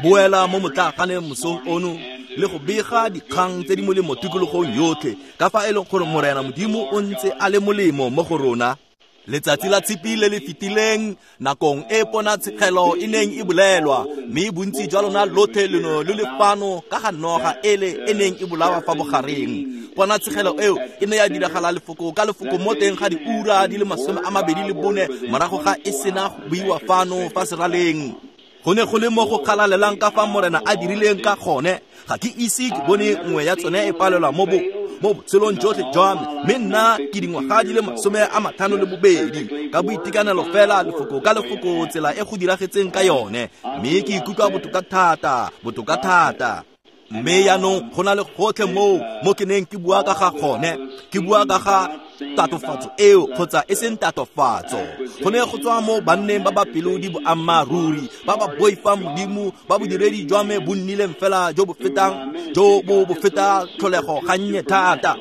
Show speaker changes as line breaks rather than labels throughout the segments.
Boela mo motlaaganeng mosong ono le go bega dikgang tse di molemo tikologong yotlhe ka fa e leng gore Morena Modimo o ntse a le molemo mo go rona. Letsatsi la Tshipi le le fetileng, nakong e ponatshegelo e neng e bolelwa, mme bontsi jwa lona lotlhe leno lo le fano ka ga noga ele e neng e bolawa fa bogareng. Ponatshegelo eo e ne ya diragala lefoko ka lefoko mo teng ga diura di le 24 morago ga e sena go buiwa fano fa seraleng. Go ne go le mo go kgalalelang ka fa Morena a dirileng ka gone. Ga ke ise ke bone nngwe ya tsone e palelwa mo botshelong jotlhe jwa me, mme nna ke dingwaga di le 52 ka boitekanelo fela lefoko ka lefoko tsela e go diragetseng ka yone, mme ke ikutlwa botoka thata, botoka thata. Mme yaanong go na le gotlhe moo mo ke neng ke bua ka ga gone, ke bua ka ga tatofatso eo kgotsa e seng tatofatso. Go ne go tswa mo banneng ba ba pelo di boammaaruri, ba ba boifang Modimo, ba bodiredi jwa me bo nnileng fela jo bo fetang jo bo bo feta tlholego gannye thata.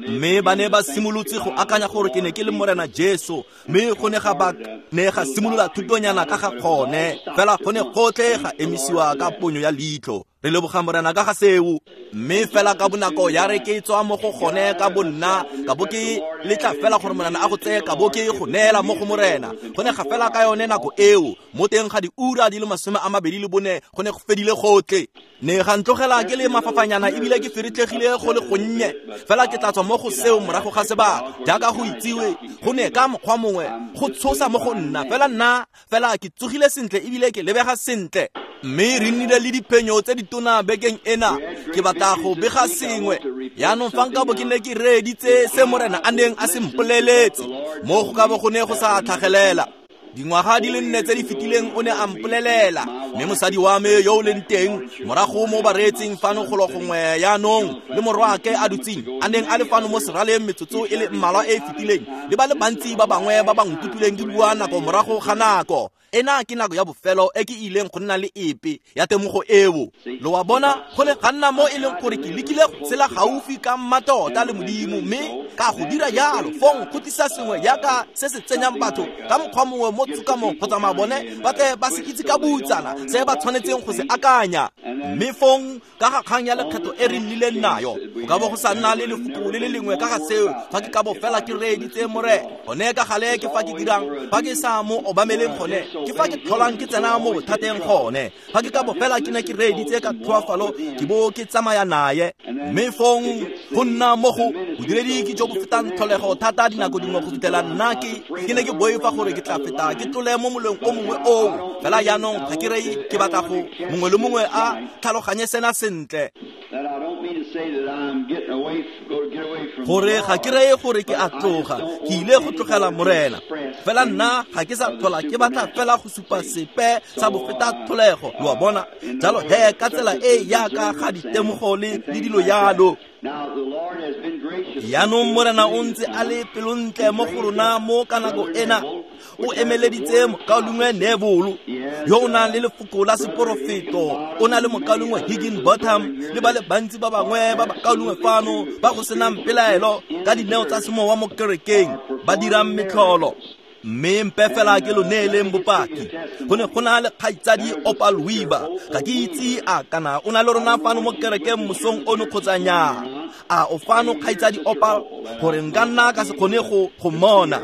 Mme ba ne ba simolotse go akanya gore ke ne ke le Morena Jesu, mme go ne ga ba ne ga simolola thutonyana ka ga gone, fela go ne gotlhe ga emisiwa ka ponyo ya leitlho. Re leboga Morena ka ga seo. Mme fela ka bonako ya re ke tswa mo go gone ka bonna, ka bo ke letla fela gore Morena a go tseye, ka bo ke go neela mo go Morena. Go ne ga fela ka yone nako eo, mo teng ga diura di le 24 go ne go fedile gotlhe. Ne ga ntlogela ke le mafafanyana ebile ke feretlhegile go le gonnye, fela ke tla tswa mo go seo morago ga sebaka. Jaaka go itsiwe, go ne ka mokgwa mongwe go tshosa mo go nna, fela nna fela ke tsogile sentle ebile ke lebega sentle. Mme re nnile le diphenyo tse ditona bekeng ena. Ke batla go bega sengwe. Yaanong fa nka bo ke ne ke reeditse se Morena a neng a se mpoleletse, mo go ka bo go ne go sa tlhagelela. Dingwaga di le 4 tse di fetileng o ne a mpolelela, mme mosadi wa me yo o leng teng morago mo bareetsing fano golo gongwe yaanong, le morwaake a dutseng a neng a le fano mo seraleng metsotso e le mmalwa e e fetileng, le ba le bantsi ba bangwe ba ba nkutlwileng ke bua nako morago ga nako. Ena ke nako ya bofelo e ke ileng go nna le epe ya temogo eo. Lo wa bona, go ne ga nna mo e leng gore ke lekile go tshela gaufi ka mmatota le Modimo, mme ka go dira jalo fong go tlisa sengwe jaaka se se tsenyang batho ka mokgwa mongwe mo tshokamong go tsamaya bone ba tle ba se itse ka boutsana se ba tshwanetseng go se akanya. Mme fong ka ga kgang ya lekgetho e re nnileng nayo, go ka bo go sa nna le lefoko le le lengwe ka ga seo fa ke ka bo fela ke reeditse Morena. Gone ka gale ke fa ke dirang, fa ke sa mo obameleng gone, ke fa ke tlholang ke tsena mo bothateng gone. Fa ke ka bo fela ke ne ke reeditse ka tlhoafalo, ke bo ke tsamaya naye. Mme fong go nna mo go bodiredi ke jo bo fetang tlholego thata dinako dingwe go fitlhela nna ke ne ke boifa gore ke tla feta ke tlole mo moleng o mongwe oo. Fela jaanong ga ke reye ke batla go mongwe le mongwe a tlhaloganye sena sentle. Gore ga ke reye gore ke a tloga, ke ile go tlogela Morena. Fela nna ga ke sa tlhola ke batla fela go supa sepe sa bofeta tlholego, lo a bona. Jalo he ka tsela e yaka ga ditemogo le dilo yalo. Yaanong Morena o ntse a le pelontle mo go rona mo ka nako ena. O emeleditse mokaulengwe Neville yo o nang le lefoko la seporofeto, o na le mokaulengwe Higginbotham le ba le bantsi ba bangwe ba bakaulengwe fano ba go senang pelaelo ka dineo tsa semowa mo kerekeng ba dirang metlholo. Mme mpe fela ke lo neeleng bopaki. Go ne go na le kgaitsadi Opal Weaver. Ga ke itse a kana o na le rona fano mo kerekeng mosong ono kgotsa nnyaa. A o fano kgaitsadi Opal, gore nka nna ka se kgone go mmona.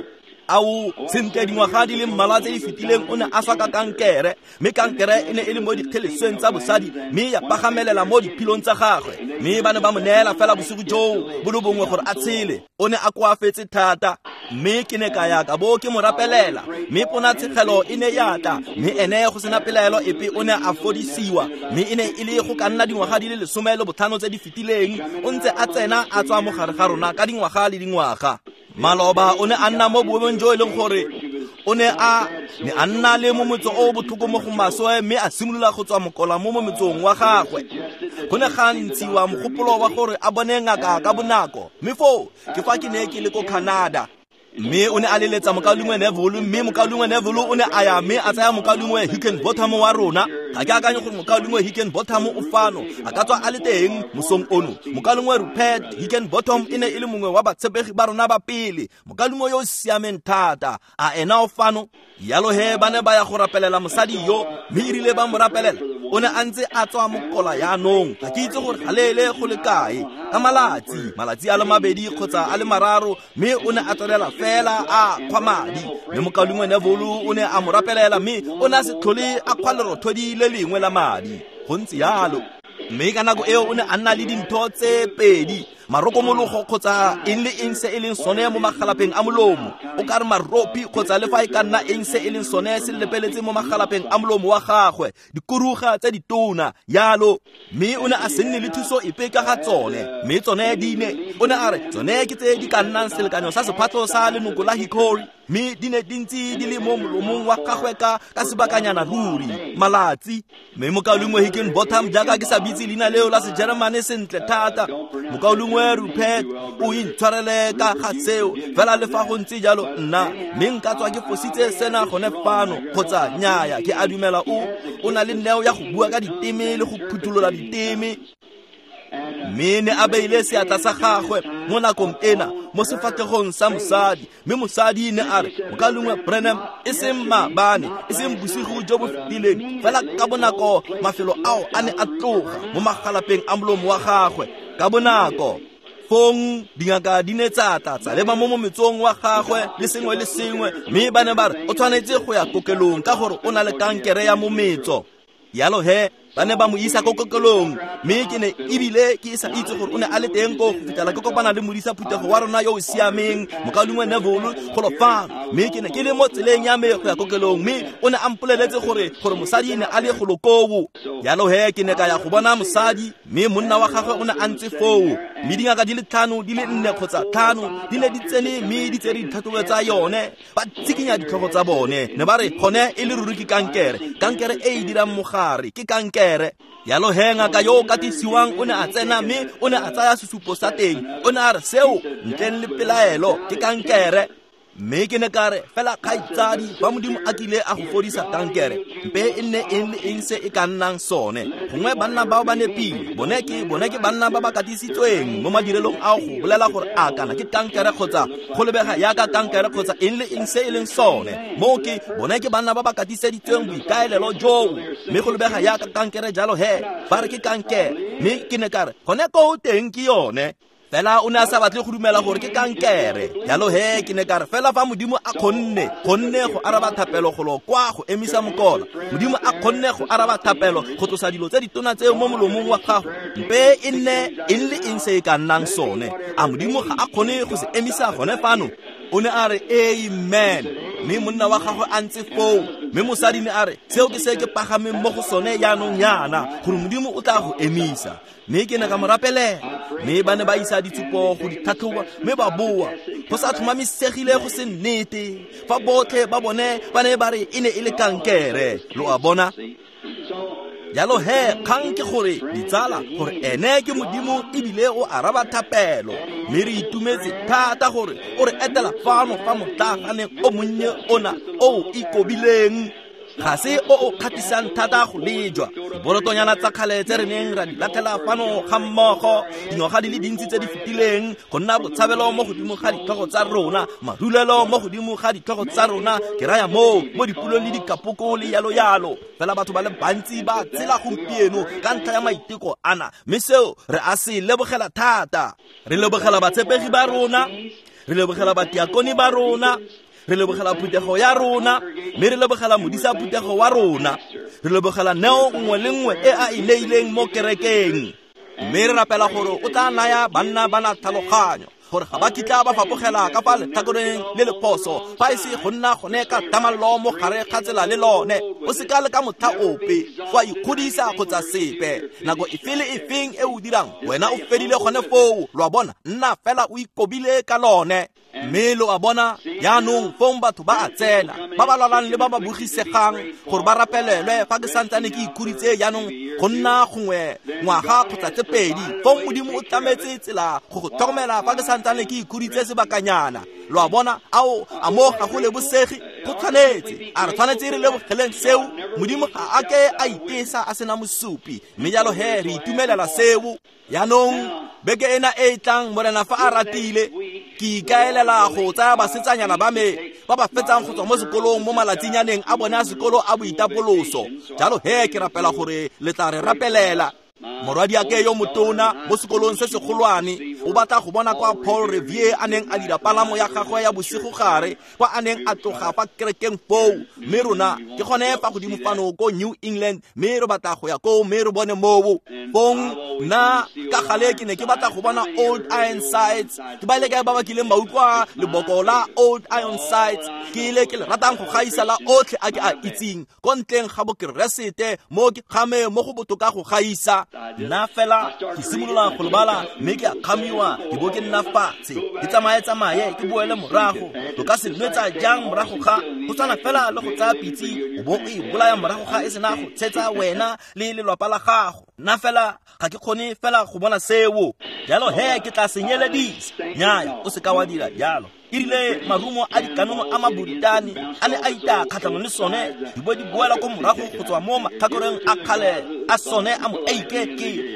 Ao, sentle dingwaga di le mmalwa tse di fetileng o ne a swa ka kankere, mme kankere e ne e le mo dikgelesweng tsa bosadi, mme ya pagamelela mo diphilong tsa gagwe. Mme ba ne ba mo neela fela bosigo joo bo le bongwe gore a tshele. O ne a koafetse thata, mme ke ne ka ya ka bo ke mo rapelela, mme ponatshegelo e ne ya tla, mme ene go sena pelaelo epe o ne a fodisiwa. Mme e ne e le go ka nna dingwaga di le 15 tse di fetileng, o ntse a tsena a tswa mo gare ga rona ka dingwaga le dingwaga. Maloba o ne a nna mo boemong jo e leng gore o ne a ne a nna le momotso o botlhoko mo go maswe, mme a simolola go tswa mokola mo mometsong wa gagwe. Go ne ga ntshiwa mogopolo wa gore a bone ngaka ka bonako, mme foo ke fa ke ne ke le ko Canada. Mme o ne a leletsa mokaulengwe Neville, mme mokaulengwe Neville o ne a ya mme a tsaya mokaulengwe Higginbotham wa rona. Ga ke akanye gore mokaulengwe Hickenbottom o fano, a ka tswa a le teng mosong ono. Mokaulengwe Rupert Hickenbottom e ne e le mongwe wa batshepegi ba rona ba pele, mokaulengwe yo o siameng thata. A ena o fano? Yalo he ba ne ba ya go rapelela mosadi yo, mme erile ba mo rapelela, o ne a ntse a tswa mokola yaanong. Ga ke itse gore ga leele go le kae, ka malatsi a le 2 kgotsa a le 3, mme o ne a tswelela fela a kgwa madi. Mme mokaulengwe Neville o ne a mo rapelela, mme o ne a se tlhole a kgwa lerothodi le lengwe la madi. Go ntse yalo. Mme ka nako eo o ne a nna le dintho tse 2, marokomologo kgotsa eng le eng se e leng sone mo magalapeng a molomo. O ka re maropi kgotsa le fa e ka nna eng se e leng sone se lepeletse mo magalapeng a molomo wa gagwe, dikuruga tse ditona yalo. Mme o ne a se nne le thuso epe ka ga tsone, mme tsone di ne, o ne a re tsone ke tse di ka nnang selekanyo sa sephatlo sa lenoko la hickory, mme di ne di ntse di le mo molomong wa gagwe ka sebakanyana ruri malatsi. Mme mokaulengwe Hickenbottom, jaaka ke sa bitse leina leo la Sejeremane sentle thata, mokaulengwe Rupert o intshwarele ka ga seo, fela le fa go ntse jalo nna mme nka tswa ke fositse sena gone fano kgotsa nnyaya. Ke a dumela o na le neo ya go bua ka diteme le go phutholola diteme. Mme ne a beile seatla sa gagwe mo nakong ena mo sefatlhegong sa mosadi, mme mosadi ne a re, mokaulengwe Branham, e seng maabane, e seng bosigo jo bo fetileng, fela ka bonako mafelo ao a ne a tloga mo magalapeng a molomo wa gagwe ka bonako. Fong dingaka di ne tsa tla tsa leba mo mometsong wa gagwe le sengwe le sengwe, mme ba ne ba re o tshwanetse go ya kokelong ka gore o na le kankere ya mometso. Yalo he ba ne ba mo isa ko kokelong, mme ke ne ebile ke sa itse gore o ne a le teng ko go fitlhela ke kopana le modisa phuthego wa rona yo o siameng, mokaulengwe Neville, golo fano. Mme ke ne ke le mo tseleng ya me go ya kokelong, mme o ne a mpoleletse gore mosadi ne a le golo koo. Yalo he ke ne ka ya go bona mosadi, mme monna wa gagwe o ne a ntse foo, mme dingaka di le 5, di le 4 kgotsa 5 di ne di tsene mme di tsere ditlhatlhobo tsa yone, ba tsikinya ditlhogo tsa bone. Ne ba re gone e le ruri ke kankere, kankere e e dirang mogare ke kankere. Yalo he ngaka yo o katisiwang o ne a tsena mme o ne a tsaya sesupo sa teng, o ne a re seo ntleng le pelaelo ke kankere. Mme ke ne ka re fela kgaitsadi, fa Modimo a kile a go fodisa kankere, mpe e nne eng le eng se e ka nnang sone. Gongwe banna bao ba nepile, bone ke banna ba ba katisitsweng mo madirelong ao go bolela gore a kana ke kankere kgotsa go lebega yaka kankere kgotsa eng le eng se e leng sone. Moo ke bone ke banna ba ba katiseditsweng boikaelelo joo, mme go lebega yaka kankere jalo he ba re ke kankere. Mme ke ne ka re gone koo teng ke yone. Fela o ne a sa batle go dumela gore ke kankere. Jalo he ke ne ka re fela fa Modimo a kgonne go araba thapelo golo kwa go emisa mokola, Modimo a kgonne go araba thapelo go tlosa dilo tse ditona tseo mo molomong wa gago, mpe e nne eng le eng se e ka nnang sone. A Modimo ga a kgone go se emisa gone fano? O ne a re amen. Mme monna wa gagwe a ntse foo, mme mosadi ne a re seo ke se ke pagameng mo go sone jaanong yana, gore Modimo o tla go emisa. Mme ke ne ka mo rapelela, mme ba ne ba isa ditshupo go ditlhatlhoba, mme ba boa go sa tlhomamisegile go se nnete, fa botlhe ba bone ba ne ba re e ne e le kankere. Lo a bona? Jalo he kgang ke gore ditsala, gore ene ke Modimo ebile o araba thapelo. Mme re itumetse thata gore o re etela fano fa motlaaganeng o monnye ona o ikobileng. Ga se o o kgatlhisang thata go lejwa. Diborotonyana tsa kgale tse re neng ra di latlhela fano ga mmogo dingwaga di le dintsi tse di fetileng, go nna botshabelo mo godimo ga ditlhogo tsa rona, marulelo mo godimo ga ditlhogo tsa rona, ke raya moo mo dipulong le dikapoko le yalo yalo. Fela batho ba le bantsi ba tsela gompieno ka ntlha ya maiteko ana, mme seo re a se lebogela thata. Re lebogela batshepegi ba rona, re lebogela batiakone ba rona, re lebogela phuthego ya rona, mme re lebogela modisa phuthego wa rona, re lebogela neo nngwe le nngwe e a e neileng mo kerekeng. Mme re rapela gore o tla naya banna ba na tlhaloganyo, gore ga ba kitla ba fapogela ka fa letlhakoreng le lephoso, fa e se go nna gone ka tamallo mo gare ga tsela le lone. O se ka le ka motlha ope go a ikgodisa kgotsa sepe. Nako efe le efeng e o dirang, wena o fedile gone foo. Lo a bona? Nna fela o ikobile ka lone. Mme lo a bona jaanong fong batho ba a tsena, ba ba lwalang le ba ba bogisegang gore ba rapelelwe. Fa ke santsane ke ikhuritse jaanong go nna gongwe ngwaga kgotsa tse 2, fong Modimo o tlametse tsela go go tlhokomela fa ke santsane ke ikhuritse sebakanyana. Lo a bona? Ao a mo ga go lebosege Go tshwanetse, a re tshwanetse re lebogeleng seo. Modimo ga a ke a itesa a sena mosupi, mme jalo he re itumelela seo. Yaanong beke ena e e tlang, Morena fa a ratile, ke ikaelela go tsaya basetsanyana ba me ba ba fetsang go tswa mo sekolong mo malatsinyaneng a bone a sekolo a boitapoloso. Jalo he ke rapela gore le tla re rapelela. Morwadiake yo motona mo sekolong se segolwane o batla go bona kwa Paul Revere a neng a dira palamo ya gagwe ya bosigogare, kwa a neng a tloga fa kerekeng foo. Mme rona ke gone fa godimo fano ko New England, mme re batla go ya koo mme re bone moo. Fong nna ka gale ke ne ke batla go bona Old Ironsides. Ke ba ile kae ba ba kileng ba utlwa leboko la Old Ironsides? Ke ile ke le ratang go gaisa la otlhe a ke a itseng ko ntleng ga bokeresete, mo ke kgame mo go botoka go gaisa. Nna fela ke simolola go lebala mme ke a kgamiwa, ke bo ke nna fatshe, ke tsamaye-tsamaye, ke boele morago. Lo ka se nwetsa jang morago ga go tshwana fela le go tsaya pitse o bo o e bolaya morago ga e sena go tshetsa wena le lelwapa la gago. Nna fela ga ke kgone fela go bona seo. Jalo he ke tla senyeledisa. Nnyaya, o seka wa dira jalo. E rile marumo a dikanono a Maboritane a ne a ita kgatlhanong le sone, di bo di boela ko morago go tswa mo matlhakoreng a kgale a sone a moeike.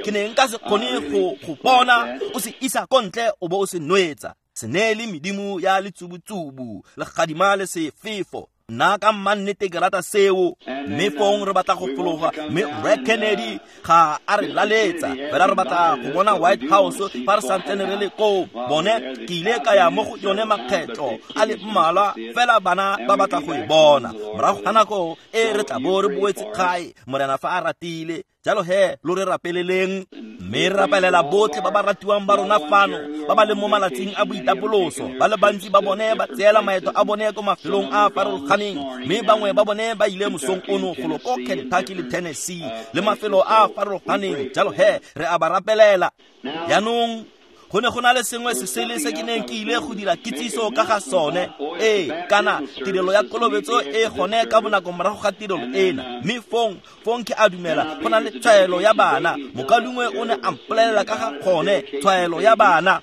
Ke ne nka se kgone go bona o se isa ko ntle o bo o se nwetsa. Se neele medimo ya letsubutsubu, legadima le sefefo. Nna ka mmannete ke rata seo. Mme fong re batla go fologa, mme Rre Kennedy ga a re laletsa, fela re batla go bona White House fa re santsane re le koo. Bone ke ile ka ya mo go yone makgetlo a le mmalwa, fela bana ba batla go e bona. Morago ga nako e re tla bo re boetse gae, Morena fa a ratile. Jalo he lo re rapeleleng, mme re rapelela botlhe ba ba ratiwang ba rona fano ba ba leng mo malatsing a boitapoloso. Ba le bantsi ba bone ba tseela maeto a bone ko mafelong a a farologaneng, mme bangwe ba bone ba ile mosong ono golo ko Kentucky le Tennessee le mafelo a a farologaneng. Jalo he re a ba rapelela. Yaanong go ne go na le sengwe se sele se ke neng ke ile go dira kitsiso ka ga sone. Ee, kana tirelo ya kolobetso e gone ka bonako morago ga tirelo ena. Mme fong ke a dumela go na le tshwaelo ya bana. Mokalungwe o ne a mpolelela ka ga gone, tshwaelo ya bana.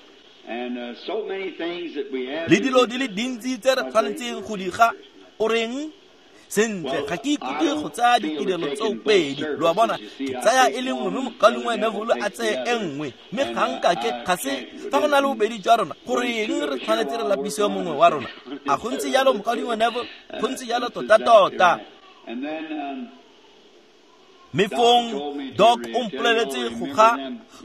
Le dilo di le dintsi tse re tshwanetseng go di ga. O reng? Sentle, ga ke ikutlwe go tsaya ditirelo tseo pedi. Lo a bona, ke tsaya e le nngwe mme mokalungwe Neville a tseye e nngwe. Mme ga nka ke ga se fa go na le bobedi jwa rona, goreng re tshwanetse re lapise mongwe wa rona? A go ntse jalo, mokalungwe Neville? Go ntse jalo tota-tota. Mme fong Doc o mpoleletse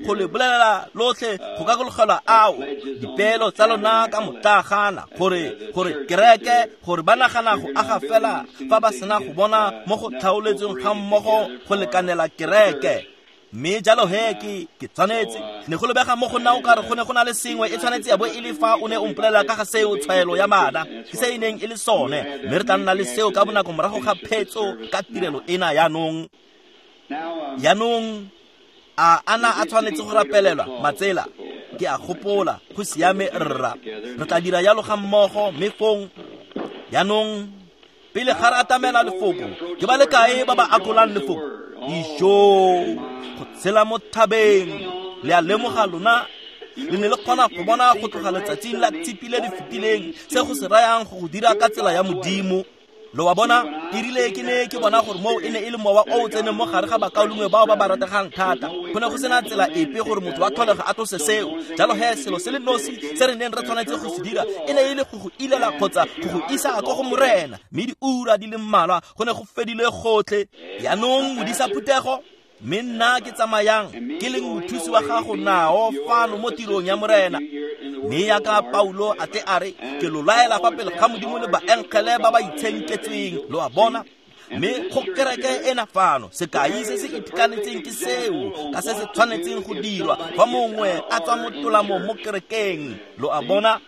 go le bolelela lotlhe go gakologelwa ao dipeelo tsa lona ka motlagana, gore kereke, gore ba nagana go aga fela fa ba sena go bona mo go tlhaoletsweng ga mmogo go lekanela kereke. Mme jalo he ke tshwanetse ne go lebega mo go nna o kare go ne go na le sengwe e tshwanetse ya bo e le fa o ne o mpolelela ka ga seo, tshwaelo ya bana ke se e neng e le sone. Mme re tla nna le seo ka bonako morago ga phetso ka tirelo ena yaanong. Yaanong a ana a tshwanetse go rapelelwa matsela, ke a gopola go siame rra. Re tla dira jalo ga mmogo. Mme fong yaanong pele ga re atamela lefoko, ke ba le kae ba ba akolang lefoko? Dijo go tshela mo thabeng. Le a lemoga lona, le ne le kgona go bona go tloga letsatsing la Tshipi le le fetileng se go se rayang go go dira ka tsela ya Modimo. Lo wa bona, e rile ke ne ke bona gore moo e ne e le mowa o o tseneng mo gare ga bakaulengwe bao ba ba rategang thata. Go ne go sena tsela epe gore motho wa tlholego a tlose seo. Jalo he selo se le nosi se re neng re tshwanetse go se dira e ne e le go go ilela kgotsa go go isa ko go Morena. Mme diura di le mmalwa go ne go fedile gotlhe. Yaanong modisa phuthego, mme nna ke tsamayang ke leng mothusi wa gago nao fano mo tirong ya Morena. Mme yaka Paulo a tle a re, ke lo laela fa pele ga Modimo le baengele ba ba itshenketsweng. Lo a bona? Mme go kereke ena fano, sekai se se itekanetseng ke seo, ka se se tshwanetseng go dirwa fa mongwe a tswa mo tolamong mo kerekeng. Lo a bona?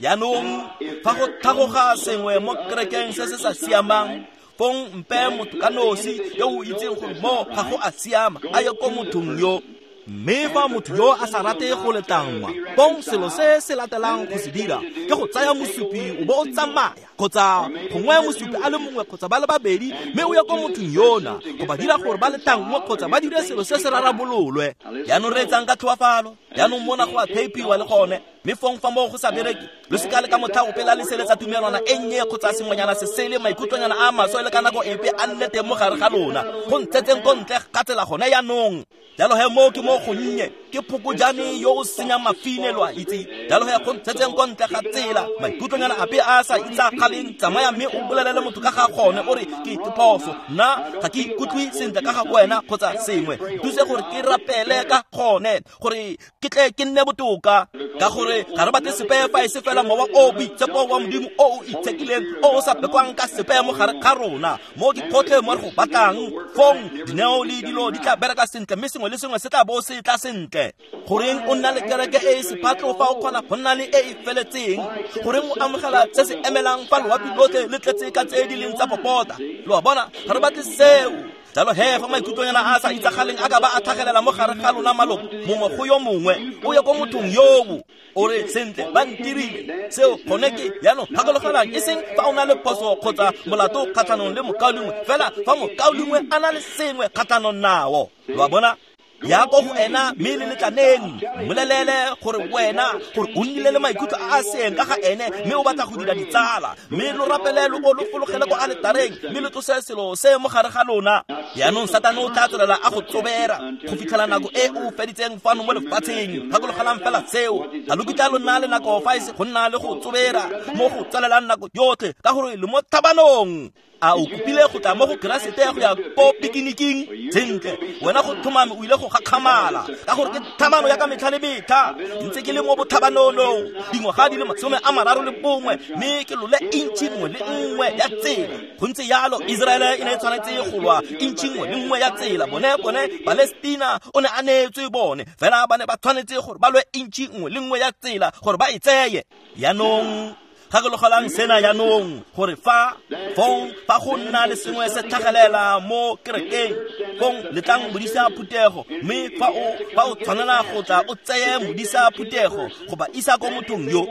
Yaanong fa go tlhagoga sengwe mo kerekeng se se sa siamang, fong mpe motho ka nosi yo o itseng gore mo ga go a siama a ye ko mothong yo. Mme fa motho yo a sa rate go letlangwa, fong selo se se latelang go se dira ke go tsaya mosupi o bo o tsamaya, kgotsa gongwe mosupi a le mongwe kgotsa ba le babedi, mme o ye ko mothong yona go ba dira gore ba letlangwe kgotsa ba dire selo se se rarabololwe. Jaanong reetsang ka tlhoafalo. Jaanong mona go a theipiwa le gone, mme fong fa moo go sa bereke, lo seka le ka motlha ope la leseletsa tumelwana e nnye kgotsa sengwenyana se sele, maikutlonyana a maswe le ka nako epe a nne teng mo gare ga lona. Go ntshetseng ko ntle ga tsela gone jaanong. Jalo he moo ke mo gonnye, ke phokojane yo o senyang mafine, lo a itse. Jalo he go ntshetseng ko ntle ga tsela, maikutlonyana ape a sa itsagaleng, tsamaya mme o bolelele motho ka ga gone, o re ke phoso, nna ga ke ikutlwe sentle ka ga wena kgotsa sengwe, thuse gore ke rapele ka gone gore ke tle ke nne botoka, ka gore ga re batle sepe fa e se fela mowa o boitshepo wa Modimo o o itshekileng o o sa bekwang ka sepe mo gare ga rona. Mo ke gotlhe mo re go batlang, fong dineo le dilo di tla bereka sentle, mme sengwe le sengwe se tla bo se tla sentle. Goreng o nna le kereke e e sephatlo fa o kgona go nna le e e feletseng? Goreng o amogela se se emelang fa loapi lotlhe le tletse ka tse di leng tsa popota? Lo a bona, ga re batle seo. Jalo he fa maikutlonyana a sa itsagaleng a ka ba a tlhagelela mo gare ga lona maloko mongwe go yo mongwe, o ye ko mothong yoo, o re sentle ba ntirile seo gone ke. Jaanong gakologelang, e seng fa o na le phoso kgotsa molato kgatlhanong le mokaulengwe, fela fa mokaulengwe a na le sengwe kgatlhanong nao, lo a bona, ya ko go ena mme le letlaneng, mmolelele gore wena gore o nnile le maikutlo a a seeng ka ga ene, mme o batla go dira ditsala, mme lo rapele lo bo lo fologele ko aletareng, mme lo tlose selo se mo gare ga lona. Jaanong Satane o tla tswelela a go tsobera go fitlhela nako e o feditseng fano mo lefatsheng. Gakologelang fela seo, ga lo kitla lo nna le nako fa e se go nna le go tsobera mo go tswelelang nako yotlhe, ka gore le mo thabanong. A o kopile go tla mo go Keresete go ya ko pikiniking? Sentle, wena go tlhomame o ile go gakgamala, ka gore ke thamano ya ka metlha le metlha. Ntse ke le mo bothabanonong dingwaga di le 31, mme ke lole intšhi nngwe le nngwe ya tsela. Go ntse jalo, Iseraele e ne e tshwanetse go lwa intšhi nngwe le nngwe ya tsela. Bone Palestina o ne a neetswe bone, fela ba ne ba tshwanetse gore ba lwe intšhi nngwe le nngwe ya tsela gore ba e tseye. Jaanong gakologelang sena jaanong, gore fa fong fa go nna le sengwe se tlhagelela mo kerekeng, fong letlang modisa phuthego, mme fa o tshwanela go tla o tseye modisa phuthego go ba isa ko mothong yo,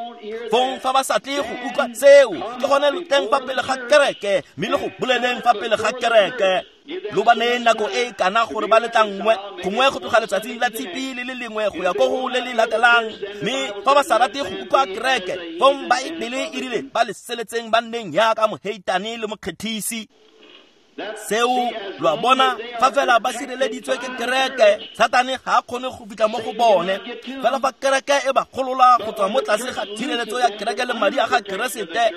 fong fa ba sa tle go utlwa seo, ke gone lo teng fa pele ga kereke, mme le go boleleng fa pele ga kereke. Lo ba neye nako e kana gore ba letlangwe, gongwe go tloga letsatsing la tshipi le le lengwe go ya ko go le le latelang. Mme fa ba sa rate go utlwa kereke, fong Baebele e rile ba le seletseng ba nneng jaaka moheitane le mokgethisi. Seo lo a bona, fa fela ba sireleditswe ke kereke, Satane ga a kgone go fitlha mo go bone. Fela fa kereke e ba golola go tswa mo tlase ga tshireletso ya kereke le madi a ga Keresete,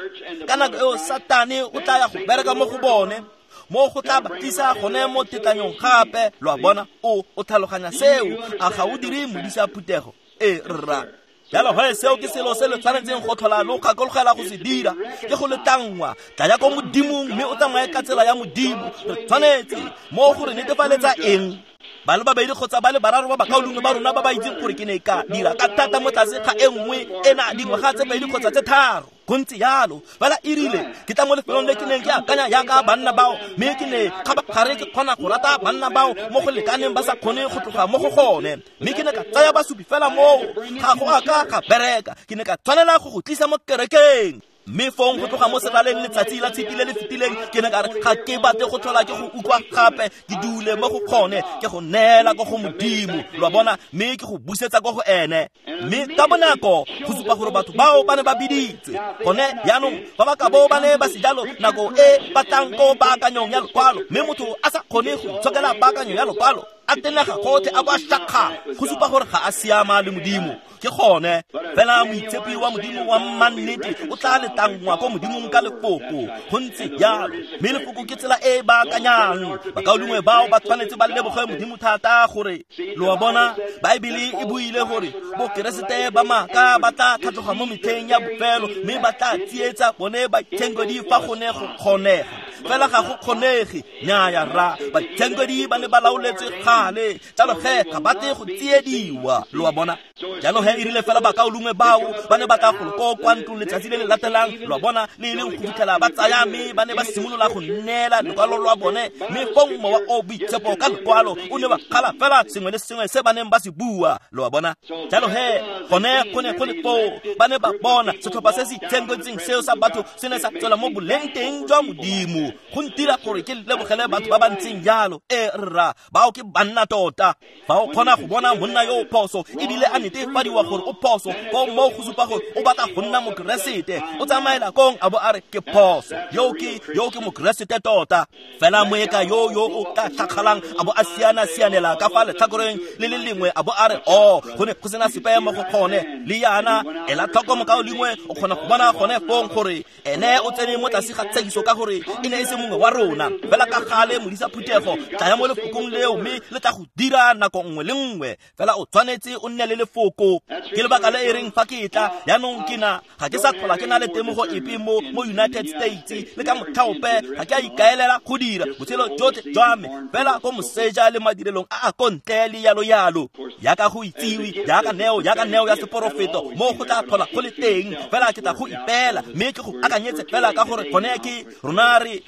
ka nako eo Satane o tla ya go bereka mo go bone, mo go tla ba tlisa gone mo tetlanyong gape. Lo a bona, o tlhaloganya seo, a ga o dire modisa phuthego? E rra. Jalo he seo ke selo se le tshwanetseng go tlhola lo gakologela go se dira, ke go letlangwa. Tla ya ko Modimong mme o tsamaye ka tsela ya Modimo. Re tshwanetse mo go re netefaletsa eng? Ba le babedi kgotsa ba le bararo ba bakaulengwe ba rona ba ba itseng gore ke ne ka dira ka thata mo tlase ga e nngwe ena dingwaga tse 2 kgotsa tse 3. Go ntse jalo, fela e rile ke tla mo lefelong le ke neng ke akanya jaaka banna bao, mme ke ne kgabagare ke kgona go rata banna bao mo go lekaneng ba sa kgone go tloga mo go gone, mme ke ne ka tsaya basupi fela moo, ga go a ka ga bereka. Ke ne ka tshwanela go go tlisa mo kerekeng. Mme fong go tloga mo seraleng letsatsi la tshipi le le fetileng, ke ne ka re ga ke batle go tlhola ke go utlwa gape, ke dule mo go kgone, ke go neela ko go Modimo, lo a bona, mme ke go busetsa ko go ene. Mme ka bonako go supa gore batho bao ba ne ba biditswe gone jaanong, ba ba ka bo ba ne ba se jalo nako e ba tlang ko baakanyong ya lokwalo, mme motho a sa kgone go itshokela baakanyo ya lokwalo, a tenega gotlhe a bo a shakgala, go supa gore ga a siama le Modimo. Ke gone fela moitshepi wa Modimo wa mmannete o tla letlangwa ko Modimong ka lefoko. Go ntse jalo, mme lefoko ke tsela e e baakanyang. Bakaulengwe bao ba tshwanetse ba leboge Modimo thata gore, lo a bona, Baebele e buile gore bokeresete ba maaka ba tla tlhatloga mo metlheng ya bofelo, mme ba tla tsietsa bone baitshenkedi fa go ne go kgonega. Fela ga go kgonege, nnyaya rra, baitshenkedi ba ne ba laoletswe gale, jalo ge ga ba tle go tsiediwa, lo a bona. Jalo he e rile fela bakaulengwe bao ba ne ba tla golo ko kwa ntlong letsatsi le le latelang, lo a bona, le e leng go fitlhela ba tsaya, mme ba ne ba simolola go neela lekwalo lwa bone, mme fong mowa o boitshepo ka lekwalo o ne wa kgala fela sengwe le sengwe se ba neng ba se bua, lo a bona. Jalo he gone go ne go le foo, ba ne ba bona setlhopha se se itshenketseng seo sa batho se ne sa tswela mo boleng teng jwa Modimo. Go ntira gore ke lebogele batho ba ba ntseng jalo. E rra, bao ke banna tota. Fa o kgona go bona monna yo o phoso ebile a netefadiwa gore o phoso, foo moo go supa gore o batla go nna mokeresete. O tsamaela kong a bo a re ke phoso. Yo ke mokeresete tota. Fela moeka yo o ka tlhakgalang a bo a siana-sianela ka fa letlhakoreng le le lengwe a bo a re o go ne go sena sepe mo go gone le yana. Ela tlhoko mokao lengwe, o kgona go bona gone fong gore ene o tsene mo tlase ga tshekiso ka gore e ne e se mongwe wa rona. Fela ka gale modisa phuthego, tlaya mo lefokong leo mme le tla go dira nako nngwe le nngwe. Fela o tshwanetse o nne le lefoko. Ke lebaka le e reng fa ke tla jaanong ke na ga ke sa tlhola ke na le temogo epe mo United States le ka motlhaope ga ke a ikaelela go dira botshelo jotlhe jwa me fela ko moseja le madirelong a a ko ntle le yalo-yalo. Jaaka go itsiwe, jaaka neo ya seporofeto mo go tla tlhola go le teng. Fela ke tla go ipeela mme ke go akanyetse fela ka gore gone ke rona re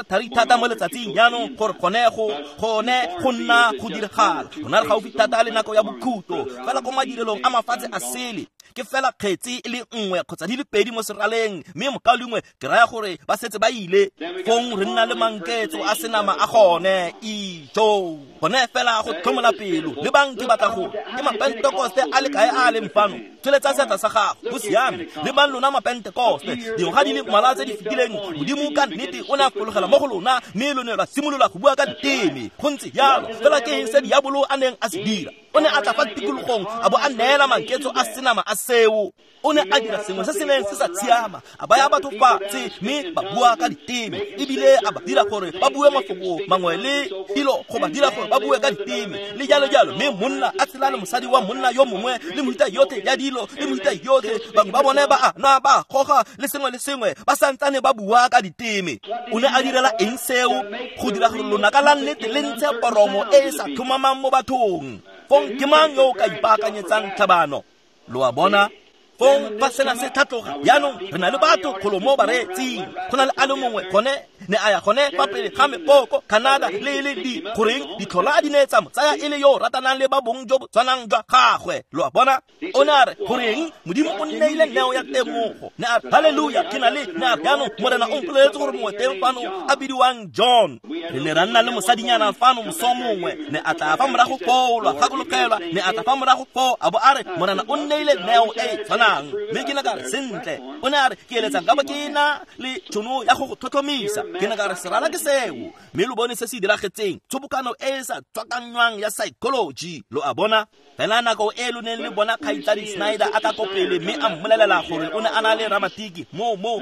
thari thata mo letsatsing jaanong gore gone go nna go diragala. Rona re gaufi thata le nako ya bokhutlo. Fela ko madirelong a mafatshe a sele ke fela kgetsi e le nngwe kgotsa di le pedi mo seraleng, mme mokaulengwe ke raya gore ba setse ba ile. Fong re nna le manketso a senama a gone ijo gone fela go tlhomola pelo. Le bang ke batla go ke mapentekoste a le kae a leng fano? Tsholetsa seatla sa gago. Go siame. Le bang lona mapentekoste, dingwaga di le mmalwa tse di fetileng Modimo ka nnete o ne a fologela mo go lona mme lo ne lwa simolola go bua ka diteme. Go ntse jalo. Fela ke eng se diabolo a neng a se dira? O ne a tla fa tikologong a bo a neela manketso a senama a seo. O ne a dira sengwe se se neng se sa tshiama, a baya batho fatshe mme ba bua ka diteme, ebile a ba dira gore ba bue mafoko mangwe le dilo go ba dira gore ba bue ka diteme le jalo-jalo. Mme monna a tshela le mosadi wa monna yo mongwe le mohuta yotlhe ya dilo le mohuta yotlhe. Bangwe ba bone ba a nwa ba goga le sengwe le sengwe, ba santsane ba bua ka diteme. O ne a direla eng seo? Go dira gore lonaka la nnete le ntshe poromo e e sa tlhomamang mo bathong. Fong ke mang yo o ka ipaakanyetsang tlhabano? Lo a bona? Fong fa sena se tlhatloga jaanong re na le batho golo mo bareetsing. Go na le a le mongwe gone ne a ya gone fa pele ga mepoko Canada le di goreng ditlhola di ne tsa mo tsaya e le yo o ratanang le ba bong jo bo tshwanang jwa gagwe. Lo a bona? O ne a re goreng Modimo o nneile neo ya temogo. Ne a re halleluja, ke na le ne a re jaanong Morena o mpoleletse gore mongwe teng fano a bidiwang John. Re ne ra nna le mosadinyana fano moso mongwe, ne a tla fa morago foo, lwa gakologelwa, ne a tla fa morago foo a bo a re Morena o nneile neo e e tshwanang. Mme ke ne ka re sentle. O ne a re ke eletsa nka bo ke na le tšhono ya go go tlhotlhomisa. Ke ne ka re serala ke seo. Mme lo bone se se diragetseng, tshobokano e e sa tswakanywang ya psychology. Lo a bona? Fela nako e lo neng le bona kgaitsadi Snyder a tla ko pele mme a mmolelela gore o ne a na le ramatiki mo go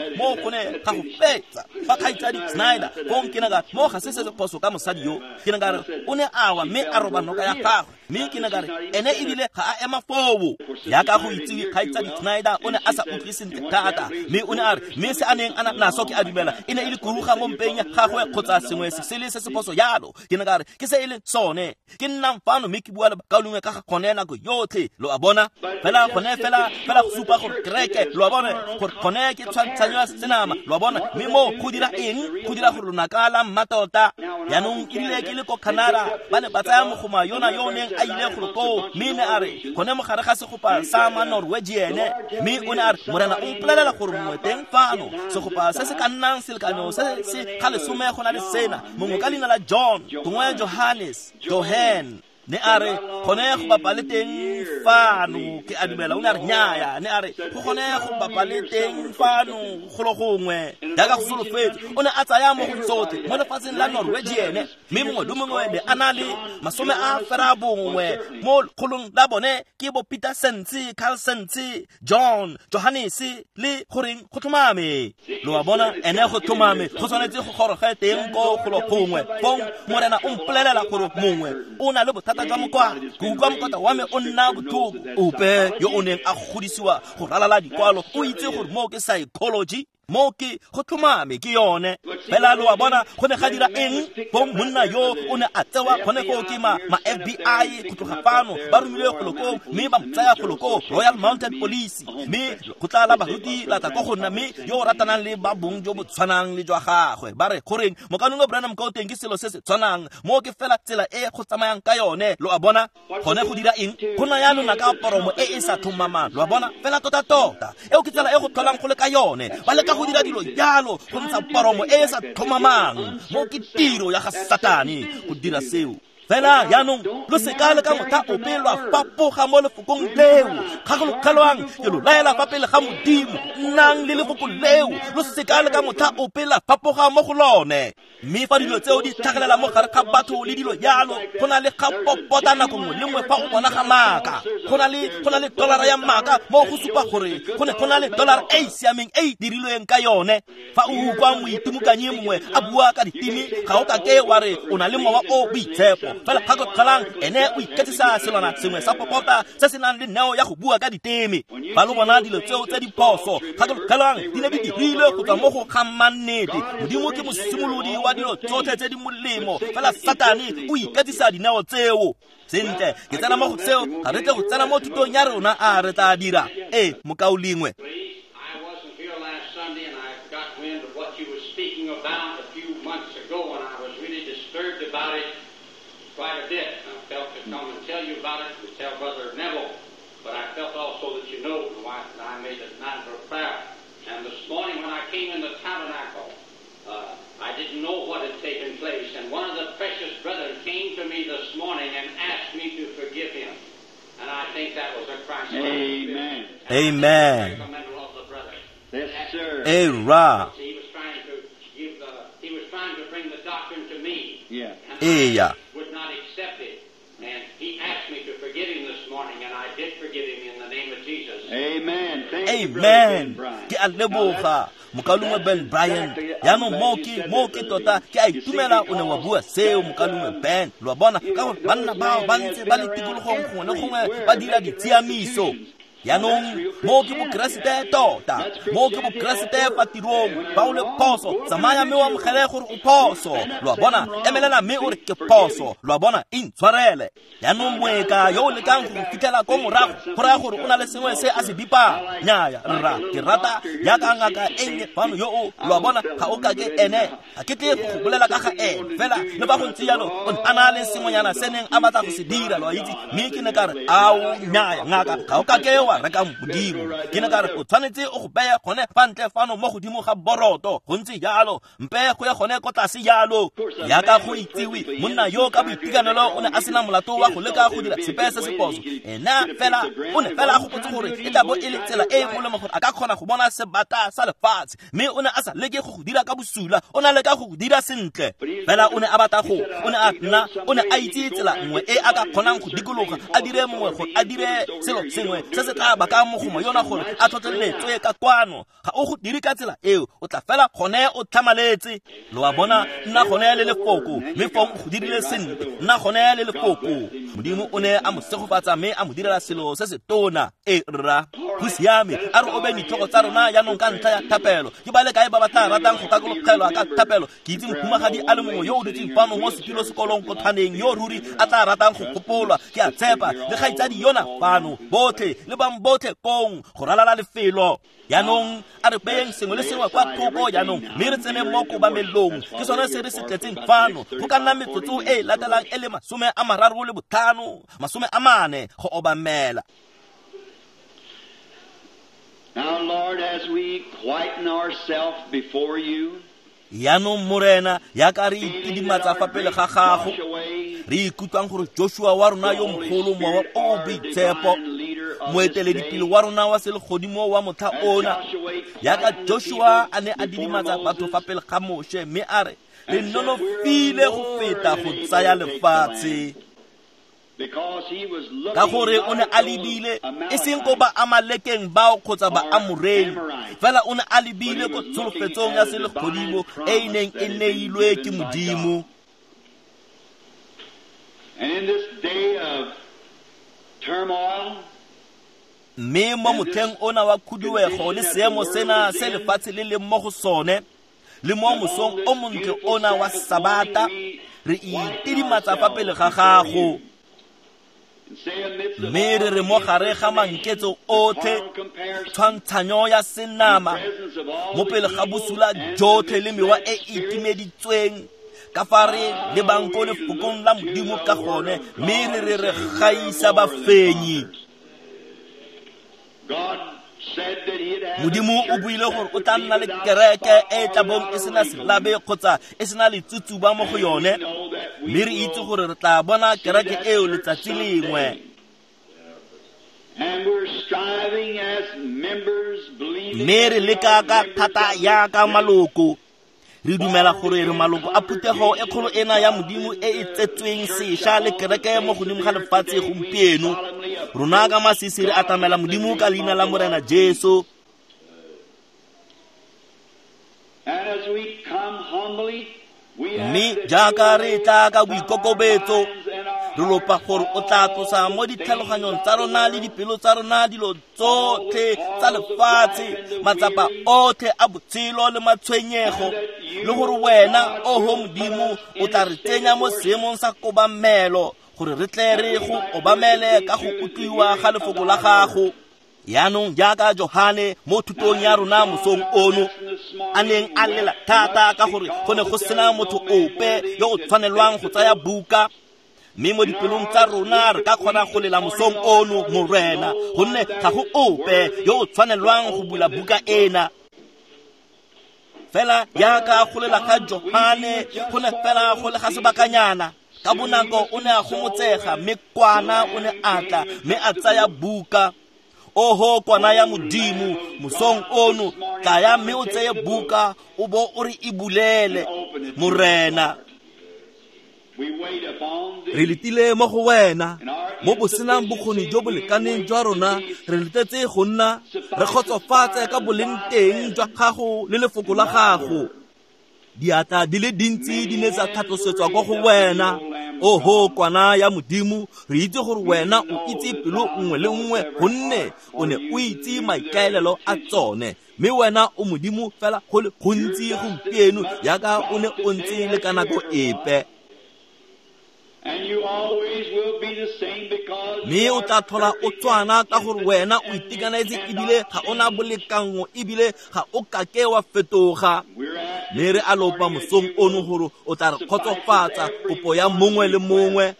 ne ga go fetsa. Fa kgaitsadi Snyder fong ke ne ka mo ga se se phoso ka mosadi yo. Ke ne ka re o ne a wa mme a roba noka ya gagwe. Mme ke ne ka re ene ebile ga a ema foo. Jaaka go itsiwe kgaitsadi Snyder o ne a sa utlwe sentle thata, mme o ne a re mme se a neng a naso ke a dumela e ne e le kuruga mo mpeng ya gagwe kgotsa sengwe se sele se se phoso jalo. Ke ne ka re ke se e leng sone. Ke nnang fano mme ke bua le bakaulengwe ka ga gone nako yotlhe. Lo a bona? Fela gone fela go supa gore kereke, lo a bona, gore gone ke tshwantshanyo ya senama. Lo a bona? Mme mo go dira eng? Go dira gore lonaka la mmatota. Jaanong ebile ke le ko Canada, ba ne ba tsaya mogoma yona yo o neng a ile golo koo, mme ne a re gone mogare ga segopa sa ma Norwegian, mme o ne a re Morena o mpolelela gore mongwe teng fano segopa se se ka nnang selekanyo se se ga lesome go na le sena, mongwe ka leina la John gongwe Johannes Johan. Ne a re gone go bapa le teng fano, ke a dumela. O ne a re nnyaya, ne a re go gone go bapa le teng fano golo gongwe jaaka go solofetse. O ne a tsaya mo go tsotlhe mo lefatsheng la Norwegian, mme mongwe le mongwe ne a na le 91 mo lekgolong la bone ke bo Peter Sense, Carl Sense, John, Johannes le goreng go tlhomame. Lo a bona? Ene go tlhomame go tshwanetse go goroge teng ko golo gongwe. Fong Morena o mpolelela gore mongwe o na le bothata jwa mokwalo. Ke utlwa mokota wa me o nna botlhoko. Ope yo o neng a godisiwa go ralala dikwalo o itse gore moo ke psychology, moo ke go tlhomame ke yone. Fela lo a bona go ne ga dira eng? Fong monna yo o ne a tsewa gone koo ke ma FBI go tloga fano, ba romilwe golo koo mme ba mo tsaya golo koo Royal Mounted Police, mme go tla la baruti la tla ko go nna, mme yo o ratanang le ba bong jo bo tshwanang le jwa gagwe. Ba re goreng mokaulengwe Branham ka o teng ke selo se se tshwanang, moo ke fela tsela e go tsamayang ka yone. Lo a bona? Gone go dira eng? Go naya lonaka poromo e e sa tlhomamang. Lo a bona? Fela tota-tota eo ke tsela e go tlholang go le ka yone. Ba leka leka go dira dilo jalo go ntsha poromo e e sa tlhomamang. Mo ke tiro ya ga Satane go dira seo. Fela jaanong lo seka le ka motlha ope lwa fapoga mo lefokong leo. Kgakologelwang, ke lo laela fa pele ga Modimo, nnang le lefoko leo, lo seka le ka motlha ope la fapoga mo go lone. Mme fa dilo tseo di tlhagelela mo gare ga batho le dilo jalo, go na le ga popota nako nngwe le nngwe fa o bona ga maaka. Go na le dollara ya maaka mo go supa gore go ne go na le dollara e e siameng e e dirilweng ka yone. Fa o utlwa moitimokanyi mongwe a bua ka diteme, ga o kake wa re o na le mowa o boitshepo. Fela kgakologelang, ene o iketsisa selwana sengwe sa popota se se nang le neo ya go bua ka diteme. Fa lo bona dilo tseo tse di phoso, kgakologelang, di ne di dirilwe go tswa mo go ga mannete. Modimo ke mosimolodi wa dilo tsotlhe tse di molemo, fela Satane o iketsisa dineo tseo. Sentle, ke tsena mo go seo, ga re tle go tsena mo thutong ya rona, a re tla dira. Ee, mokaulengwe.
Quite a bit. I felt to come and tell you about it and tell Brother Neville, but I felt also that you know, my wife and I made a matter of prayer. And this morning when I came in the tabernacle, I didn't know what had taken place, and one of the precious brethren came to me this morning and asked me to forgive him. And I think that was a Christ.
Amen.
Amen.
Yes, sir.
Era.
He was trying to give the, he was trying to bring the doctrine to me.
Yeah.
Eya.
Would not accept it. And he asked me to forgive him this morning, and I did forgive him in the name of Jesus.
Amen. Thank you,
Amen.
Brother Ben Bryant.
Ke a leboga mokaulengwe Ben Bryant. Jaanong mo ke tota ke a itumela o ne wa bua seo mokaulengwe Ben. Lo a bona, ka gore banna bao ba ntse ba le tikologong gongwe le gongwe ba dira ditshiamiso. Jaanong mo ke bokeresete tota, mo ke bokeresete fa tirong. Fa o le phoso, tsamaya mme o amogele gore o phoso. Lo a bona, emelela mme o re ke phoso. Lo a bona, intshwarele. Jaanong moeka yo o lekang go fitlhela ko morago, go raya gore o na le sengwe se a se bipang. Nnyaya, rra, ke rata jaaka ngaka e nnye fano yo o, lo a bona, ga o kake ene. Ga ke tle go bolela ka ga ene, fela le fa go ntse jalo, o ne a na le sengwenyana se neng a batla go se dira, lo a itse. Mme ke ne ka re, ao, nnyaya, ngaka, ga o kake wa reka Modimo. Ke ne ka re o tshwanetse o go beye gone fa ntle fano mo godimo ga boroto. Go ntse jalo, mpe go ye gone ko tlase jalo. Jaaka go itsiwe, monna yo ka boitekanelo o ne a sena molato wa go leka go dira sepe se se phoso. Ena fela o ne fela a gopotse gore e tla bo e le tsela e e molemo gore a ka kgona go bona sebata sa lefatshe. Mme o ne a sa leke go go dira ka bosula, o ne a leka go go dira sentle. Fela o ne a batla go, o ne a nna, o ne a itse tsela nngwe e a ka kgonang go dikologa, a dire mongwe gore a dire selo sengwe se se tla bakang mogomo yona gore a tlhotlheletswe ka kwano. Ga o go dire ka tsela eo, o tla fela gone o tlhamaletse. Lo a bona, nna gone le lefoko, mme fong o go dirile sentle. Nna gone le lefoko. Modimo o ne a mo segofatsa mme a mo direla selo se se tona. E rra, go siame. A re obe ditlhogo tsa rona jaanong ka ntlha ya thapelo. Ke ba le kae ba ba tla ratang go gakologelwa ka thapelo? Ke itse mohumagadi a le mongwe yo o dutseng fano mo setilo sekolong ko tshwaneng, yo ruri a tla ratang go gopolwa. Ke a tshepa le kgaitsadi yona fano, botlhe le bang botlhe kong go ralala lefelo. Jaanong a re beyeng sengwe le sengwe kwa thoko jaanong, mme re tsene mo kobamelong. Ke sone se re se tletseng fano. Go ka nna metsotso e e latelang e le 35, 40 go obamela.
Now, Lord, as we quieten ourselves before you,
Jaanong Morena, jaaka re itidimatsa fa pele ga gago, re ikutlwang gore Joshua wa rona yo mogolo, mowa o o boitshepo, moeteledipele wa rona wa selegodimo wa motlha ona, jaaka Joshua a ne a didimatsa batho fa pele ga Moshe, mme a re, re nonofile go feta go tsaya lefatshe. Ka gore o ne a lebile e seng ko ba Amalekeng bao kgotsa ba Amoreng, fela o ne a lebile ko tsholofetsong ya selegodimo e e neng e neilwe ke Modimo. Mme mo motlheng ona wa khuduego le seemo sena se lefatshe le leng mo go sone, le mo mosong o montle ona wa Sabata, re itidimatsa fa pele ga gago. Mme re re mo gare ga manketso otlhe, tshwantshanyo ya senama, mo pele ga bosula jotlhe le mewa e e itimeditsweng, ka fa re lebang ko lefokong la Modimo ka gone, mme re re re gaisa bafenyi. Modimo o buile gore o tla nna le kereke e tla bong e sena selabe kgotsa e sena letsutsuba mo go yone, mme re itse gore re tla bona kereke eo letsatsi lengwe. Mme re leka ka thata yaka maloko, re dumela gore re maloko a phuthego e kgolo ena ya Modimo e e tsetsweng sešwa le kereke mo godimo ga lefatshe gompieno. Rona ka masisi re atamela Modimo ka leina la Morena Jesu. Mme jaaka re tla ka boikokobetso, re lopa gore o tla tlosa mo ditlhaloganyong tsa rona le dipelo tsa rona dilo tsotlhe tsa lefatshe, matsapa otlhe a botshelo le matshwenyego, le gore wena, oho Modimo, o tla re tsenya mo seemong sa kobamelo gore re tle re go obamele ka go utlwiwa ga lefoko la gago. Yaanong jaaka Johane mo thutong ya rona mosong ono a neng a lela thata ka gore go ne go sena motho ope yo o tshwanelwang go tsaya buka, mme mo dipelong tsa rona re ka kgona go lela mosong ono, Morena, gonne ga go ope yo o tshwanelwang go bula buka ena. Fela jaaka go lela ga Johane go ne fela go le ga sebakanyana, ka bonako o ne a gomotsega, mme kwana o ne a tla mme a tsaya buka. Oho kwana ya Modimo, mosong ono tlaya mme o tseye buka o bo o re e bulele, Morena. Re letile mo go wena mo bosenang bokgoni jo bo lekaneng jwa rona, re letetse go nna re kgotsofatse ka boleng teng jwa gago le lefoko la gago. Diatla di le dintsi di ne tsa tlhatlosetswa kwa go wena. Oho kwana ya Modimo, re itse gore wena o itse pelo nngwe le nngwe, gonne o ne o itse maikaelelo a tsone, mme wena o Modimo fela go le gontsi gompieno jaaka o ne o ntse le ka nako epe. Mme o tla tlhola o tshwana ka gore wena o itekanetse ebile ga ona bolekango ebile ga o kake wa fetoga. Mme re a lopa mosong ono gore o tla re kgotsofatsa kopo ya mongwe le mongwe.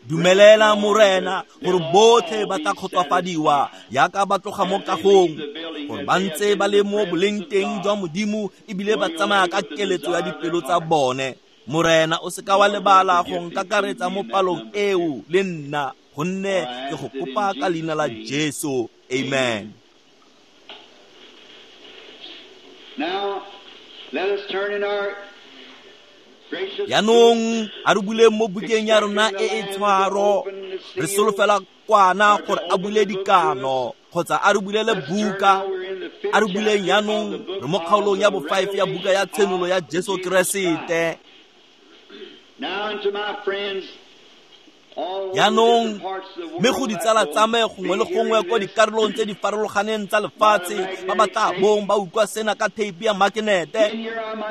Dumelela Morena gore botlhe ba tla kgotsofadiwa jaaka ba tloga mo kagong, gore ba ntse ba le mo boleng teng jwa Modimo ebile ba tsamaya ka keletso ya dipelo tsa bone. Morena, o seka wa lebala go nkakaretsa mo palong eo le nna, gonne ke go kopa ka leina la Jesu. Amen. Yaanong a re buleng mo bukeng ya rona e e tshwaro, re solofela kwana gore a bule dikano kgotsa a re bulele buka. A re buleng yaanong, re mo kgaolong ya bo-5 ya buka ya Tshenolo ya Jesu Keresete. Yaanong mme go ditsala tsa me gongwe le gongwe ko dikarolong tse di farologaneng tsa lefatshe ba ba tla bong ba utlwa sena ka theipi ya makenete,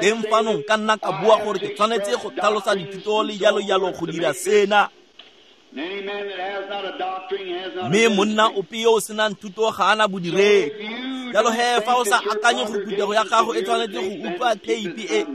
teng fano nka nna ka bua gore ke tshwanetse go tlhalosa dithuto le jalo-jalo go dira sena. Mme monna ope yo o senang thuto ga ana bodiredi. Jalo he fa o sa akanye gore phuthego ya gago e tshwanetse go utlwa theipi e,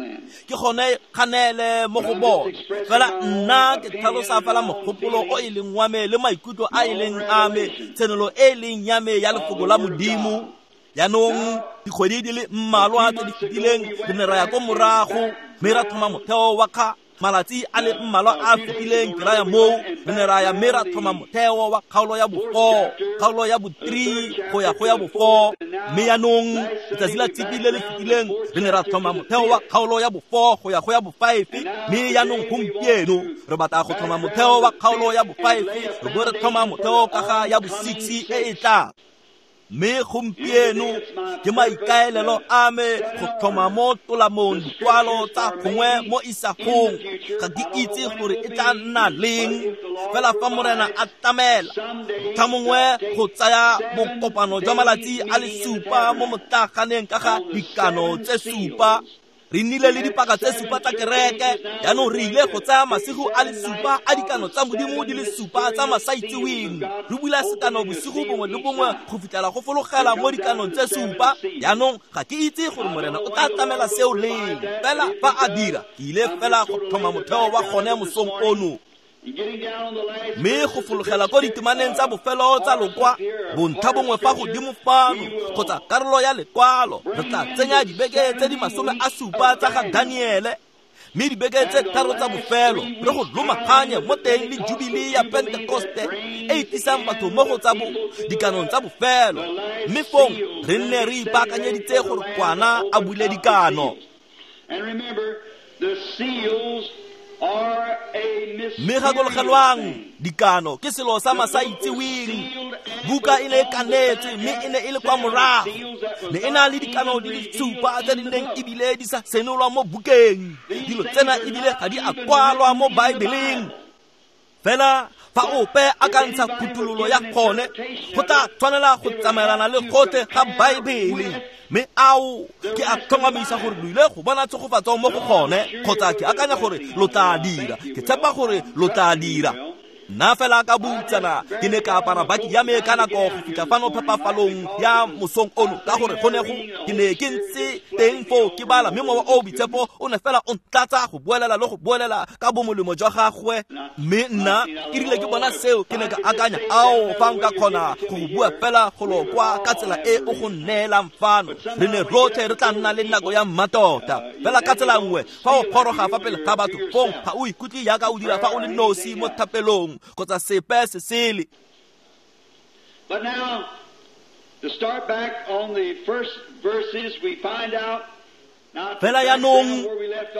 ke gone kganele mo go bone. Fela nna ke tlhalosa fela mogopolo o e leng wa me le maikutlo a e leng a me, tshenolo e leng ya me ya lefoko la Modimo. Jaanong dikgwedi di le mmalwa tse di fetileng re ne ra ya ko morago mme ra thoma motheo wa kga malatsi a le mmalwa a fetileng ke raya moo re ne ra ya mme ra thoma motheo wa kgaolo ya bo-4, kgaolo ya bo-3 go ya go ya bo-4. Mme yaanong letsatsi la Tshipi le le fetileng re ne ra thoma motheo wa kgaolo ya bo-4 go ya go ya bo-5. Mme yaanong gompieno re batla go thoma motheo wa kgaolo ya bo-5, re bo re thoma motheo ka ga ya bo-6 e e tlang. Mme gompieno ke maikaelelo a me go tlhoma mo tolamong dikwalo tsa gongwe mo isagong. Ga ke itse gore e tla nna leng, fela fa Morena a tlamela, motlhamongwe go tsaya bokopano jwa malatsi a le 7 mo motlaganeng ka ga dikano tse 7. Re nnile le dipaka tse 7 tsa kereke, jaanong re ile go tsaya masigo a le 7 a dikano tsa Modimo di le 7 tsa masaitseweng. Re bula sekano bosigo bongwe le bongwe go fitlhela go fologela mo dikanong tse 7. Jaanong ga ke itse gore Morena o tla tlamela seo leng, fela fa a dira, ke ile fela go tlhoma motheo wa gone mosong ono. Mme go fologela ko ditemaneng tsa bofelo tsa lokwa bontlha bongwe fa godimo fano kgotsa karolo ya lekwalo re tla tsenya dibeke tse di 70 tsa ga Daniele mme dibeke tse 3 tsa bofelo re go lomaganye mo teng le jubile ya Pentekoste e e tlisang batho mo go tsa bo dikanong tsa bofelo mme fong re nne re ipaakanyeditse gore kwana a bule dikano. Mme gakologelwang dikano ke selo sa masaitseweng. Buka e ne e kanetswe mme e ne e le kwa morago. Ne e na le dikano di le 7 tse di neng ebile di sa senolwa mo bukeng. Dilo tsena ebile ga di a kwalwa mo Baebeleng. Fela fa ope a ka ntsha phuthololo ya gone go tla tshwanela go tsamaelana le gotlhe ga Baebele. Mme ao ke a tlhomamisa gore lo ile go bona tshegofatso mo go gone kgotsa ke akanya gore lo tla dira, ke tshepa gore lo tla dira. Nna fela ka boutsana ke ne ka apara baki ya me ka nako go fitlha fano phepafalong ya mosong ono ka gore go ne go ke ne ke ntse teng foo ke bala mme mowa o boitshepo o ne fela o ntlatsa go boelela le go boelela ka bomolemo jwa gagwe. Mme nna ke rile ke bona seo ke ne ka akanya ao fa nka kgona go go bua fela golo kwa ka tsela e o go nneelang fano re ne rotlhe re tla nna le nako ya mmatota. Fela ka tsela nngwe fa o goroga fa pele ga batho fong ga o ikutlwe jaaka o dira fa o le nosi mo thapelong kgotsa sepe se sele.
But now, to start back on the first verses, we find out.
Fela yaanong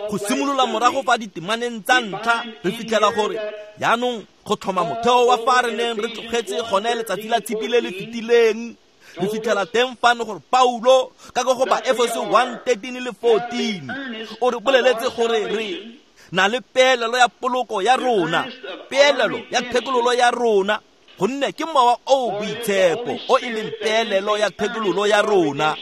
go simolola morago fa ditemaneng tsa ntlha re fitlhela gore yaanong go tlhoma motheo wa fa re neng re tlogetse gone letsatsi la tshipi le le fetileng re fitlhela teng fano gore Paulo ka go ba Efeso 1:13 le 14 o re boleletse gore re na le peelelo ya poloko ya rona, peelelo ya thekololo ya rona, gonne ke mowa o boitshepo o e leng peelelo ya thekololo ya rona.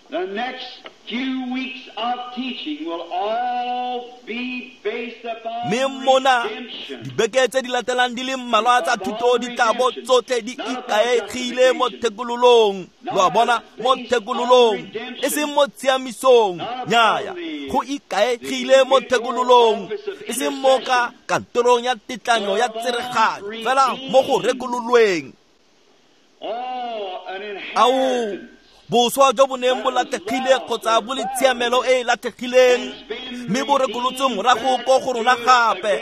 The next few weeks of teaching will all be based upon
mme mona dibeke tse di latelang di le mmalwa tsa thuto di tla bo tsotlhe di ikaegile mo thekololong. Lo a bona, mo thekololong e seng mo tshiamisong, nnyaya, go ikaegile mo thekololong e seng mo ka kantorong ya tetlanyo ya tsereganyo, fela mo go rekololweng. Ao boswa jo bo neng bo latlhegile kgotsa bo le tshiamelo e e latlhegileng mme bo rekolotswe morago ko go rona gape.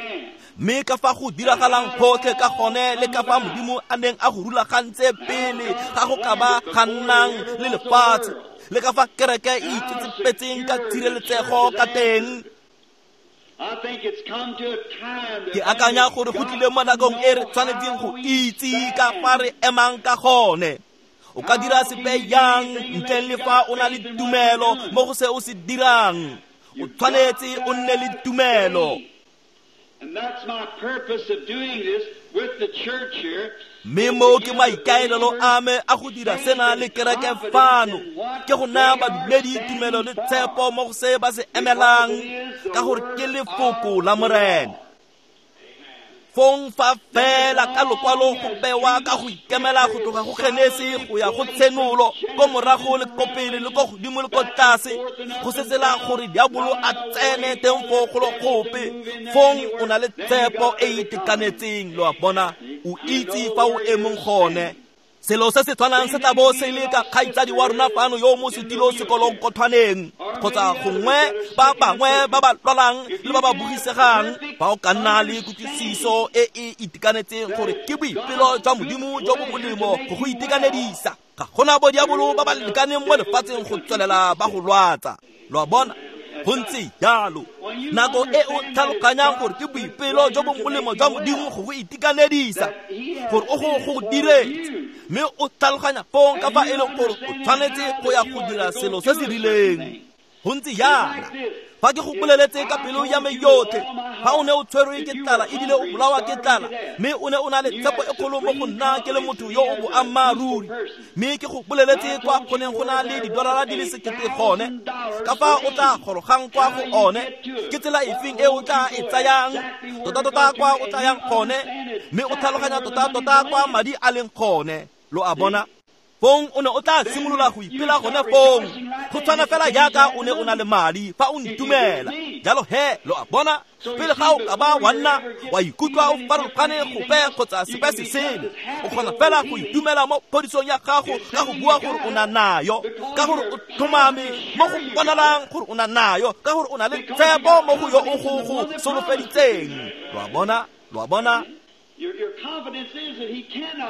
Mme ka fa go diragalang gotlhe ka gone le ka fa Modimo a neng a go rulagantse pele ga go ka ba ga nnang le lefatshe le ka fa kereke e itsetsepetseng ka tshireletsego ka teng. Ke akanya gore go tlile mo nakong e re tshwanetseng go itse ka fa re emang ka gone. O ka dira sepe yang ntle le fa o na le tumelo mo go se o se dirang. O tshwanetse o nne le tumelo. Mme mo ke maikaelelo a me a go dira sena le kereke fano ke go naya badumedi tumelo le tshepo mo go se ba se emelang ka gore ke lefoko la Morena. Fong fa fela ka lokwalo go bewa ka go ikemela go tloga go Genesi go ya go Tshenolo ko morago le ko pele le ko godimo le ko tlase go setsela gore diabolo a tsene teng foo go le gope. Fong o na le tshepo e e itekanetseng, lo a bona, o itse fa o emeng gone. Selo se se tshwanang se tla bo se le ka kgaitsadi wa rona fano yo mo setilo sekolong kothwaneng kgotsa gongwe ba bangwe ba ba lwalang le ba ba bugisegang fa o ka nna le kutlwisiso e e itekanetseng gore ke boipelo jwa Modimo jo bo molemo go go itekanedisa. Ga gona bo diabolo ba ba lekaneng mo lefatsheng go tswelela ba go lwatsa. Lo a bona, go ntse jalo. Nako e o tlhaloganyang gore ke boipelo jo bo molemo jwa Modimo go go itekanedisa gore o go diretse mme o tlhaloganya fong ka fa e leng gore o tshwanetse go ya go dira selo se se rileng. Go ntse yana. Fa ke go boleletse ka pelo ya me yotlhe, fa o ne o tshwerwe ke tlala ebile o bolawa ke tlala mme o ne o na le tshepo e kgolo mo go nna ke le motho yo o boammaaruri mme ke go boleletse kwa go neng go na le didolara di le 1,000 gone ka fa o tla gorogang kwa go one ke tsela efeng e o tla e tsayang tota-tota kwa o tla yang gone mme o tlhaloganya tota-tota kwa madi a leng gone. Lo a bona. Fong o ne o tla simolola go ipela gone fong. Go tshwana fela jaaka o ne o na le madi fa o ntumela. Jalo he, lo a bona, pele ga o ka ba wa nna wa ikutlwa o farologane gope kgotsa sepe se sele, o kgona fela go itumela mo phodisong ya gago ka go bua gore o na nayo, ka gore o tlhomame mo go bonalang gore o na nayo, ka gore o na le tshepo mo go yo o go solofeditseng. Lo a bona, lo a bona.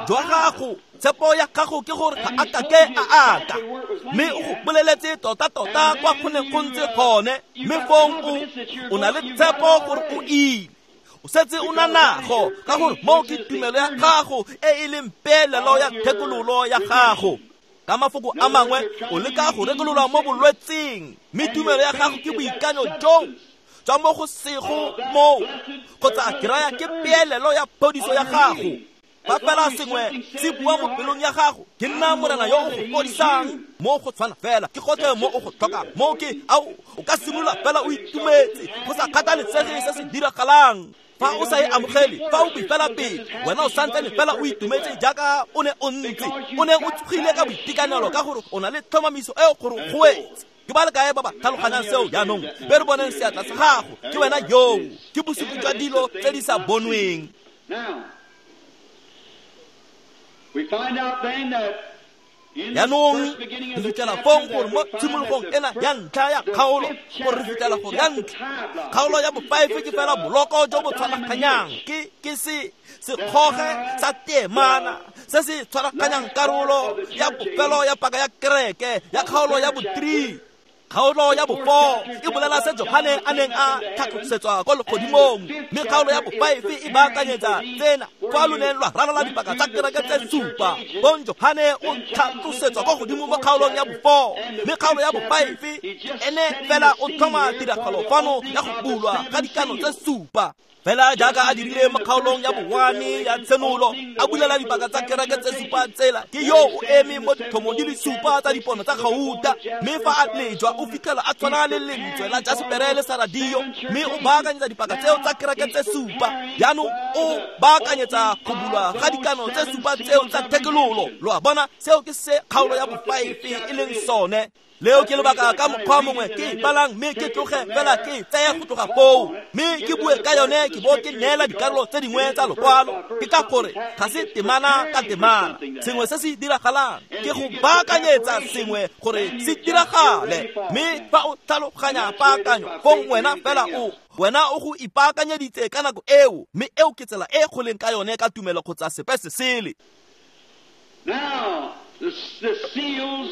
Jwa gago, tshepo ya gago ke gore ga a kake a aka, mme o go boleletse tota-tota kwa go neng go ntse gone, mme fong o na le tshepo gore o ile. O setse o na nago, ka gore moo ke tumelo ya gago e e leng peelelo ya thekololo ya gago. Ka mafoko a mangwe, o leka go rekololwa mo bolwetseng, mme tumelo ya gago ke boikanyo joo tswa mo go sego moo, kgotsa ke raya ke peelelo ya phodiso ya gago. Fa fela sengwe se bua mo pelong ya gago, ke nna Morena yo o go fodisang, mo go tshwana fela ke gotlhe mo o go tlhokang. Mo ke ao, o ka simolola fela o itumetse go sa kgathalesege se se diragalang. Fa o sa e amogele, fa o boifela pele, wena o santsane fela o itumetse jaaka o ne o ntse, o ne o tsogile ka boitekanelo ka gore o na le tlhomamiso eo gore go wetse. Ke ba le kae ba ba tlhaloganyang seo jaanong? Be re boneng seatla sa gago, ke wena yoo, ke bosupi jwa dilo tse di sa bonweng. Jaanong re fitlhela fong gore mo tshimologong ena ya ntlha ya kgaolo, gore re fitlhela gore ya ntlha kgaolo ya bo-5 ke fela boloko jo bo tshwaraganyang, ke se sekgoge sa temana se se tshwaraganyang karolo ya bofelo ya paka ya kereke ya kgaolo ya bo-3. Kgaolo ya bo-4 e bolela se Johane a neng a tlhatlosetswa kwa legodimong, mme kgaolo ya bo-5 e baakanyetsa tsena kwa lo neng lwa ralala dipaka tsa kereke tse supa. Bong Johane o tlhatlosetswa kwa godimo mo kgaolong ya bo-4, mme kgaolo ya bo-5 ene fela o tlhoma tiragalo fano ya go bulwa ga dikano tse supa. Fela jaaka a dirile mo kgaolong ya bo-1 ya Tshenolo, a bulela dipaka tsa kereke tse supa tsela, ke yo o eme mo ditlhomong di le supa tsa dipono tsa gauta, mme fa a lejwa o fitlhela a tshwana le lentswe la jasepere le saradio, mme o baakanyetsa dipaka tseo tsa kereke tse supa. Jaanong o baakanyetsa go bulwa ga dikano tse supa tseo tsa thekololo. Lo a bona, seo ke se kgaolo ya bo-5 e leng sone. Leo ke lebaka ka mokgwa mongwe ke balang mme ke tloge fela ke tseye go tloga foo, mme ke bue ka yone ke bo ke neela dikarolo tse dingwe tsa lokwalo. Ke ka gore ga se temana ka temana, sengwe se se diragalang ke go baakanyetsa sengwe gore se diragale, mme fa o tlhaloganya paakanyo fong wena fela o wena o go ipaakanyeditse ka nako eo, mme eo ke tsela e go leng ka yone ka tumelo kgotsa sepe se sele.
Now, the seals.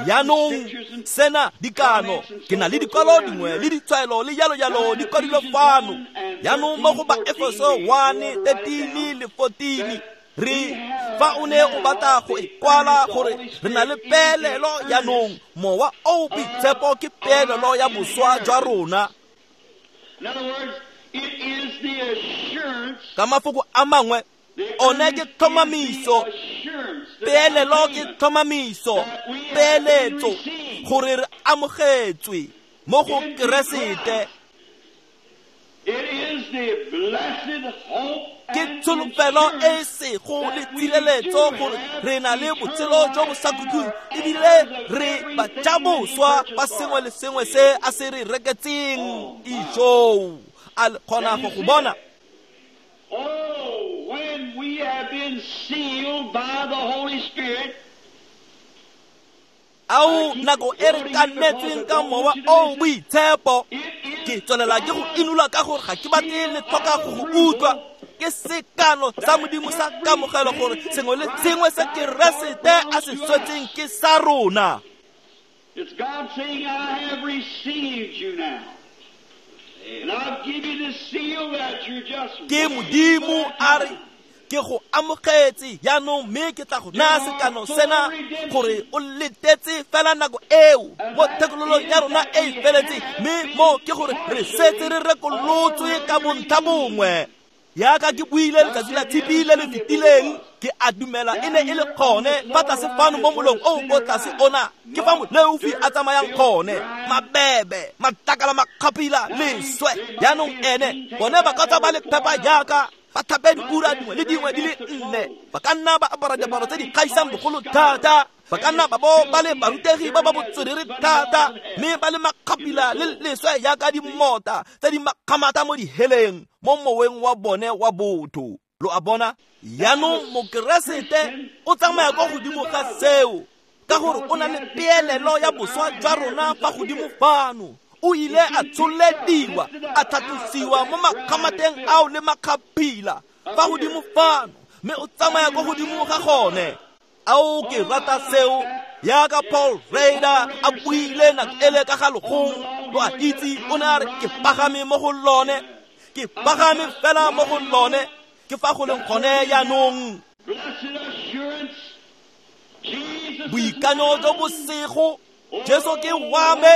Jaanong sena dikano, ke na le dikwalo dingwe le ditshwaelo le jalo jalo di kwadilwe fano. Jaanong mo go ba Efeso 1, 13 le 14, re fa o ne o batla go e kwala gore re na le peelelo jaanong, mowa o boitshepo ke peelelo ya boswa jwa rona. Ka mafoko a mangwe, one ke tlhomamiso, peelelo ke tlhomamiso, peeletso gore re amogetswe mo go Keresete. Ke tsholofelo e sego le tshireletso gore re na le botshelo jo bo sa khutleng, ebile re bajaboswa ba sengwe le sengwe se a se re reketseng. Ijoo, a le kgona go go bona?
Oh, when we have been sealed by the Holy Spirit,
ao nako e re kanetsweng ka mowa o boitshepo, ke tswelela ke go inola ka gore ga ke batle le tlhoka go go utlwa. Ke sekano sa Modimo sa kamogelo gore sengwe le sengwe se Keresete a se swetseng ke sa rona.
It's God saying, I have received you now. And I've given you the seal that you're just
Ke Modimo a re ke go amogetse jaanong, mme ke tla go naya sekano sena gore o letetse fela nako eo mo thekololong ya rona e e feletseng, mme mo ke gore re setse re rekolotswe ka bontlha bongwe. Jaaka ke buile letsatsi la Tshipi le le fetileng, ke a dumela e ne e le gone fa tlase fano mo molong o ko tlase ona, ke fa moleofi a tsamayang gone, mabebe, matlakala, makgapila, leswe. Jaanong ene bone ba ka tswa ba le phepa jaaka ba tlhape diura dingwe le dingwe di le nne, ba ka nna ba apara diaparo tse di kgaisang bogolo thata, ba ka nna ba bo ba le barutegi ba ba botswerere thata, mme ba le makgapila le leswe jaaka dimota tse di makgamata mo diheleng mo moweng wa bone wa botho. Lo a bona? Jaanong Mokeresete o tsamaya kwa godimo ga seo, ka gore o na le peelelo ya boswa jwa rona fa godimo fano. O ile a tsholediwa, a tlhatlosiwa mo makgamateng ao le makgaphila fa godimo fano, mme o tsamaya kwa godimo ga gone. Ao, ke rata seo, jaaka Paul Rader a buile nako ele ka ga legong. Lo a itse, o ne a re, ke pagame mo go lone, ke pagame fela mo go lone, ke fa go leng gone jaanong. Boikanyo jo bo sego, Jesu ke wa me.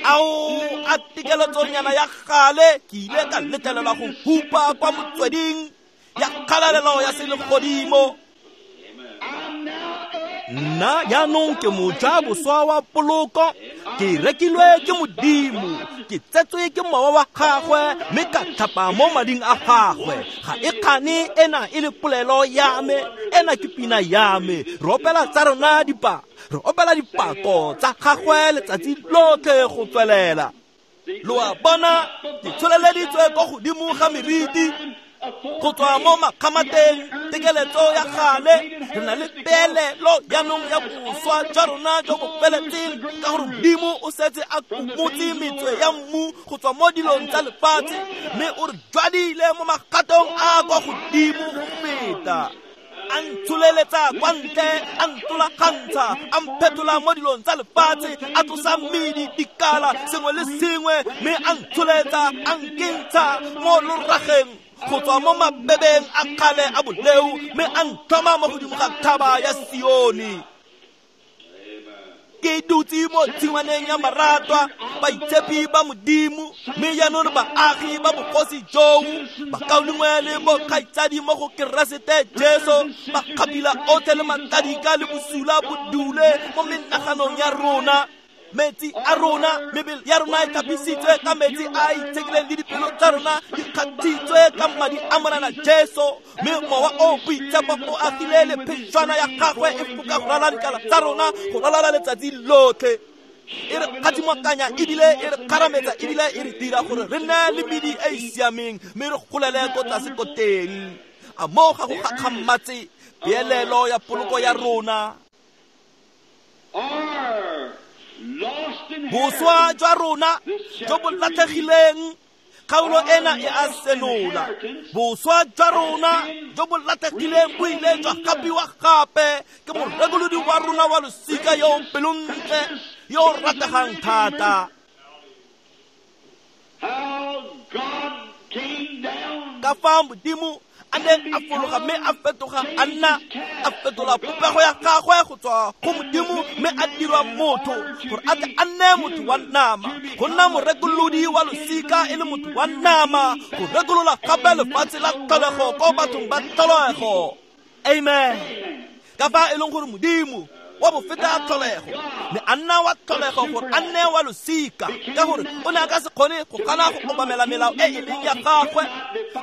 Ao, a tekeletsonyana ya gale, ke ile ka letlelelwa go hupa kwa motsweding ya kgalalelo ya selegodimo. Nna jaanong ke moja boswa wa poloko, ke rekilwe ke Modimo, ke tsetswe ke mowa wa gagwe, mme ka tlhapa mo mading a gagwe. Ga e kgane ena e le polelo ya me, ena ke pina ya me. Re opela tsa rona re opela dipako tsa gagwe letsatsi lotlhe go tswelela. Lo a bona, ke tsholeleditswe kwa godimo ga meriti, go tswa mo makgamateng, tekeletso ya gale. Re na le peelelo jaanong ya boswa jwa rona jo bo feletseng, ka gore Modimo o setse a kumotse metswe ya mmu go tswa mo dilong tsa lefatshe, mme o re jwadile mo magatong a kwa godimo go feta. A ntsholeletsa kwa ntle, a ntolagantsha, a mphetola mo dilong tsa lefatshe, a tlosa mmidi, dikala, sengwe le sengwe, mme a ntsholetsa, a nkentsha mo lorageng go tswa mo mabebeng a kgale a boleu, mme a ntlhoma mo godimo ga thaba ya Sione. Ke dutse mo tshingwaneng ya maratwa, baitshepi ba Modimo, mme jaanong re baagi ba bogosi joo, bakaulengwe le bokgaitsadi mo go Keresete Jesu, makgapila otlhe le matladika le bosula bo dule mo menaganong ya rona. Metsi a rona, mebele ya rona e tlhapisitswe ka metsi a a itshekileng, le dipelo tsa rona di kgathitswe ka madi a Morena Jesu, mme mowa o boitshepo o agile le phešwana ya gagwe e foka go ralala dikala tsa rona go ralala letsatsi lotlhe. E re kgathimokanya ebile e re kgarametsa ebile e re dira gore re nne le medi e e siameng, mme re golele ko tlase ko teng. A moo ga go gakgamatse peelelo ya poloko ya rona. Boswa jwa rona jo bo latlhegileng, kgaolo ena e a senola. Boswa jwa rona jo bo latlhegileng bo ile jwa gapiwa gape ke morekolodi wa rona wa losika yo o pelontle, yo o rategang thata. Ka fa Modimo a neng a fologa mme a fetoga a nna, a fetola popego ya gagwe go tswa go Modimo, mme a dirwa motho gore a tle a nne motho wa nama, go nna morekolodi wa losika e le motho wa nama, go rekolola gape lefatshe la tlholego ko bathong ba tlholego. Amen. Ka fa e leng gore Modimo wa bofeta tlholego ne a nna wa tlholego gore a nne wa losika, ka gore o ne a ka se kgone go gana go obamela melao e e leng ya gagwe.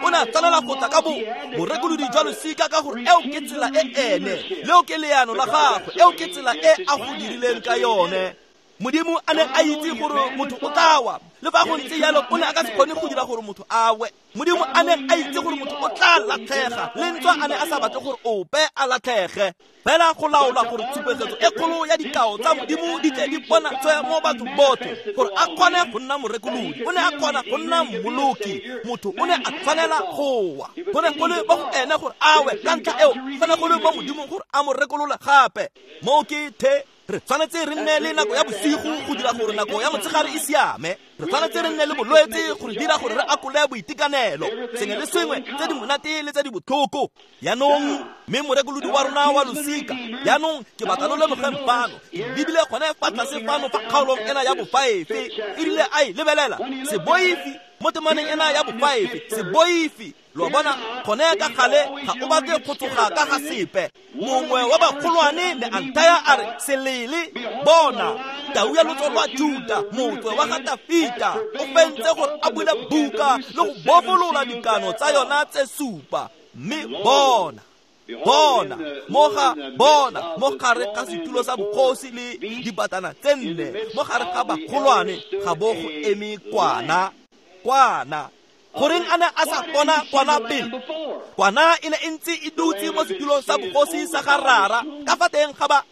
O ne a tshwanela go tla ka borekolodi jwa losika, ka gore eo ke tsela e ene, leo ke leano la gagwe, eo ke tsela e a go dirileng ka yone. Modimo a ne a itse gore motho o tla wa, le fa go ntse jalo o ne a ka se kgone go dira gore motho a we. Modimo a ne a itse gore motho o tla latlhega, le ntswa a ne a sa batle gore ope a latlhege, fela go laola gore tshupegetso e kgolo ya dikao tsa Modimo di tle di bonatswe mo bathong botlhe, gore a kgone go nna morekolodi. O ne a kgona go nna mmoloki. Motho o ne a tshwanela go wa, go ne go le mo go ene gore a we, ka ntlha eo go ne go le mo Modimong gore a mo rekolole gape. Moo ke the re tshwanetse re nne le nako ya bosigo go dira gore nako ya motshegare e siame. Re tshwanetse re nne le bolwetse go re dira gore re akole boitekanelo, sengwe le sengwe tse di monate le tse di botlhoko. Jaanong Mme morekolodi wa rona wa losika jaanong ke batla lo lemogeng fano lebile gone fa tlase fano fa kgaolong ena ya bofaefe e rile a e lebelela seboifi mo temaneng ena ya bofaefe seboifi lo bona gone ka gale ga o batle go tsoga ka ga sepe mongwe wa bagolwane ne a nthaya a re selele bona tau ya lotso lwa Juta motswe wa ga Tafita o fentse gore a bule buka le go bofolola dikano tsa yona tse supa mme bona bona mo ga bona mo gare ga setulo sa bogosi le dibatana tse nne mo gare ga bagolwane ga bo go eme kwana kwana goreng a ne a sa bona kwana pele kwana e ne e ntse e dutse mo setulong sa bogosi sa ga rara ka fa teng ga ba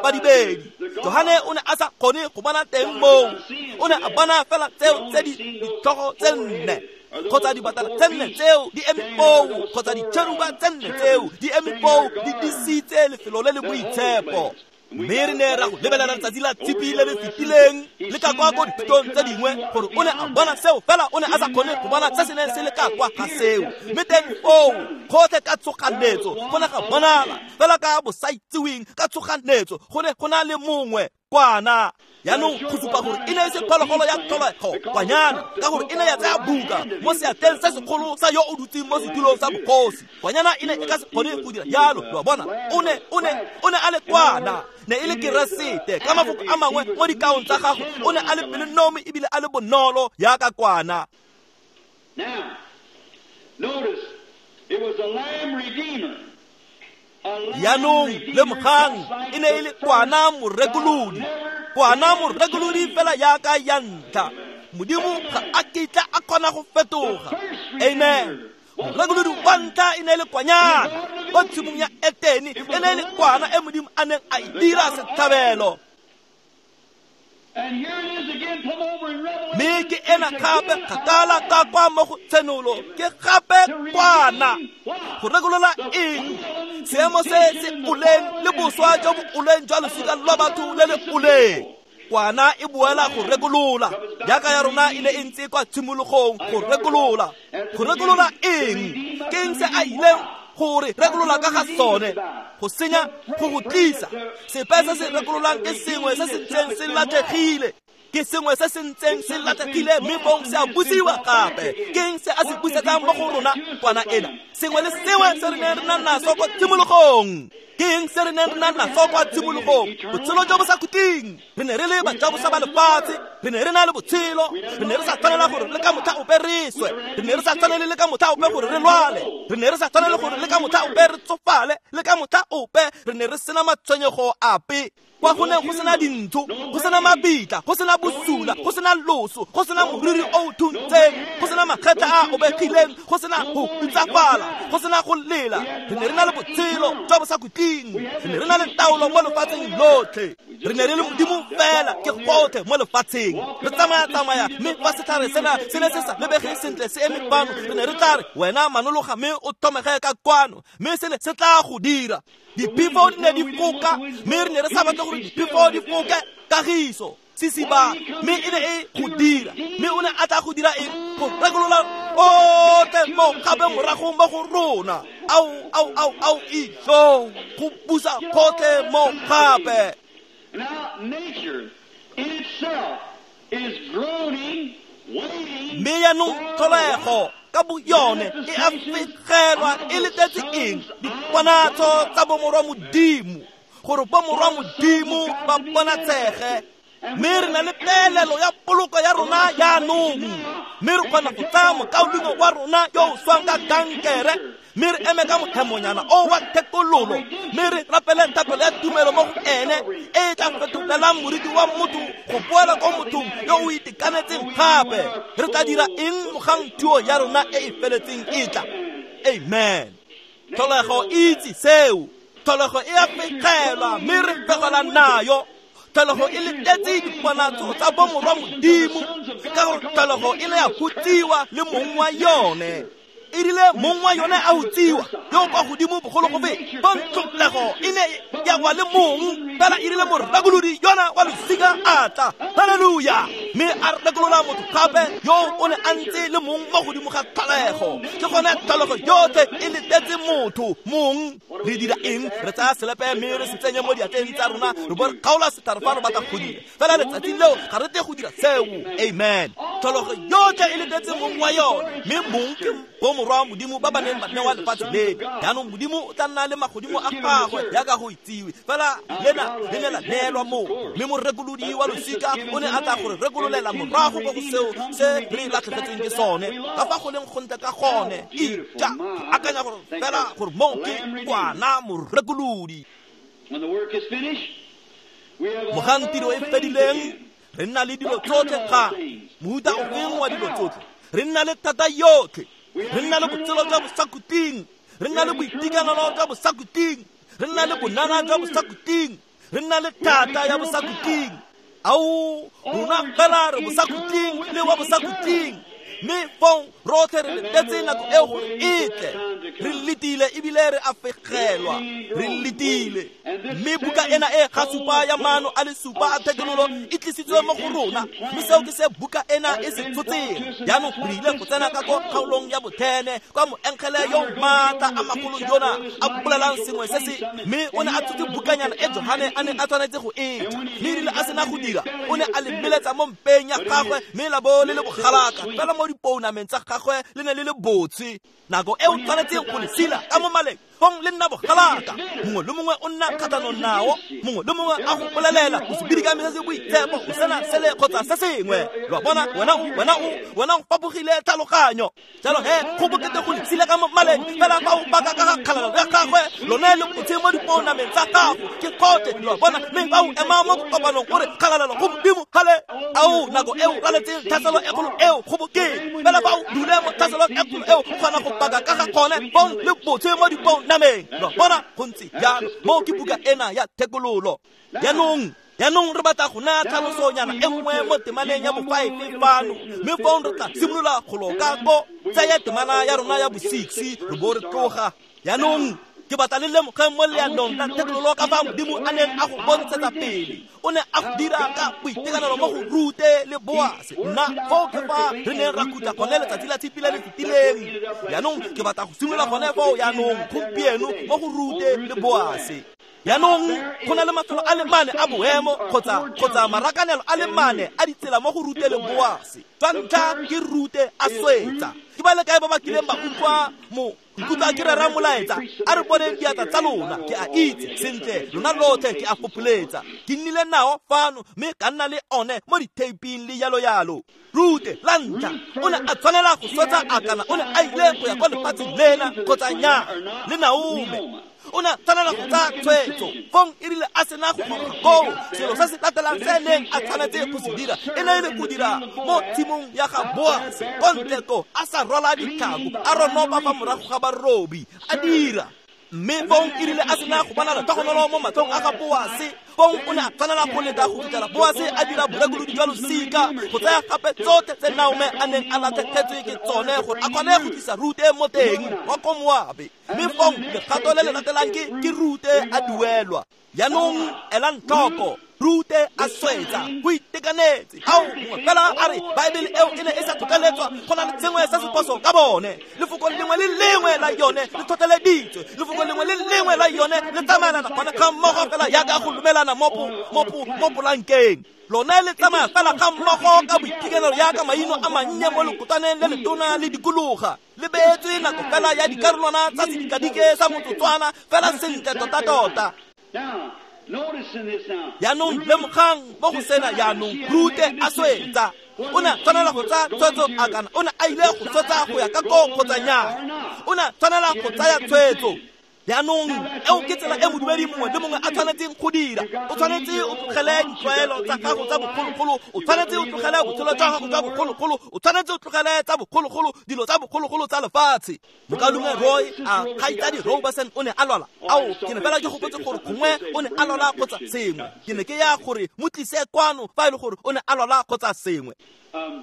badibedi Johane o ne a sa kgone go bona teng moo o ne a bona fela tseo tse di ditlhogo tse nne kgotsa dibatana tse nne tseo di eme foo kgotsa ditšheruba tse nne tseo di eme foo di disitse lefelo le le boitshepo mme re ne ra go lebelela letsatsi la tshipi le le fetileng le ka kwa ko dithutong tse dingwe gore o ne a bona seo fela o ne a sa kgone go bona se se neng se le ka kwa ga seo mme teng foo gotlhe ka tshoganetso go ne ga bonala fela ka bosaitseweng ka tshoganetso go ne go na le mongwe kwana jaanong go supa gore e ne e se phologolo ya tlholego kwanyana ka gore e ne ya tsaya buka mo seatleng se segolo sa yo o dutseng mo setulong sa bogosi kwanyana e ne e ka se kgone go dira jalo lo a bona o ne a le kwana ne e le Keresete ka mafoko a mangwe mo dikaong tsa gagwe o ne a le pelonomi ebile a le bonolo jaaka kwana.
Now, notice, it was a lamb redeemer.
Jaanong lemogang e ne e le kwana morekolodi kwana morekolodi fela jaaka ya ntlha Modimo ga a kitla a kgona go fetoga amen morekolodi wa ntlha e ne e le kwanyana kwa tshimong ya Etene e ne e le kwana e Modimo a neng a e dira setlhabelo mme ke ena gape kgakala ka kwa mo go tshenolo ke gape kwana go rekolola eng seemo se se oleng le boswa jo bo oleng jwa losika lwa batho le le oleng kwana e boela go rekolola jaaka ya rona e ne e ntse kwa tshimologong go rekolola go rekolola eng ke eng se a ileng gore rekolola ka ga sone go senya go go tlisa sepe se se rekololang ke sengwe se se ntseng se latlhegile ke sengwe se se ntseng se latlhegile mme bong se a busiwa gape ke eng se a se busetsang mo go rona kwana ena sengwe le sengwe se re neng re na naso kwa tshimologong ke eng se re neng re na naso kwa tshimologong botshelo jo bo sa khutleng re ne re le bajabosa ba lefatshe re ne re na le botshelo re ne re sa tshwanela gore le ka motlha ope re swe re ne re sa tshwanele le ka motlha ope gore re lwale re ne re sa tshwanele gore le ka motlha ope re tsofale le ka motlha ope re ne re sena matshwenyego ape kwa go neng go sena dintho go sena mabitla go sena bosula go sena loso go sena moriri o o thuntseng go sena makgetla a obegileng go sena go hutsafala go sena go lela re ne re na le botshelo jwa bo sa khutleng re ne re na le taolo mo lefatsheng lotlhe re ne re le Modimo fela ke gotlhe mo lefatsheng re tsamaya-tsamaya mme fa setlhare sena se ne se sa lebege sentle se eme fano re ne re tla re wena manologa mme o thomege ka kwano mme se ne se tla go dira diphefo di ne di foka mme re ne re sa batle gore diphefo di foke kagiso sesiba mme e ne e go dira mme o ne a tla go dira eng go rekolola otlhe mo gape morago mo go rona ao ao ao ao ijo go busa gotlhe mo gape.
Now nature in itself is groaning, waiting.
Mme jaanong tlholego ka bo yone e a fegelwa e letetse eng diponatso tsa bomorwa Modimo gore bomorwa Modimo ba bonatshege mme re na le peelelo ya poloko ya rona jaanong mme re kgona go tsaya mokaulengwe wa rona yo o swang ka kankere mme re eme ka mothemonyana o wa thekololo mme re rapele thapelo ya tumelo mo go ene e e tla fetolelang moriti wa motho go boela ko mothong yo o itekanetseng gape re tla dira eng mogang thuo ya rona e e feletseng e tla amen tlholego e itse seo tlholego e a fegelwa mme re fegela nayo tlholego e letetse diponatso tsa bomorwa Modimo ka gore tlholego e ne ya hutsiwa le mong wa yone e rile mong wa yone a hutsiwa yo kwa godimo bogolo go feta bontlholego e ne ya wa le mong fela e rile morakolodi yona wa losika a tla halleluja Mme a rekolola motho gape yo o ne a ntse le mong mo godimo ga tlholego. Ke gone tlholego yotlhe e letetse motho mong. Re dira eng? Re tsaya selepe mme re se tsenye mo diatleng tsa rona, re bo re kgaola setlhare fa re batla go dira. Fela letsatsi leo ga re tle go dira seo. Amen. Tlholego yotlhe e letetse mong wa yone, mme mong ke bomorwa Modimo ba ba neng ba newa lefatshe leno. Jaanong Modimo o tla nna le magodimo a gagwe jaaka go itsiwe, fela lena le ne la neelwa moo. Mme morekolodi wa losika o ne a tla gore rekololela morago ko go seo se re latlhegetsweng ke sone, ka fa go leng gontle ka gone. Ija, ke akanya gore fela gore moo ke kwana morekolodi. Mogang tiro e fedileng, re nna le dilo tsotlhe ga mohuta ofeng wa dilo tsotlhe. Re nna le thata yotlhe, re nna le botshelo jwa bosakhutleng, re nna le boitekanelo jwa bosakhutleng, re nna le bonana jwa bosakhutleng, re nna le thata ya bosakhutleng. Ao, rona fela re bosakhutleng le wa bosakhutleng. Mme fong rotlhe re letetse nako eo gore e tle. Re letile ebile re a fegelwa, re letile. Mme buka ena e ga supa ya maano a le supa a thekololo e tlisitswe mo go rona, mme seo ke se buka ena e se tshotseng. Jaanong re ile go tsena ka ko kgaolong ya bothene, kwa moengele yo maatla a magolo yona a bolelang sengwe se se, mme o ne a tshotse bukanyana e Johane a neng a tshwanetse go e ja. Mme erile a sena go dira, o ne a le meletsa mo mpeng ya gagwe, mme la bo le le bogalaka fela mo dipounameng tsa gagwe le ne le le botshe. Nako e o tshwanetseng go le sila ka mo maleng, fong le nna bogalaka. Mongwe le mongwe o nna kgatlhanong nao, mongwe le mongwe a go bolelela o se bidikame se se boitshepo, o sena sele kgotsa se sengwe. Lo a bona, wena o fapogile tlhaloganyo. Jalo he, go bokete go le sila ka mo maleng, fela fa o baka ka ga kgalalelo ya gagwe, lone le botshe mo dipounameng tsa gago ke kgotlhe. Lo a bona, mme fa o ema mo kopanong o re kgalalelo go Modimo, gale ao nako eo raletseng tlhaselo e kgolo eo go bokete. Fela fa o dule mo tlhaselong e kgolo eo, o kgona go baka ka ga gone fong le botshe mo dipounameng. Lo a bona, go ntse jalo. Moo ke buka ena ya thekololo. Jaanong re batla go naya tlhalosonyana e nngwe mo temaneng ya bo-5 fano, mme fong re tla simolola go loka ko tsaya temana ya rona ya bo-6 re bo re tloga. Jaanong ke batla le lemogeng mo leanong la thekololo ka fa Modimo a neng a go bontshetsa pele. O ne a go dira ka boitekanelo mo go Rute le Boase. Nna foo ke fa re neng ra khutla gone letsatsi la tshipi le le fetileng. Jaanong ke batla go simolola gone foo jaanong gompieno mo go Rute le Boase. Jaanong go na le mafelo a le mane a boemo kgotsa marakanelo a le mane a ditsela mo go Rute le Boase. Jwa ntlha ke Rute a swetsa. Ke ba le kae ba ba kileng ba utlwa mo ikutlwa ke rera molaetsa? A re boneng diatla tsa lona. Ke a itse sentle lona lotlhe ke a fopholetsa. Ke nnile nao fano mme ka nna le one mo ditheiping le yalo yalo. Rute la ntlha o ne a tshwanela go swetsa a kana o ne a ile go ya kwa lefatsheng lena kgotsa nnyaa le Naome. O ne a tshwanela go tsaya tshwetso. Fong e rile a sena go goroga koo, selo se se latelang se neng a tshwanetse go se dira e ne e le go dira mo tshimong ya ga Boase ko ntle ko, a sa rwala ditlhako, a ronopa fa morago ga barobi, a dira. Mme fong e rile a sena go bona letlhogonolo mo matlhong a ga Boase, fong o ne a tshwanela go leta go fitlhela Boase a dira borekolodi jwa losika, go tsaya gape tsotlhe tse Naome a neng a latlhegetswe ke tsone gore a kgone go tlisa Rute mo teng wa ko Moabe. Mme fong legato le le latelang ke Rute a duelwa. Jaanong elang tlhoko, Rute a swetsa go itekanetse. Ao, mongwe fela a re Baebele eo e ne e sa tlhotlheletswa, go na le sengwe se se phoso ka bone. Lefoko lengwe le lengwe la yone le tlhotlheleditswe, lefoko lengwe le lengwe la yone le tsamaelana gone ga mmogo fela jaaka go lumelana mo polankeng. Lone le tsamaya fela ga mmogo ka boitekanelo jaaka maino a mannye mo lekotwaneng le letona le dikologa. Le beetswe nako fela ya dikarolwana tsa sedikadike sa motsotswana fela sentle tota-tota. Jaanong lemogang mo go sena jaanong Rute a swetsa. O ne a tshwanela go tsaya tshwetso a kana o ne a ile go swetsa go ya ka koo kgotsa nnyaa. O ne a tshwanela go tsaya tshwetso. Jaanong eo ke tsela e modumedi mongwe le mongwe a tshwanetseng go dira. O tshwanetse o tlogele ditlwaelo tsa gago tsa bogologolo, o tshwanetse o tlogele botshelo jwa gago jwa bogologolo, o tshwanetse o tlogele tsa bogologolo, dilo tsa bogologolo tsa lefatshe. Mokaulengwe Roy a kgaitsadi Robertson o ne a lwala. Ao, ke ne fela ke gopotse gore gongwe o ne a lwala kgotsa sengwe. Ke ne ke ya gore mo tlise kwano fa e le gore o ne a lwala kgotsa sengwe.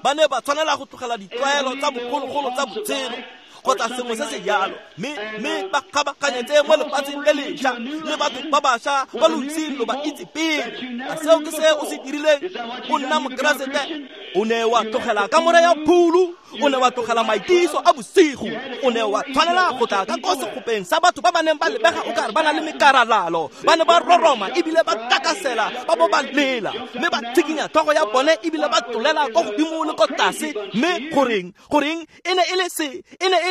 Ba ne ba tshwanela go tlogela ditlwaelo tsa bogologolo tsa botshelo. kgotsa sengwe se se jalo, mme ba kgabaganyetse mo lefatsheng le lešwa le batho ba bašwa ba lo iseng lo ba itse pele. A seo ke se o se dirileng? O nna Mokeresete. O ne wa tlogela kamore ya phulu, o ne wa tlogela maitiso a bosigo, o ne wa tshwanela go tla ka ko segopeng sa batho ba ba neng ba lebega o kare ba na le mekaralalo, ba ne ba roroma ebile ba takasela, ba bo ba lela, mme ba tshikinya tlhogo ya bone ebile ba tlolela ko godimo le ko tlase. Mme goreng e ne e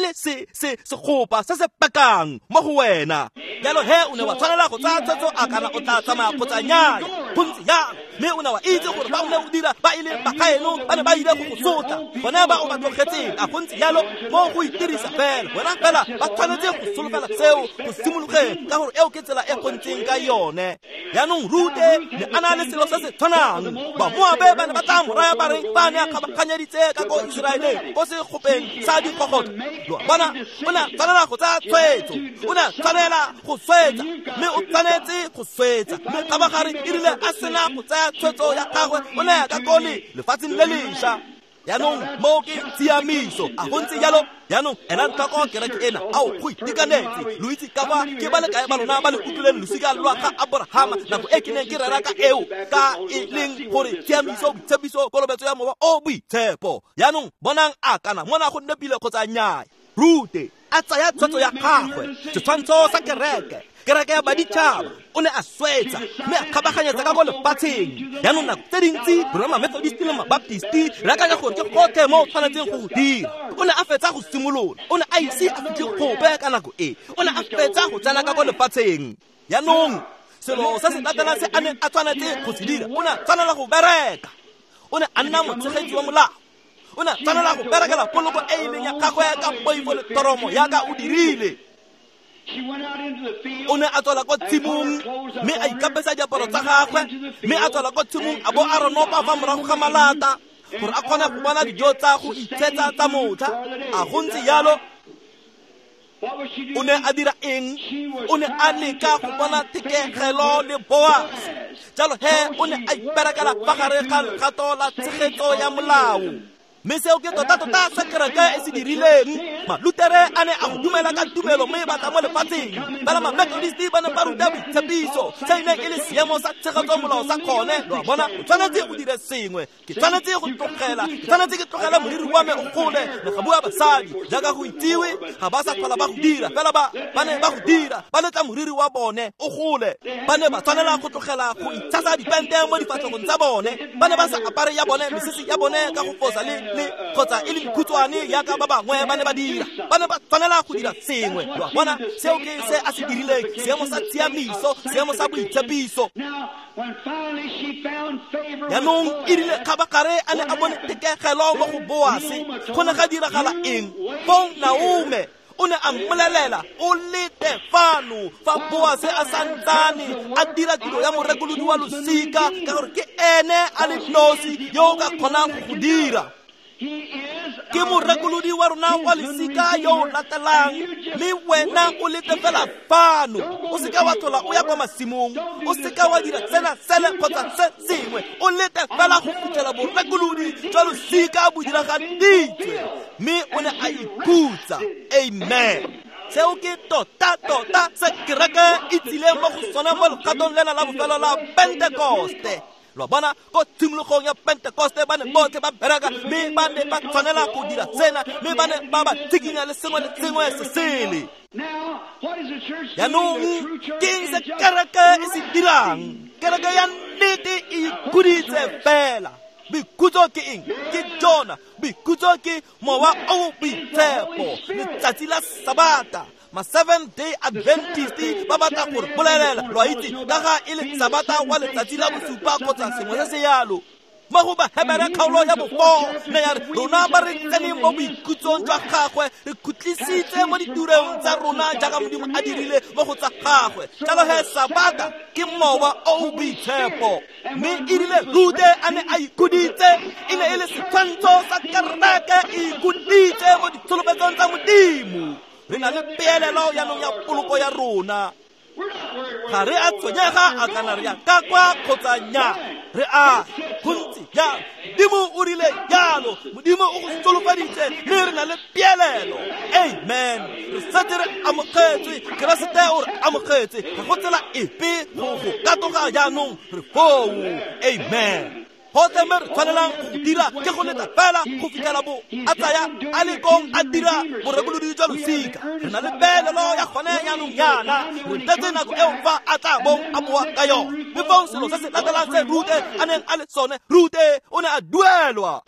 le se segopa se se pakang mo go wena. Jalo he o ne wa tshwanela go tsaya tshwetso a kana o tla tsamaya kgotsa nnyaya. Go ntse jalo, mme o ne wa itse gore ba o ne o dira ba e leng bagaeno ba ne ba ile go go sotla, bone ba o ba tlogetseng. A go ntse jalo mo go itirisa fela, wena fela ba tshwanetse go solofela seo go simologeng, ka gore eo ke tsela e go ntseng ka yone. Jaanong Rute ne a na le selo se se tshwanang. Bamoabe ba ne ba tla mo raya ba re ba ne a kgabaganyeditse ka ko Iseraeleng ko segopeng sa dikgogotlo. Lo a bona, o ne a tshwanela go tsaya tshwetso, o ne a tshwanela go swetsa, mme o tshwanetse go swetsa. Mme kgabagare e rile a sena go tsaya tshwetso ya gagwe, o ne a ka kole lefatsheng le lešwa. Jaanong moo ke tshiamiso. A go ntse jalo? Jaanong ela tlhoko kereke ena. Ao, go itekanetse. Lo itse ka fa ke ba le kae ba lona ba le utlwileng losika lwa ga Aborahama nako e ke neng ke rera ka eo, ka e leng gore tshiamiso, boitshepiso, kolobetso ya mowa o boitshepo. Jaanong bonang a kana mona go nepile kgotsa nnyaya. Rute a tsaya tshwetso ya gagwe, setshwantsho sa kereke, kereke ya baditšhaba. O ne a swetsa mme a kgabaganyetsa ka ko lefatsheng. Jaanong nako tse dintsi rona ma-Methodist le ma-Baptist re akanya gore ke gotlhe mo o tshwanetseng go go dira. O ne a fetsa go simolola, o ne a ise a fitlhe gope ka nako e, o ne a fetsa go tsena ka ko lefatsheng. Jaanong selo se se latelang se a neng a tshwanetse go se dira, o ne a tshwanela go bereka. O ne a nna motshegetsi wa molao. O ne a tshwanela go berekela poloko e e leng ya gagwe ka poifo le toromo yaka o dirile. O ne a tswela ko tshimong mme a ikapesa diaparo tsa gagwe, mme a tswela ko tshimong a bo a ronopa fa morago ga malata gore a kgone go bona dijo tsa go itshetsa tsa motlha. A go ntse jalo? O ne a dira eng? O ne a leka go bona thekegelo le Boase. Jalo he o ne a iperekela fa gare ga legato la tshegetso ya molao. Mme seo ke tota-tota se kereke e se dirileng. Malutere a ne a go dumela ka tumelo mme ba tla mo lefatsheng. Fela ma-Methodist ba ne ba ruta boitshepiso, se e neng e le seemo sa tshegetso molao sa kgone. Lo a bona, o tshwanetse o dire sengwe. Ke tshwanetse go tlogela, ke tshwanetse ke tlogele moriri wa me o gole. Ne ga bua basadi, jaaka go itsiwe, ga ba sa tlhola ba go dira. Fela ba ne ba go dira, ba letla moriri wa bone o gole. Ba ne ba tshwanela go tlogela go itshasa dipente mo difatlhegong tsa bone. Ba ne ba sa apare ya bone mesese ya bone ka go fosa le kgotsa e le dikhutshwane yaka ba bangwe ba ne ba dira. Ba ne ba tshwanela go dira sengwe. Lo a bona, seo ke se a se dirileng, seemo sa tshiamiso, seemo sa boitshepiso. Jaanong e rile kgabagare a ne a bone thekegelo mo go Boase, go ne ga diragala eng? Fong Naome o ne a mmolelela, o lete fano fa Boase a santsane a dira tiro ya morekolodi wa losika, ka gore ke ene a le nosi yo o ka kgonang go go dira. Ke morekolodi wa rona wa losika yo o latelang, mme wena o lete fela fano. O seka wa tlhola o ya kwa masimong, o seka wa dira tsena sele kgotsa se sengwe, o lete fela go fitlhela borekolodi jwa losika bo diragaditswe. Mme o ne a ikhutsa. Amen. Seo ke tota-tota se kereke e tsileng mo go sone mo legatong lena la bofelo la Pentekoste. Lo a bona, ko tshimologong ya Pentekoste ba ne botlhe ba bereka, mme ba ne ba tshwanela go dira tsena, mme ba ne ba ba tshikinya le sengwe le sengwe se sele. Jaanong ke eng se kereke e se dirang? Kereke ya nnete e ikhuditse fela. Boikhutso ke eng? Ke jona. Boikhutso ke mowa o boitshepo, letsatsi la Sabata. Ma Seventh Day Adventist ba batla gore bolelela, lo a itse, ka ga e le Sabata wa letsatsi la bosupa kgotsa sengwe se se yalo. Mo go Bahebere kgaolo ya bofo ne ya re rona ba re tseneng mo boikhutsong jwa gagwe, re khutlisitse mo ditirong tsa rona jaaka Modimo a dirile mo go tsa gagwe. Jalo he Sabata ke mowa o boitshepo. Mme e rile Rute a ne a ikhuditse, e ne e le setshwantsho sa kereke e ikhuditse mo ditsholofetsong tsa Modimo. Re na le peelelo jaanong ya poloko ya rona. Ga re a tshwenyega a kana re ya ka kwa kgotsa nnyaa, re a go ntse jalo. Modimo o rile jalo, Modimo o go solofaditse, mme re na le peelelo. Amen. Re setse re amogetswe, Keresete o re amogetse, ga go tsela epe go go katoga jaanong, re foo. Amen. Gotlhe mme re tshwanelang go dira ke go leta fela go fitlhela bo a tsaya a le kong a dira borekolodi jwa losika. Re na le peelelo ya gone jaanong yana, re tletse nako eo fa a tla bong a boa ka yone. Mme fong selo se se latelang se Rute a neng a le sone, Rute o ne a duelwa.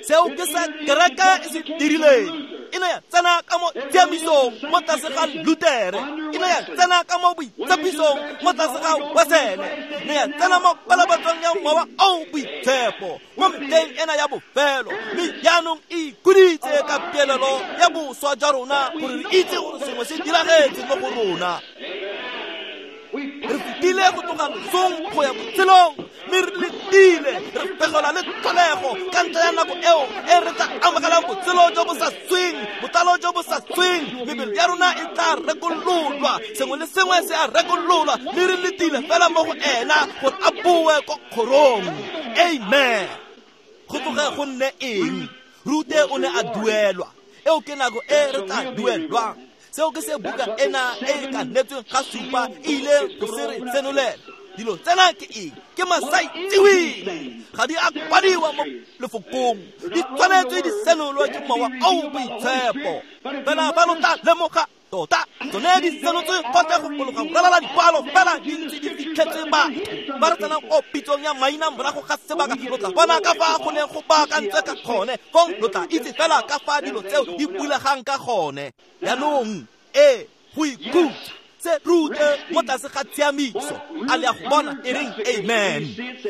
Seo ke se kereke e se dirileng. E ne ya tsena ka mo tshiamisong mo tlase ga Lutere, e ne ya tsena ka mo boitshepisong mo tlase ga Wesele, e ne ya tsena mo palabatsong ya Mowa o Boitshepo mo metlheng ena ya bofelo, mme jaanong e ikhuditse ka peelelo ya boswa jwa rona gore re itse gore sengwe se diragetse mo go rona. Re fetile go tloga losong go ya botshelong, mme re letile re fegelwa le tlholego ka ntlha ya nako eo e re tla amogelang botshelo jo bo sa sweng, botlalo jo bo sa sweng. Mebele ya rona e tla rekololwa, sengwe le sengwe se a rekololwa, mme re letile fela mo go ena gore a boe ko kgorong. Amen. Go tloge go nne eng? Rute o ne a duelwa. Eo ke nako e re tla duelwang. Seo ke se buka ena e ka netsweng ga supa e ile go se re senolela. Dilo tsena ke eng? Ke masaitseweng, ga di a kwadiwa mo lefokong, di tshwanetswe di senolwe ke Mowa o Boitshepo. Fela fa lo tla lemoga tota, tsone di senotswe gotlhe go fologa go ralala dikwalo, fela di ntse di fitlhetswe batho ba re tsenang ko pitsong ya maina morago ga sebaka. Lo tla bona ka fa go neng go baakantswe ka gone, fong lo tla itse fela ka fa dilo tseo di bulegang ka gone. Jaanong ee, go ikhutsa se Rute mo tlase ga tshiamiso, a le a go bona e reng amen.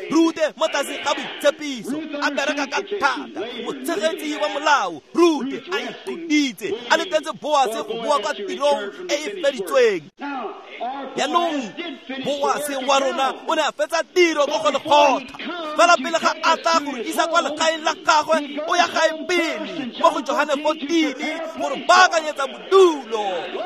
Rute mo tlase ga boitshepiso, a bereka ka thata, motshegetsi wa molao. Rute a ikhuditse, a letetse Boase go boa kwa tirong e e feditsweng. Jaanong Boase wa rona o ne a fetsa tiro mo Golgotha, fela pele ga a tla go re isa kwa legaeng la gagwe, o ya gae pele mo go Johane 14 gore baakanyetsa bodulo.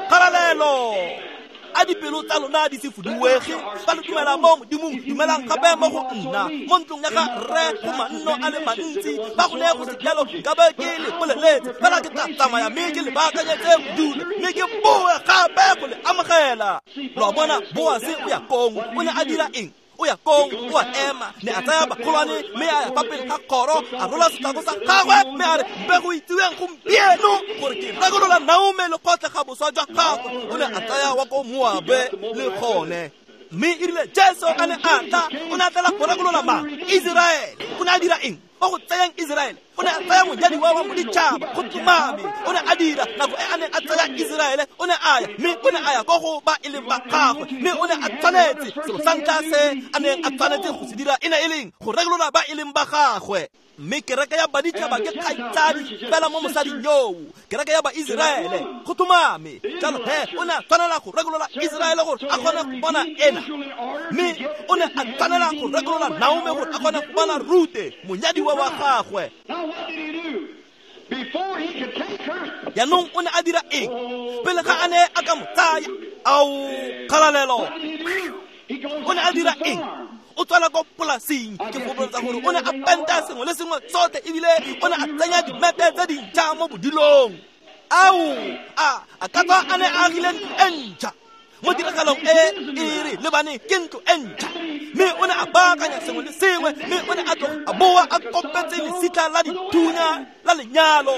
Kgalalelo. A dipelo tsa lona di se fuduege, fa le dumela mo Modimong, dumelang gape mo go nna. Mo ntlong ya ga rre go manno a le mantsi, fa go ne go se jalo nkabe ke le boleletse. Fela ke tla tsamaya mme ke le baakanyetse bodulo, mme ke boe gape go le amogela. Lo a bona, Boase o ya kong, o ne a dira eng? O ya kong, o a ema, ne a tsaya bagolwane mme a ya fa pele ga kgoro, a rola setlhako sa gagwe mme a re, mpe go itsiweng gompieno gore ke rekolola Naomi le gotlhe ga boswa jwa gagwe. O ne a tsaya wa ko Moabe le gone. Mme e rile Jesu a ne a tla, o ne a tlela go rekolola mang? Iseraele. O ne a dira eng? Mo go tsayang Iseraele, o ne a tsaya monyadiwa wa moditšhaba go tlhomame. O ne a dira nako e a neng a tsaya Iseraele, o ne a ya, mme o ne a ya ko go ba e leng ba gagwe, mme o ne a tshwanetse selo sa ntlha se a neng a tshwanetse go se dira e ne e leng go rekolola ba e leng ba gagwe. Mme kereke ya baditšhaba ke kgaitsadi fela mo mosading yoo, kereke ya ba Iseraele go tlhomame. Jalo he o ne a tshwanela go rekolola Iseraele gore a kgone go bona ena, mme o ne a tshwanela go rekolola Naomi gore a kgone go bona Rute monyadiwa wa gagwe. Jaanong o ne a dira eng pele ga a ne a ka mo tsaya? Ao, kgalalelo. O ne a dira eng? O tswela ko polasing. Ke fopholetsa gore o ne a penta sengwe le sengwe sotlhe, ebile o ne a tsenya dimete tse dintšha mo bodilong. Ao, a ka tswa a ne a agile ntlo e ntšha. Mo tiragalong e e re lebane ke ntlo e ntšha, mme o ne a baakanya sengwe le sengwe, mme o ne a tloga a boa a kopetse lesitlha la dithunya la lenyalo.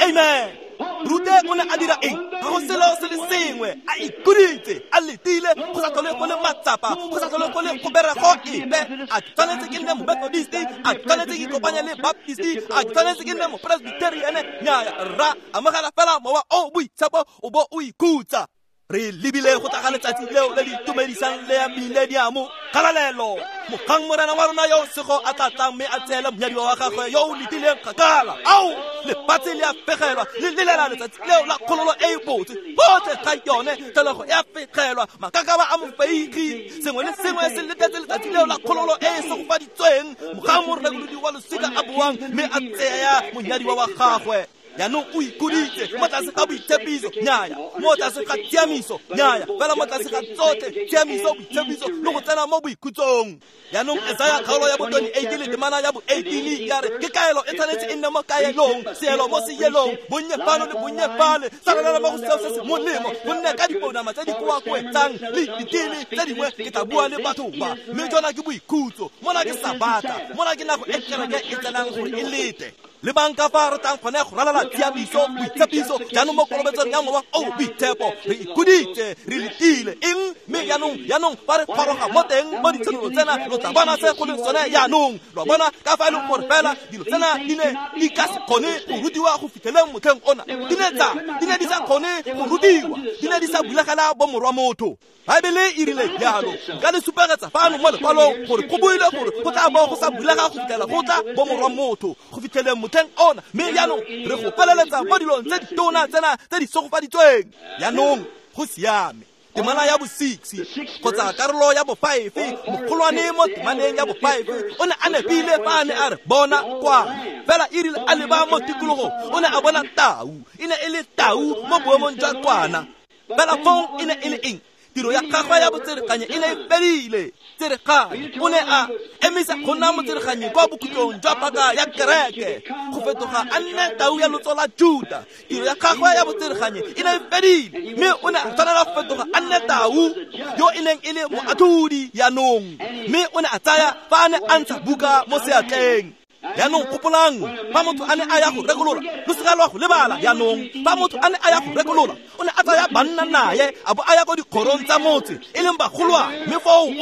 Amen. Rute o ne a dira eng? Ga go selo se le sengwe, a ikhuditse, a letile, go sa tlhole go le matsapa, go sa tlhole go le kgoberego epe. A ke tshwanetse ke nne Momethodist, a ke tshwanetse ke ikopanye le Baptist, a ke tshwanetse ke nne Mopresbyterian? Nnyaya rra, amogela fela Mowa o Boitshepo o bo o ikhutsa. Re lebile go tla ga letsatsi leo le le itumedisang le ya mileniamo. Kgalalelo. Mogang Morena wa rona yo sego a tla tlang mme a tseele monyadiwa wa gagwe yo o letileng kgakala. Ao, lefatshe le a fegelwa, le lelela letsatsi leo la kgololo e e botse. Gotlhe ga yone tlholego e a fegelwa, makakaba a mofeigi, sengwe le sengwe se letetse letsatsi leo la kgololo e e segofaditsweng. Mogang morekolodi wa losika a boang mme a tseya monyadiwa wa gagwe. Jaanong o ikhuditse mo tlase ga boitshepiso, nnyaya, mo tlase ga tshiamiso, nnyaya, fela mo tlase ga tsotlhe tshiamiso, boitshepiso le go tsena mo boikhutsong. Jaanong Esaya kgaolo ya bo 28 le temana ya bo 18 ya re ke kaelo e tshwanetse e nne mo kaelong, seelo mo seelong, bonnye fano le bonnye fale, sarelela mo go seo se se molemo, gonne ka dipounama tse di koakoetsang le diteme tse dingwe ke tla bua le batho ba. Mme jona ke boikhutso, mona ke sabata, mona ke nako e kereke e tsenang gore e lete. Le bang ka fa re tlang gone go ralala tshiamiso, boitshepiso, jaanong mo kolobetsong ya Mowa o Boitshepo re ikhuditse, re letile eng? Mme jaanong fa re goroga mo teng mo ditshenolo tsena, lo tla bona se go leng sone jaanong. Lo bona ka fa e leng gore fela dilo tsena di ne di ka se kgone go rutiwa go fitlheleng motlheng ona. Di ne di sa kgone go rutiwa, di ne di sa bulegela bomorwa motho. Baebele e rile jalo. Nka le supegetsa fano mo lekwalong gore go buile gore go tla bo go sa bulega go fitlhela go tla bomorwa motho go fitlheleng motlheng ona. Mme jaanong re go feleletsa mo dilong tse ditona tsena tse di segofaditsweng. Jaanong go siame. Temana ya bo 6 kgotsa karolo ya bo 5, mogolwane mo temaneng ya bo 5 o ne a nepile fa a ne a re bona kwa. Fela e rile a leba mo tikologong o ne a bona tau, e ne e le tau mo boemong jwa kwana. Fela fong e ne e le eng? Tiro ya gagwe ya botsereganye e ne e fedile. Tsereganye o ne a emisa go nna motsereganye kwa bokhutlong jwa paka ya kereke, go fetoga a nne tau ya lotso la Juda. Tiro ya gagwe ya botsereganye e ne e fedile, mme o ne a tshwanela go fetoga a nne tau yo e neng e le moatlhodi jaanong. Mme o ne a tsaya fa a ne a ntsha buka mo seatleng. Jaanong gopolang, fa motho a ne a ya go rekolola, lo seka lwa go lebala. Jaanong fa motho a ne a ya go rekolola, o ne a tsaya banna naye a bo a ya ko dikgorong tsa motse e leng bagolwane, mme foo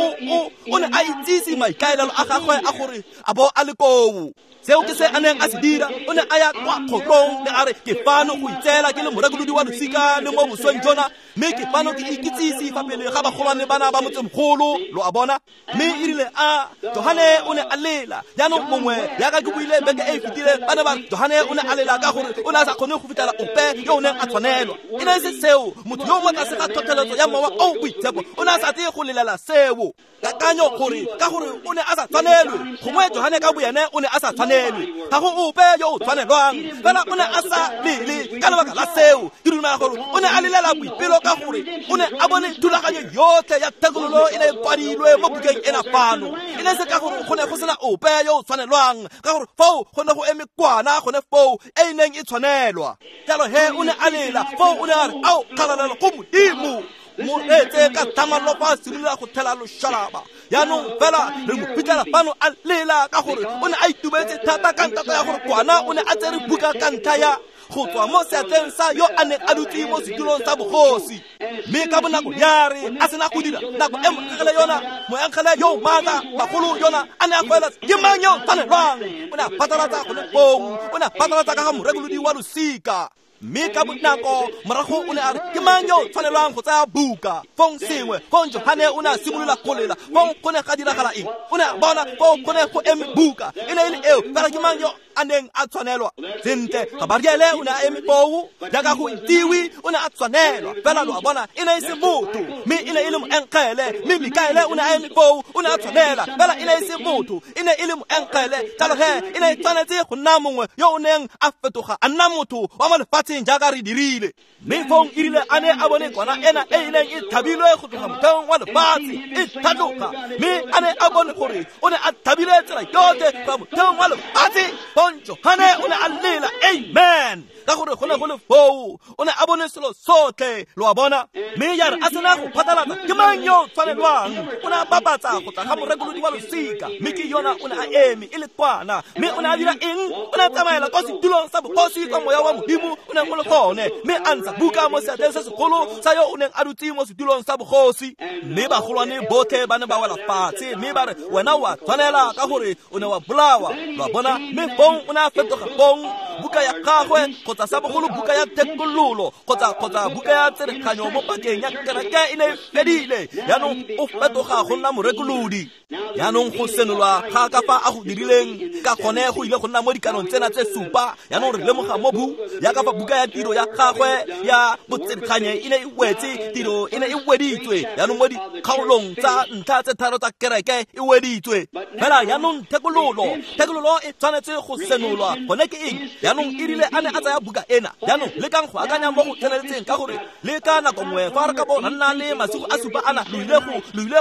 o ne a itsise maikaelelo a gagwe a gore a bo a le koo. Seo ke se a neng a se dira. O ne a ya kwa kgotlong le a re ke fano go itseela ke le morekolodi wa losika le mo bosweng jona, mme ke fano ke ikitsise fa pele ga bagolwane bana ba motsemogolo. Lo a bona? Mme e rile a Johane o ne a lela. Jaanong mongwe jaaka ke buile beke e e fetileng, ba ne ba re Johane o ne a lela ka gore o ne a sa kgone go fitlhela ope yo o neng a tshwanelwa. E ne e se seo. Motho yo mo tlase ga tlhotlheletso ya Mowa o Boitshepo o ne a sa tle go lelela seo. Kakanyo gore ka gore o ne a sa tshwanelwe, gongwe Johane ka boene o ne a sa tshwanelwe, ga go ope yo o tshwanelwang, fela o ne a sa lele ka lebaka la seo. Ke dumela gore o ne a lelela boipelo ka gore o ne a bone thulaganyo yotlhe ya thekololo e ne e kwadilwe mo bukeng ena fano. E ne se ka gore go ne go sena ope yo o tshwanelwang, ka gore foo go ne go eme kwana gone foo e e neng e tshwanelwa. Jalo he o ne a lela foo, o ne a re ao kgalalelo go Modimo. Mo etse ka thamallo fa a simolola go thela loshalaba. Jaanong fela re mo fitlhela fano a lela ka gore o ne a itumetse thata ka ntata ya gore kwana o ne a tsere buka ka ntlha ya go tswa mo seatleng sa yo a neng a dutse mo setulong sa bogosi. Mme ka bonako ya re a sena go dira nako e moengele yona, moengele yo maatla bagolo yona a ne a goeletsa, ke mang yo tshwanelwang? O ne a phatlalatsa gone foo, o ne a phatlalatsa ka ga morekolodi wa losika. Mme ka bonako morago o ne a re ke mang yo tshwanelwang go tsaya buka? Fong sengwe, fong Johane o ne a simolola go lela. Fong go ne ga diragala eng? O ne a bona foo go ne go eme buka, e ne e le eo, fela ke mang yo a neng a tshwanelwa? Sentle, Gabariele o ne a eme foo jaaka go itsiwe, o ne a tshwanelwa, fela lo a bona e ne e se motho, mme e ne e le moengele. Mme Mikaele o ne a eme foo, o ne a tshwanela, fela e ne e se motho, e ne e le moengele. Jalo he e ne e tshwanetse go nna mongwe yo o neng a fetoga a nna motho wa mo lefatsheng jaaka re dirile. Mme fong e rile a ne a bone kwana ena e e neng e thabilwe go tloga motheong wa lefatshe e tlhatloga, mme a ne a bone gore o ne a thabile tsela yotlhe go motheong wa lefatshe, fong Johane o ne a lela amen, ka gore go ne go le foo, o ne a bone selo sotlhe. Lo a bona? Mme ya re a sena go phatlalatsa ke mang yo tshwanelwang, o ne a bapatsa go tla ga morekolodi wa losika. Mme ke yona o ne a eme e le kwana. Mme o ne a dira eng? O ne a tsamaela kwa setulong sa bogosi kwa moya wa Modimo o neng o le gone, mme a ntsha buka mo seatleng se segolo sa yo o neng a dutse mo setulong sa bogosi. Mme bagolwane botlhe ba ne ba wela fatshe, mme ba re wena o a tshwanela ka gore o ne wa bolawa. Lo a bona? Mme fong o ne a fetoga fong buka ya gagwe kgotsa sa bogolo buka ya thekololo kgotsa buka ya tsereganyo mo pakeng ya kereke e ne e fedile. Jaanong o fetoga go nna morekolodi. Jaanong go senolwa ga ka fa a go dirileng ka gone go ile go nna mo dikanong tsena tse supa. Jaanong re lemoga mo bu jaaka fa buka ya tiro ya gagwe ya botsereganye e ne e wetse, tiro e ne e weditswe. Jaanong mo dikgaolong tsa ntlha tse tharo tsa kereke e weditswe. Fela jaanong thekololo e tshwanetse go senolwa. Gone ke eng? Jaanong e rile a ne a tsaya buka ena. Jaanong lekang go akanya mo go tseneletseng ka gore le ka nako nngwe fa re ka bo ra nna le masigo a supa ana lo ile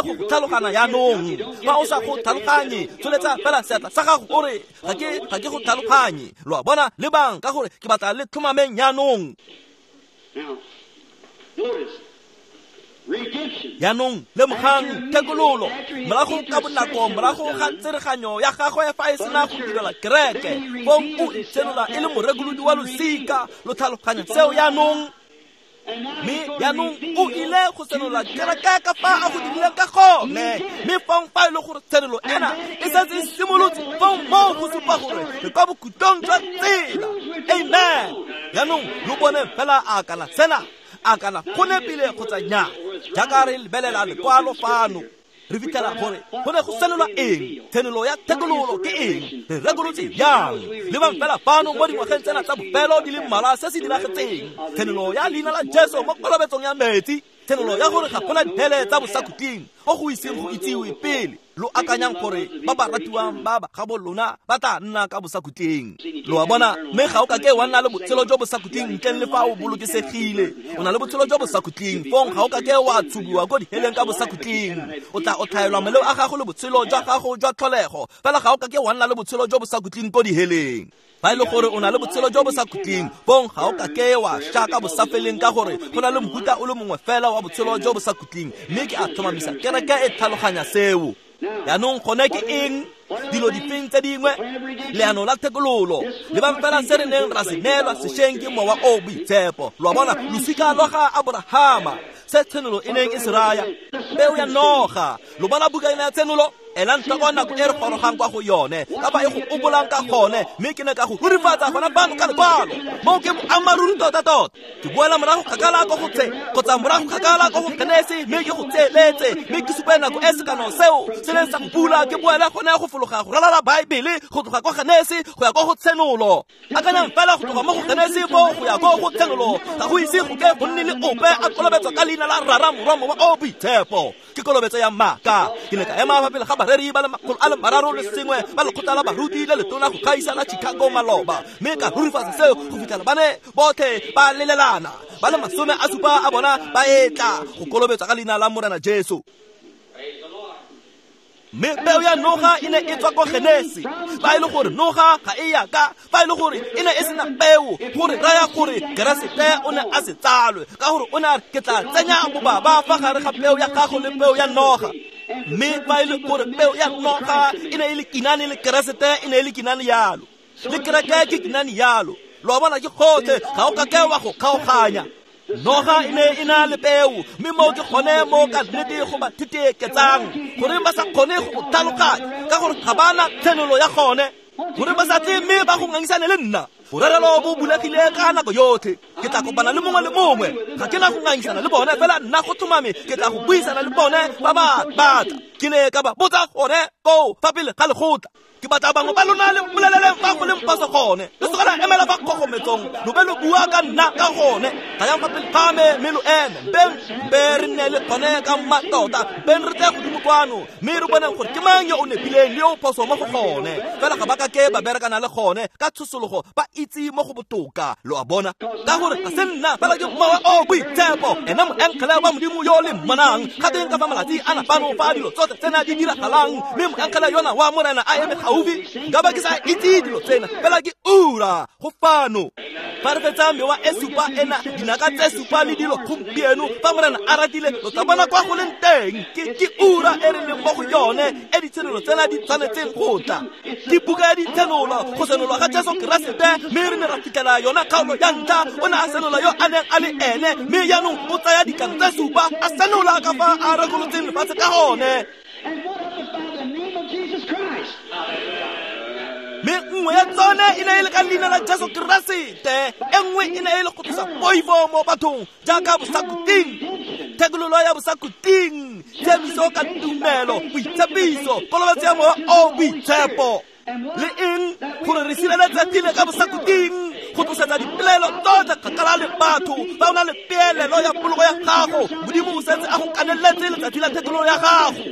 go tlhalogana jaanong. Fa o sa go tlhaloganye, tsholetsa fela seatla sa gago o re ga ke go tlhaloganye. Lo a bona, lebang ka gore ke batla le tlhomameng jaanong. Jaanong lemogang thekololo morago ka bonako morago ga tsereganyo ya gagwe fa e sena go direla kereke, fong o itsenola e le morekolodi wa losika. Lo tlhaloganya seo jaanong? Mme jaanong o ile go senola kereke ka fa a go dirileng ka gone. Mme fong fa e le gore tshenolo ena e setse e simolotse, fong moo go supa gore re kwa bokhutlong jwa tsela. Amen. Jaanong lo bone fela a kana sena a kana go nepile kgotsa nnyaa. Jaaka re lebelela lekwalo fano, re fitlhela gore go ne go senolwa eng, tshenolo ya thekololo ke eng, re rekolotse jang. Lebang fela fano mo dingwageng tsena tsa bofelo di le mmalwa se se diragetseng. Tshenolo ya leina la Jesu mo kolobetsong ya metsi, tshenolo ya gore ga gona dithele tsa bosakhutleng o go iseng go itsiwe pele. Lo akanyang gore ba ba ratiwang ba ba gabo lona ba tla nna ka bosakhutleng. Lo a bona, mme ga o ka ke wa nna le botshelo jo bosakhutleng ntleng le fa o bolokesegile. O na le botshelo jo bosakhutleng, fong ga o ka ke wa tshubiwa ko diheleng ka bosakhutleng. O tla otlhaelwa maleo a gago le botshelo jwa gago jwa tlholego, fela ga o ka ke wa nna le botshelo jo bosakhutleng ko diheleng. Fa e le gore o na le botshelo jo bosakhutleng, fong ga o ka ke wa sha ka bosafeleng ka gore go na le mohuta o le mongwe fela wa botshelo jo bosakhutleng. Mme ke a tlhomamisa kereke e tlhaloganya seo. Jaanong gone ke eng? Dilo difeng tse dingwe? Leano la thekololo. Lebang fela se re neng ra se neelwa sešweng ke Mowa o Boitshepo. Lo a bona, losika lwa ga Aborahama, se tshenolo e neng e se raya, peo ya noga. Lo bona buka ena ya tshenolo? Elang tlhoko nako e re gorogang kwa go yone, ka fa e go obolang ka gone, mme ke ne ka go rurifatsa gona fano ka lekwalo. Moo ke boammaaruri tota-tota. Ke boela morago kgakala ko go tse, kgotsa morago kgakala ko go Genesi, mme ke go tseeletse, mme ke supe nako e sekano seo se neng sa go bula. Ke boela gone go fologa go ralala Baebele, go tloga ko Genesi go ya ko go Tshenolo. Akanyang fela go tloga mo go Genesi foo go ya ko go Tshenolo, ga go ise go ke go nne le ope a kolobetswa ka leina la Rara, Morwa, Mowa o Boitshepo. Ke kolobetso ya maaka. Ke ne ka ema fa pele ga bareri ba le 301 ba lekgotla la baruti le letona go gaisa la Chicago maloba, mme ka rurifatsa seo go fitlhela ba ne botlhe ba lelelana, ba le 70 a bona ba etla go kolobetswa ka leina la Morena Jesu. Mme peo ya noga e ne e tswa ko Genesi. Fa e le gore noga ga e ya ka, fa e le gore e ne e sena peo, gore raya gore Keresete o ne a se tsalwe, ka gore o ne a re ke tla tsenya bobaba fa gare ga peo ya gago le peo ya noga. Mme fa e le gore peo ya noga e ne e le kinane le Keresete e ne e le kinane yalo, le kereke ke kinane yalo. Lo a bona, ke gotlhe, ga o ka ke wa go kgaoganya. Noga e ne e na le peo, mme moo ke gone mo ka nnete go ba theteketsang, gore ba sa kgone go tlhaloganya, ka gore ga ba na tshenolo ya gone, gore ba sa tle mme ba go ngangisane le nna. Borerelo bo bulegile ka nako yotlhe. Ke tla kopana le mongwe le mongwe, ga ke na go ngangisana le bone, fela nna go tlhomame ke tla go buisana le bone ba ba batla. Ke ne ka ba botsa gone koo fa pele ga lekgotla. Ke batla bangwe ba lona le mpoleleleng fa go leng phoso gone. Le se ka la emela fa kgogometsong, lo be lo bua ka nna ka gone. Tlayang fa pele ga me mme lo eme. Mpe re nne le gone ka mmatota, mpeng re tle godimo kwano, mme re boneng gore ke mang yo o nepileng le yo o phoso mo go gone. Fela ga ba ka ke ba berekana le gone ka tshosologo, ba itse mo go botoka. Lo a bona, ka gore ga se nna fela ke Mowa o Boitshepo, ena moengele wa Modimo yo le mmonang. Ga teng ka fa malatsi ana fano fa dilo tsotlhe tsena di diragalang, mme moengele yona wa Morena a eme gaufi. Nka ba ke sa itse dilo tsena, fela ke ura go fano. Fa re fetsa mewa e supa ena, dinaka tse supa le dilo gompieno, fa Morena a ratile, lo tla bona kwa go leng teng. Ke ura e re leng mo go yone, e ditshenolo tsena di tshwanetseng go tla. Ke buka ya ditshenolo, go senolwa ga Jesu Keresete, mme re ne ra fitlhela yona kgaolo ya ntlha. O ne a senola yo a neng a le ene, mme jaanong o tsaya dikano tse supa a senola ka fa a rekolotseng lefatshe ka gone. Mme nngwe ya tsone e ne e le ka leina la Jesu Keresete, e nngwe e ne e le go tlosa poifo mo bathong jaaka bosakhutleng, thekololo ya bosakhutleng, tshiamiso ka tumelo, boitshepiso, kolobetso ya Mowa o Boitshepo. Le eng gore re sireletsegile ka bosakhutleng, go tlosetsa dipelaelo tsotlhe kgakala le batho. Fa o na le peelelo ya poloko ya gago, Modimo o setse a go kaneletse letsatsi la thekololo ya gago.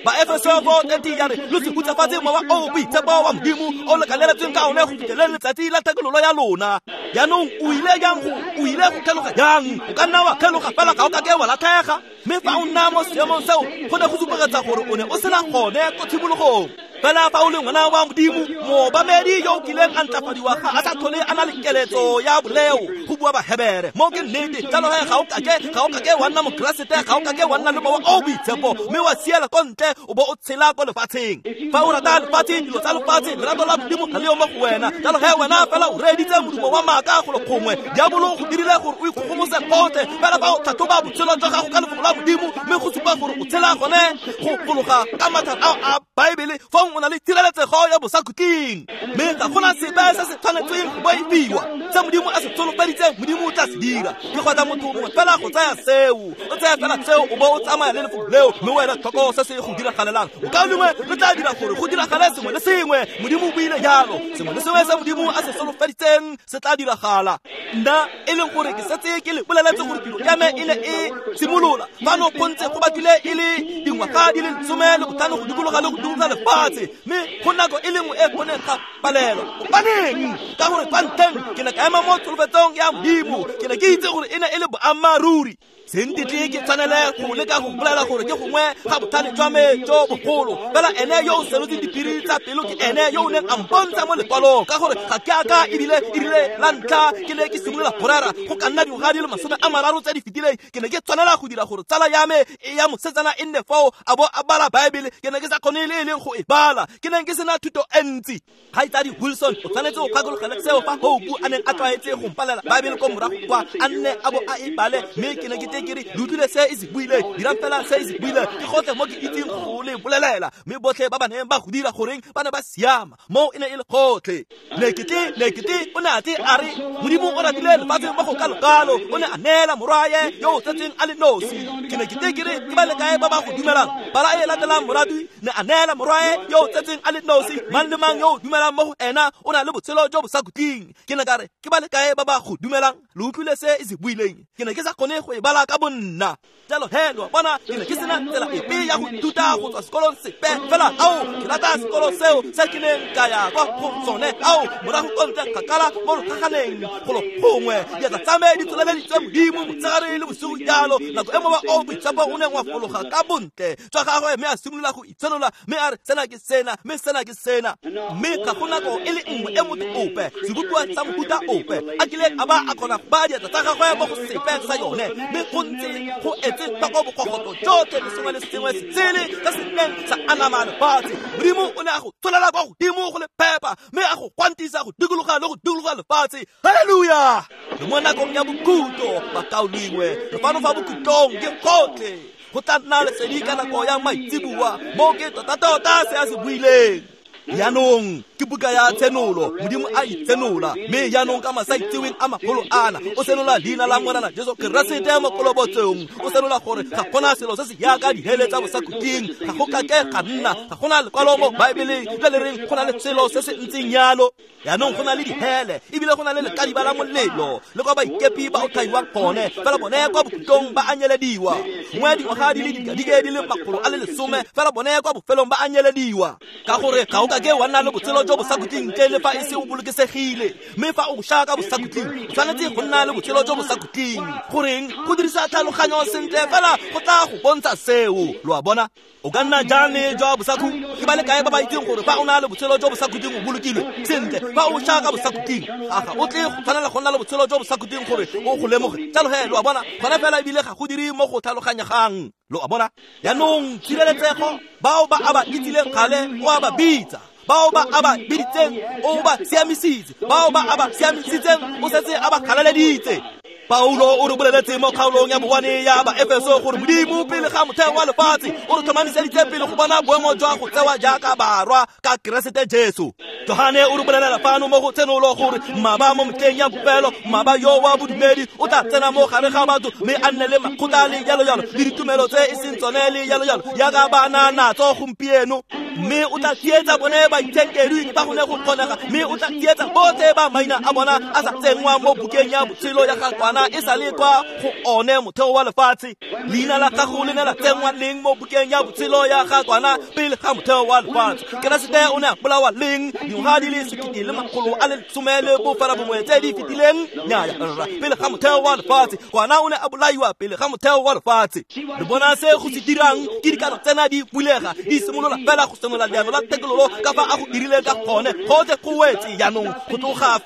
Baefeso 4:30 ya re lo se hutsafatse mowa o o boitshepo wa Modimo o le kaleletsweng ka one go fitlheleng letsatsi la thekololo ya lona. Jaanong o ile jang go o ile go kgeloga jang? O ka nna wa kgeloga fela ga o kake wa latlhega. Mme fa o nna mo seemong seo go ne go supegetsa gore o ne o sena gone ko tshimologong. Fela fa o le ngwana wa Modimo, moobamedi yo o kileng a ntlafadiwa ga a sa tlhole a na le keletso ya boleo, go bua Bahebere. Mo ke nnete, jalo he ga o kake wa nna Mokeresete, ga o kake wa nna le mowa o boitshepo, mme wa siela ko ntle o bo o tshela ko lefatsheng. Fa o rata lefatshe, dilo tsa lefatshe, lerato la Modimo ga le yo mo go wena. Jalo he wena fela o reeditse modumo wa maaka golo gongwe. Diabolo go dirile gore o ikgogomose gotlhe. Fela fa o tlhatlhoba botshelo jwa gago ka lefoko la Modimo, mme go supa gore o tshela gone go fologa ka mathata ao a Baebele, fong o na le tshireletsego ya bosakhutleng. Mme ga gona sepe se se tshwanetseng go boifiwa. Se Modimo a se tsholofeditseng, Modimo o tla se dira. Ke kgotsa motho mongwe fela go tsaya seo. O tsaya fela seo o bo o tsamaya le lefoko leo, mme wena tlhoko se se go diragalelang. Mokaulengwe, re tla dira gore go diragale sengwe le sengwe. Modimo o buile jalo. Sengwe le sengwe se Modimo a se solofeditseng se tla diragala. Nna e leng gore ke setse ke le boleletse gore tiro ya me e ne e simolola fano go ntse go batlile e le dingwaga di le 15 go dikologa le go dikologa lefatshe, mme go nako e le nngwe e go neng ga palelwa. Gobaneng? Ka gore kwa ntlheng ke ne ka ema mo tsholofetsong ya Modimo, ke ne ke itse gore e ne e le boammaaruri. Se ntetle ke tshwanele go leka go bolela gore ke gongwe ga botlhale jwa me jo bogolo, fela ene yo o senotseng diphiri tsa pelo ke ene yo o neng a mpontsha mo lekwalong, ka gore ga ke a ka ebile erile la ntlha ke ne ke simolola go rera go ka nna dingwaga di le 30 tse di fetileng. Ke ne ke tshwanela go dira gore tsala ya me e ya mosetsana e nne foo a bo a bala Baebele. Ke ne ke sa kgone le e leng go e bala, ke neng ke sena thuto e ntsi. Kgaitsadi Wilson o tshwanetse go gakologelwa seo fa Hope a neng a tlwaetse go mpalela Baebele ko morago kwa, a nne a bo a e bale, mme ke ne ke tle ke re le utlwile se e se buileng, dirang fela se e se buileng, ke gotlhe mo ke itseng go le bolelela. Mme botlhe ba ba neng ba go dira goreng ba ne ba siama, mo e ne e le gotlhe. Lekete o ne a tle a re Modimo o ratile lefatshe mo go kalo-kalo, o ne a neela morwaye yo o tsetsweng a le nosi. Ke ne ke tle ke re ke ba le kae ba ba go dumelang? Pala e latelang morati ne a neela morwaye yo o tsetsweng a le nosi, mang le mang yo o dumelang mo go ena o na le botshelo jo bo sa khutleng. Ke ne ka re ke ba le kae ba ba go dumelang? Le utlwile se e se buileng. Ke ne ke sa kgone go e bala ka bonna. Jalo he lo bona, ke ne ke sena tsela epe ya go ithuta go tswa sekolong sepe fela. Ao, ke rata sekolo seo se ke neng ka ya kwa go sone. Ao, morago ko ntle kgakala mo logaganeng golo gongwe, diatla tsa me di tsholeleditswe Modimo motshegare le bosigo jalo. Nako e mowa o boitshepo o neng wa fologa ka bontle jwa gagwe, mme a simolola go itshenola, mme a re sena ke sena, mme sena ke sena. Mme ga go nako e le nngwe e motho ope, sebopiwa sa mofuta ope, a kileng a ba a kgona go baya diatla tsa gagwe mo go sepe sa yone, mme go ntse go etse tlhoko bokogoto jotlhe le sengwe le sengwe se sele se se neng sa anama lefatshe. Modimo o ne a go tsholela kwa godimo go le phepa, mme a go kwantisa go dikologa le go dikologa lefatshe. Halleluja! Re mo nakong ya bokhutlo, bakaulengwe, re fano fa bokhutlong ke gotlhe. Go tla nna lesedi ka nako ya maitseboa, mo ke tota-tota se a se buileng. Jaanong ke buka ya Tshenolo, Modimo a itsenola, mme jaanong ka masaitseweng a magolo ana o senola leina la Morena Jesu Keresete mo kolobotsong. O senola gore ga gona selo se se jaaka dihele tsa bosakhutleng, ga go kake ga nna, ga gona lekwalo mo Baebeleng le le reng go na le selo se se ntseng jalo. Jaanong go na le dihele, ebile go na le lekadiba la molelo, le kwa baikepi ba otlhaiwang gone, fela bone kwa bokhutlong ba anyelediwa. Gongwe dingwaga di le dikadike di le 110, fela bone kwa bofelong ba anyelediwa. Ka gore ga o kake wa nna le botshelo jo bosakhutleng ntle le fa e se o bolokesegile. Mme fa o sha ka bosakhutleng, o tshwanetse go nna le botshelo jo bosakhutleng. Goreng? Go dirisa tlhaloganyo sentle fela go tla go bontsha seo. Lo a bona? O ka nna jang le jwa bosakhutleng? Ke ba le kae ba ba itseng gore fa o na le botshelo jo bosakhutleng o bolokilwe sentle? Fa o sha ka bosakhutleng, ga o tle go tshwanela go nna le botshelo jo bosakhutleng gore o go lemoge. Jalo he lo a bona, gona fela ebile ga go dire mo go tlhaloganyegang. Lo a bona? Jaanong tshireletsego, bao ba a ba itsileng kgale o a ba bitsa, bao ba a ba biditseng o ba siamisitse, bao ba a ba siamisitseng o setse a ba galaleditse. Paulo o re boleletse mo kgaolong ya bowane ya Baefeso gore Modimo pele ga motheo wa lefatshe o re tlhomamiseditse pele go bona boemo jwa go tsewa jaaka barwa ka Keresete Jesu. Johane o re bolelela fano mo go Tshenolo gore mmaba mo metlheng ya bofelo, mmaba yo wa bodumedi o tla tsena mo gare ga batho mme a nne le makgotla le jalo jalo le ditumelo tse e seng tsone le jalo jalo jaaka ba na natso gompieno. Mme o tla tsietsa bone baitshenkedwi ba go ne go kgonega, mme o tla tsietsa botlhe ba maina a bona a sa tsenngwa mo bukeng ya botshelo ya ga Kwana e sa le kwa go one motheo wa lefatshe. Leina la gago le ne la tsenngwa leng mo bukeng ya botshelo ya ga Kwana pele ga motheo wa lefatshe? Keresete o ne a bolawa leng? Dingwaga di le 1979 tse di fetileng? Nnyaya, rra, pele ga motheo wa lefatshe. Kwana o ne a bolaiwa pele ga motheo wa lefatshe. Re bona se go se dirang ke dikano tsena di bulega, di simolola fela go senola leano la thekololo ka fa a go dirileng ka gone. Gotlhe go wetse jaanong, go tloga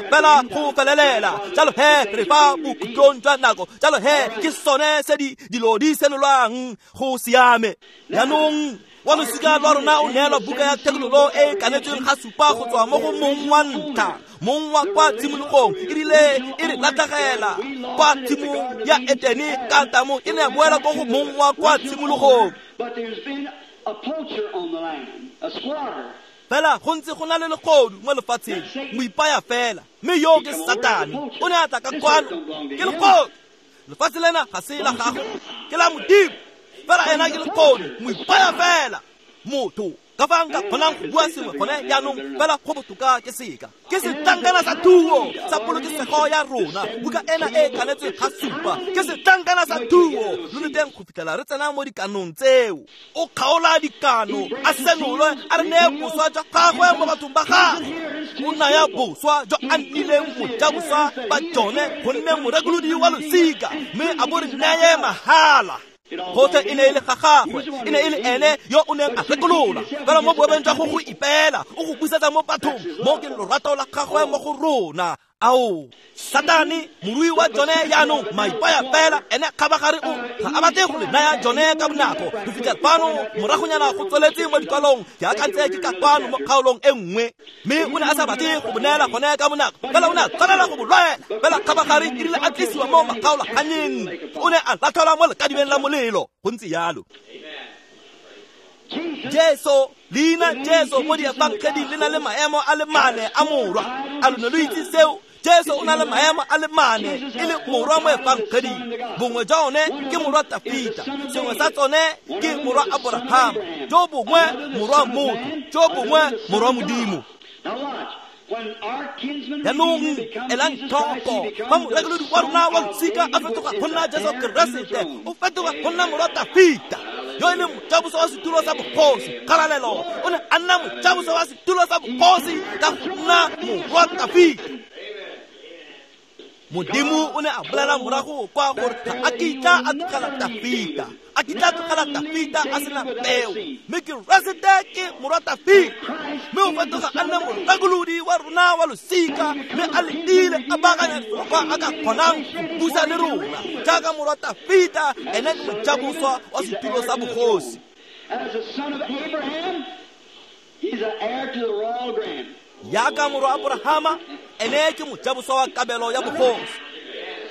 fela go felelela. Jalo he re fa bokhutlong jwa nako, jalo he ke sone se dilo di senolwang. Go siame. Jaanong wa losika lwa rona o neelwa buka ya thekololo e e kanetsweng ga supa go tswa mo go mong wa ntlha, mong wa kwa tshimologong. E rile e re latlhegela kwa tshimong ya Etene ka tamo, e ne ya boela ko go mong wa kwa tshimologong. Fela go ntse go na le legodu mo lefatsheng, moipaya fela, mme yo ke Satane. O ne a tla ka kwano, ke legodu. Lefatshe lena ga se la gago, ke la Modimo. Fela ena ke legodu, moipaya fela. Motho ka fa nka kgonang go bua sengwe gone jaanong, fela go botoka ke seka. Ke setlankana sa thuo sa polokesego ya rona, buka ena e kanetsweng ga supa. Ke setlankana sa thuo lo le teng go fitlhela re tsena mo dikanong tseo. O kgaola dikano, a senolwe, a re neye boswa jwa gagwe mo bathong ba gagwe. O naya boswa jwa a nnileng mojaboswa ba jone go nne morekolodi wa losika, mme a bo re neye mahala. Gotlhe e ne e le ga gagwe, e ne e le ene yo o neng a rekolola. Fela mo boemong jwa go ipeela, o go busetsa mo bathong, mo ke lorato la gagwe mo go rona. Ao, Satane, morui wa jone jaanong maipaya fela, ene kgabagare o ga a batle go le naya jone ka bonako. Go fitlha fano moragonyana go tsweletse mo dikwalong, ke akantse ke ka kwano mo kgaolong e nngwe, mme o ne a sa batle go bo neela gone ka bonako, fela o ne a tshwanela go bo lwela. Fela kgabagare e rile a tlisiwa mo makgaolaganyeng, o ne a latlhelwa mo lekadibeng la molelo. Go ntse jalo. Jesu, leina Jesu mo diefangeding le na le maemo a le mane a morwa. A lo ne lo itse seo? Jesu o na le maemo a le mane e le morwa mo efangeding. Bongwe jwa one ke morwa Tafita, sengwe sa tsone ke morwa Aborahama, jo bongwe morwa motho, jo bongwe morwa Modimo. Jaanong elang tlhoko, fa morekolodi wa rona wa losika a fetoga go nna Jesu Keresete, o fetoga go nna morwa Tafita, yo e leng mojabosa wa setulo sa bogosi. Kgalalelo, o ne a nna mojabosa wa setulo sa bogosi ka go nna morwa Tafita. Modimo o ne a bolela morago kwa gore ga a kitla a tlogela Tafita, a kitla tlogela Tafita a sena peo, mme Keresete ke morwa Tafita, mme o fetoga a nna morekolodi wa rona wa losika, mme a letile a baakanya kwa a ka kgonang go busa le rona jaaka morwa Tafita. Ene ke mojaboswa wa setulo sa bogosi. Jaaka morwa Aborahama, ene ke mojaboswa wa kabelo ya bogosi.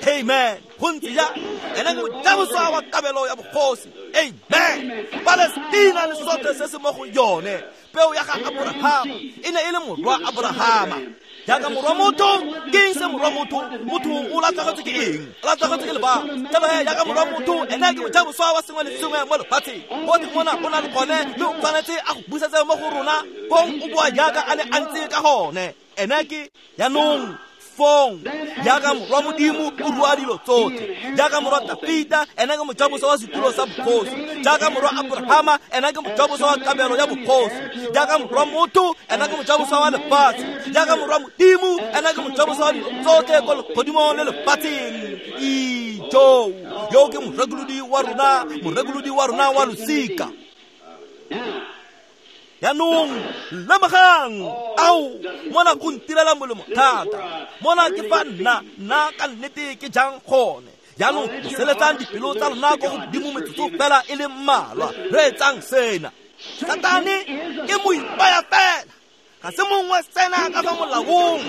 Amen. Go ntse jang? Ene ke mojaboswa wa kabelo ya bogosi. Amen. Palestina le sotlhe se se mo go yone, peo ya ga Aborahama e ne e le morwa Aborahama. Jaaka morwa motho, ke eng se morwa motho? Motho o latlhegetswe ke eng? O latlhegetswe ke lebaka. Jalo he, jaaka morwa motho, ene ke mojaboswa wa sengwe le sengwe mo lefatsheng. Gotlhe mona o na le gone, mme o tshwanetse a go busetse mo go rona, fong o boa jaaka a ne a ntse ka gone. Ene ke jaanong fong jaaka morwa Modimo o rua dilo tsotlhe. Jaaka morwa Tafita, ene ke mojaboswa wa setulo sa bogosi. Jaaka morwa Aborahama, ene ke mojaboswa wa kabelo ya bogosi. Jaaka morwa motho, ene ke mojaboswa wa lefatshe. Jaaka morwa Modimo, ene ke mojaboswa wa dilo tsotlhe ko legodimong le lefatsheng. Ijo, yo ke morekolodi wa rona, morekolodi wa rona wa losika. Jaanong lemogang, ao, mona go ntirela molemo thata. Mona ke fa nna ka nnete ke jang gone. Jaanong seletsang dipelo tsa lona ko godimo metsotso fela e le mmalwa. Reetsang sena. Satane ke moipaya fela, ga se mongwe sena ka fa molaong,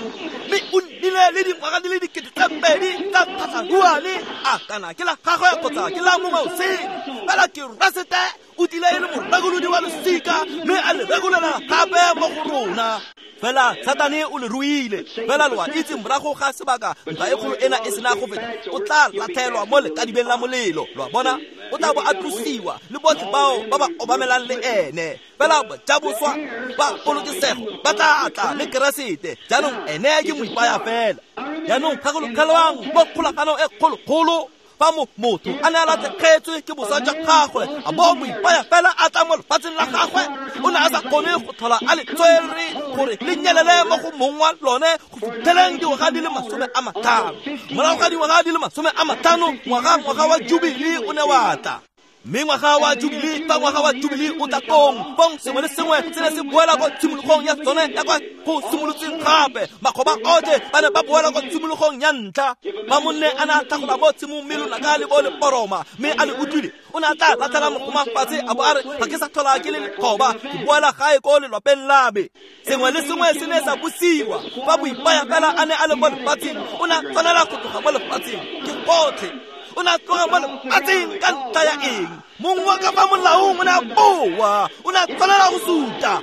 mme o nnile le dingwaga di le 2000 tsa tlhatlharuane. A kana ke la gagwe kgotsa ke la mongwe o sele, fela Keresete o tlile e le morekolodi wa losika, mme a le rekolela gape mo go rona. Fela Satane o le ruile. Fela lo a itse morago ga sebaka ntwa e kgolo ena e sena go feta, o tla latlhelwa mo lekadibeng la molelo. Lo a bona? O tla bo a tlosiwa le botlhe bao ba ba obamelang le ene. Fela bajaboswa ba polokesego ba tla tla le Keresete. Jaanong ene ke moipaya fela. Jaanong gakologelwang mo kgolaganong e kgolokgolo fa motho a ne a latlhegetswe ke boswa jwa gagwe a bo moipaya fela a tla mo lefatsheng la gagwe, o ne a sa kgone go tlhola a le tswere gore le nyelele mo go mong wa lone go fitlheleng dingwaga di le 50. Morago ga dingwaga di le 50, ngwaga wa Jubile o ne wa tla. Mme ngwaga wa Jubile, fa ngwaga wa Jubile o tla kong, fong sengwe le sengwe se ne se boela ko tshimologong ya tsone ya kwa go simolotseng gape. Makgoba otlhe ba ne ba boela ko tshimologong ya ntlha. Fa monne a ne a tlhagola mo tshimong mme lonaka le bo le poroma mme a le utlwile, o ne a tla latlhela mogoma fatshe a bo a re, ga ke sa tlhola ke le lekgoba, ke boela gae ko lelwapeng la me. Sengwe le sengwe se ne sa busiwa. Fa moipaya fela a ne a le mo lefatsheng, o ne a tshwanela go tloga mo lefatsheng. Ke gotlhe. O ne a tloga mo lefatsheng ka ntlha ya eng? Mong wa ka fa molaong o ne a boa, o ne a tshwanela go suta.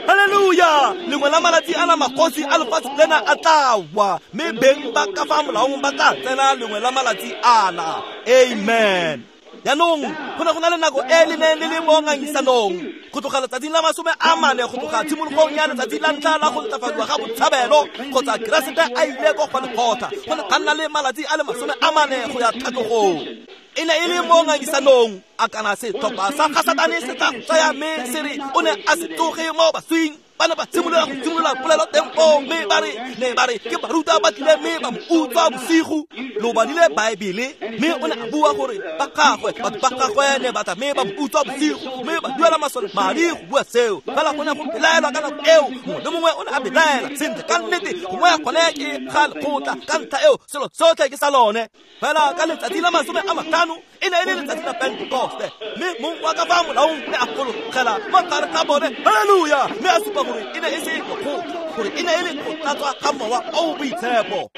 Halleluja! Lengwe la malatsi ana magosi a lefatshe lena a tla wa, mme beng ba ka fa molaong ba tla tsena lengwe la malatsi ana. Amen. Jaanong go ne go na le nako e le neng le le mo ngangisanong go tloga letsatsing la 40 go tloga tshimologong ya letsatsi la ntlha la go ntlafadiwa ga botshabelo kgotsa Keresete a ile ko Golgotha, go ne ga nna le malatsi a le 40 go ya tlhatlogong. E ne e le mo ngangisanong a kana setlhopha sa ga Satane se tla tsaya mme se re o ne a se tsoge mo baswing. Ba ne ba simolola go simolola polelo teng foo, mme ba re ne ba re ke baruta ba tlile mme ba mo utswa bosigo. Lo badile Baebele, mme o ne a bua gore ba gagwe, batho ba gagwe ne ba tla mme ba mo utswa bosigo, mme ba duela masole madi go bua seo. Fela go ne go belaelwa ka nako eo, mongwe le mongwe o ne a belaela sentle ka nnete, gongwe gone ke ga lekgotla ka ntlha eo selo sotlhe ke sa lone. Fela ka letsatsi la 50 e ne e le letsatsi la Pentekoste, mme mong wa ka fa molaong ne a fologela mo gare ga bone. Halleluja! Mme a supa gore e ne e se lekgotla, gore e ne e le go tlatswa ga Mowa o o Boitshepo.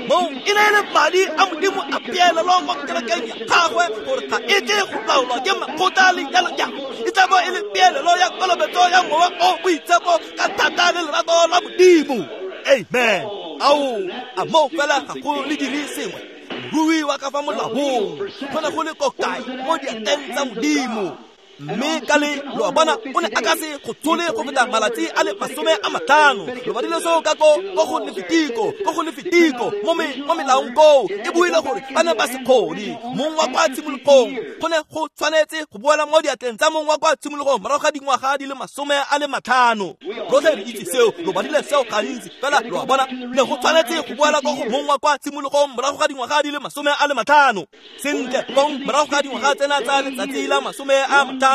Moo e ne e le madi a Modimo a peelelo mo kerekeng ya gagwe gore ga e tle go laolwa ke makgotla le jalo jalo. E tla bo e le peelelo ya kolobetso ya Mowa o o Boitshepo ka thata le lerato la Modimo. Amen. Ao, a moo fela ga go le dire sengwe. Morui wa ka fa molaong go ne go le ko kae mo diatleng tsa Modimo. Mme ka le lo a bona o ne a ka se go tshole go feta malatsi a le 50. Lo badile seo ka ko go Lefitiko mo melaong koo e buile gore ba ne ba se kgone. Mong wa kwa tshimologong go ne go tshwanetse go boela mo diatleng tsa mong wa kwa tshimologong morago ga dingwaga di le 50. Rotlhe re itse seo, lo badile seo gantsi. Fela lo a bona ne go tshwanetse go boela ko go mong wa kwa tshimologong morago ga dingwaga di le 50. Sentle kong morago ga dingwaga tsena tsa letsatsi la 50,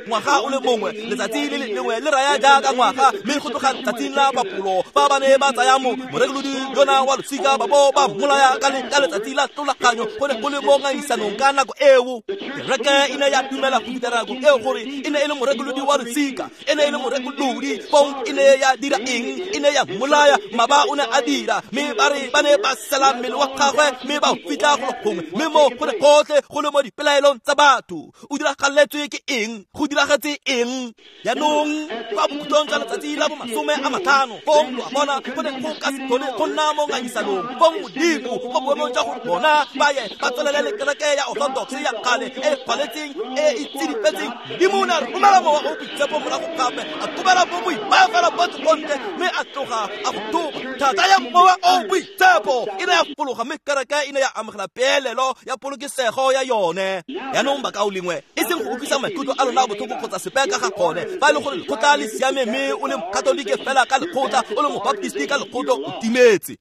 ngwaga o le mongwe, letsatsi le lengwe le raya jaaka ngwaga, mme go tloga letsatsing la bapolo fa ba ne ba tsaya morekolodi yona wa losika ba bo ba mmolaya ka letsatsi la tlolaganyo, go ne go le mo ngangisanong ka nako eo. Kereke e ne ya dumela go fitlha nako eo gore e ne e le morekolodi wa losika, e ne e le morekolodi. Fong e ne ya dira eng? E ne ya mmolaya. Maba o ne a dira, mme ba re ba ne ba sela mmele wa gagwe mme ba o fitlha golo gongwe, mme mo go ne gotlhe go le mo dipelaelong tsa batho. O diragaletswe ke eng? Go diragetse eng? Jaanong kwa bokhutlong jwa letsatsi la bo 50, fong lo a bona go ne go ka se tlhole go nna mo ngangisanong. Fong Modimo mo boemong jwa gore bona ba ye ba tswelele le kereke ya Orthodox ya kgale e kgwaletseng e e tsidifetseng, Modimo o ne a romela Mowa o o Boitshepo morago gape, a kobela bo moipaya fela botlhe ko ntle, mme a tloga a go thoba. Thata ya Mowa o o Boitshepo e ne ya fologa, mme kereke e ne ya amogela peelelo ya polokesego ya yone. Jaanong bakaulengwe, e seng go utlwisa maikutlo a lona botlhoko kgotsa sepe ka ga gone. Fa e le gore lekgotla le siame mme o le Mokatolike fela ka lekgotla, o le Mobaptisti ka lekgotla, o timetse.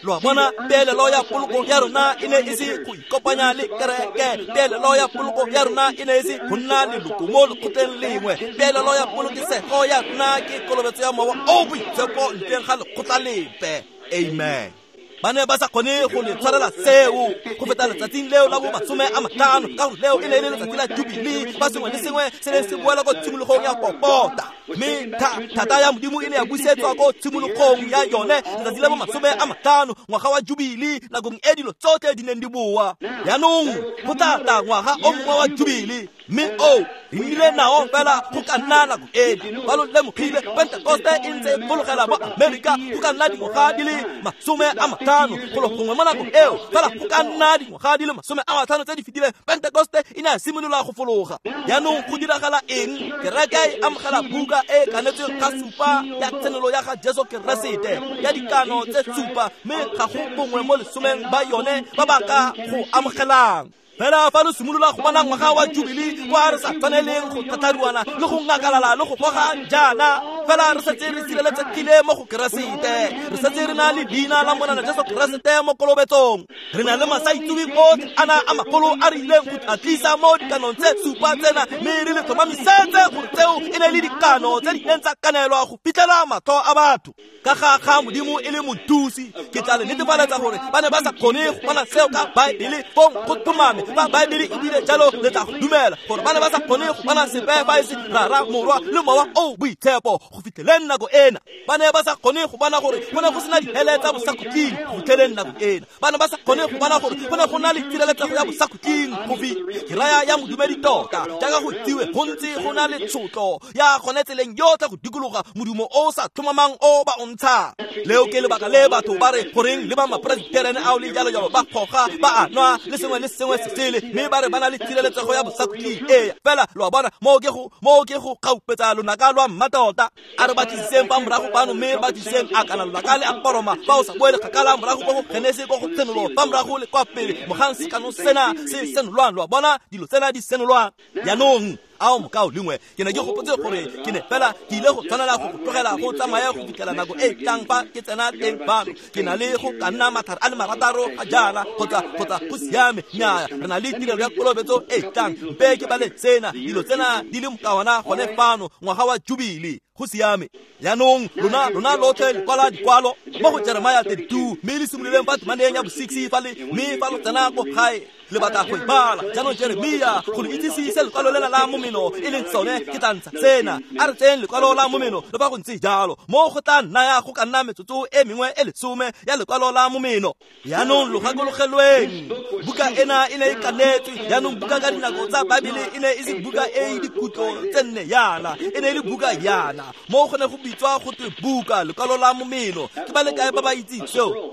Lo a bona, peelelo ya poloko ya rona e ne e se go ikopanya le kereke. Peelelo ya poloko ya rona e ne e se go nna leloko mo lekgotleng lengwe. Peelelo ya polokesego ya rona ke kolobetso ya Mowa o o Boitshepo ntleng ga lekgotla lepe. Amen. Ba ne ba sa kgone go le tshwarela seo go feta letsatsing leo la bo 50, ka gore leo e ne e le letsatsi la Jubile fa sengwe le sengwe se ne se boela ko tshimologong ya popota. Mme thata ya Modimo e ne ya busetswa ko tshimologong ya yone letsatsi la bo 50, ngwaga wa Jubile, nakong e dilo tsotlhe di neng di boa. Jaanong go tla tla ngwaga o mongwe wa Jubile, mme o Re nnile nao fela go ka nna nako ena. Ba lo lemogile Pentekoste e ntse e fologela mo Amerika go ka nna dingwaga di le 50 golo gongwe mo nakong eo. Fela go ka nna dingwaga di le 50 tse di fetileng Pentekoste e ne ya simolola go fologa. Jaanong go diragala eng? Kereke e amogela buka e kanetsweng ga supa ya tshenolo ya ga Jesu Keresete ya dikano tse supa, mme ga go bongwe mo lesomeng ba yone ba ba ka go amogelang. Fela fa lo simolola go bona ngwaga wa Jubilee kwa re sa tshwaneleng go thatharuana le go ngakalala le go goga jaana, fela re setse re sireletsegile mo go Keresete. Re setse re na le leina la Morena Jesu Keresete mo kolobetsong. Re na le masaitsewe otlhe ana a magolo a re ileng go a tlisa mo dikanong tse supa tsena, mme re le tlhomamisetse gore tseo e ne le dikano tse di neng tsa kanelwa go fitlhela matlho a batho. Ka ga Modimo e le mothusi, ke tla le netefaletsa gore ba ne ba sa kgone go bona seo ka Baebele. Fong go tlhomame fa Baebele e bile jalo, le tla go dumela gore ba ne ba sa kgone go bona sepe fa e se Rara, Morwa le Mowa o Boitshepo go fitlheleng nako ena. Ba ne ba sa kgone go bona gore go ne go sena dihele tsa bosakhutleng go fitlheleng nako ena. Ba ne ba sa kgone go bona gore go ne go na le tshireletsego ya bosakhutleng go ke raya ya modumedi tota, jaaka go itsiwe go ntse go na le tshotlo ya gone tseleng yotlhe go dikologa modumo o sa tlhomamang o ba o ntshang. Leo ke lebaka le batho ba re goreng le ba mapresbiterene ao le jalo jalo ba goga ba a nwa le sengwe le sengwe se sele, mme ba re ba na le tshireletsego ya bosakhutleng. Ee, fela lo a bona, moo ke go kgaupetsa lonaka lwa mmatota. A re batlisiseng fa morago fano, mme re batlisiseng a kana lonaka le a poroma fa o sa boele kgakala morago ko go Genese ko go Tshenolo, fa morago le kwa pele mogang sekano sena se senolwang. Lo a bona, dilo tsena di senolwang. Jaanong ao mokao lengwe ke ne ke gopotse gore ke ne fela ke ile go tshwanela go tlogela go tsamaya go fitlhela nako e tlang fa ke tsena teng fano. Ke na le go ka nna mathare a le 6 ga jaana kgotsa go siame. Nnyaya, re na le tirelo ya kolobetso e tlang. Mpe ke bale tsena dilo tsena di le mokawana gone fano, ngwaga wa Jubilee. Go siame. Jaanong lona lotlhe le kwala dikwalo mo go Jeremia 32, mme le simololeng fa temaneng ya bo-6 fa le, mme fa lo tsena ko gae le batla go e bala. Jaanong Jeremia, go le itsise se lekwalo lela la momeno e leng sone, ke tla ntsha sena. A re tseyeng lekwalo la momeno le fa go ntse jalo, mo go tla nnaya go ka nna metsotso e mengwe e 10 ya lekwalo la momeno. Jaanong lo gakologelweng, buka ena e ne e kanetswe. Jaanong buka ka dinako tsa Baebele e ne e se buka e e dikutlo tse nne yana, e ne e le buka yana. Mo go ne go bitswa go twe buka lekwalo la momeno. Ke ba le kae ba ba itseng seo?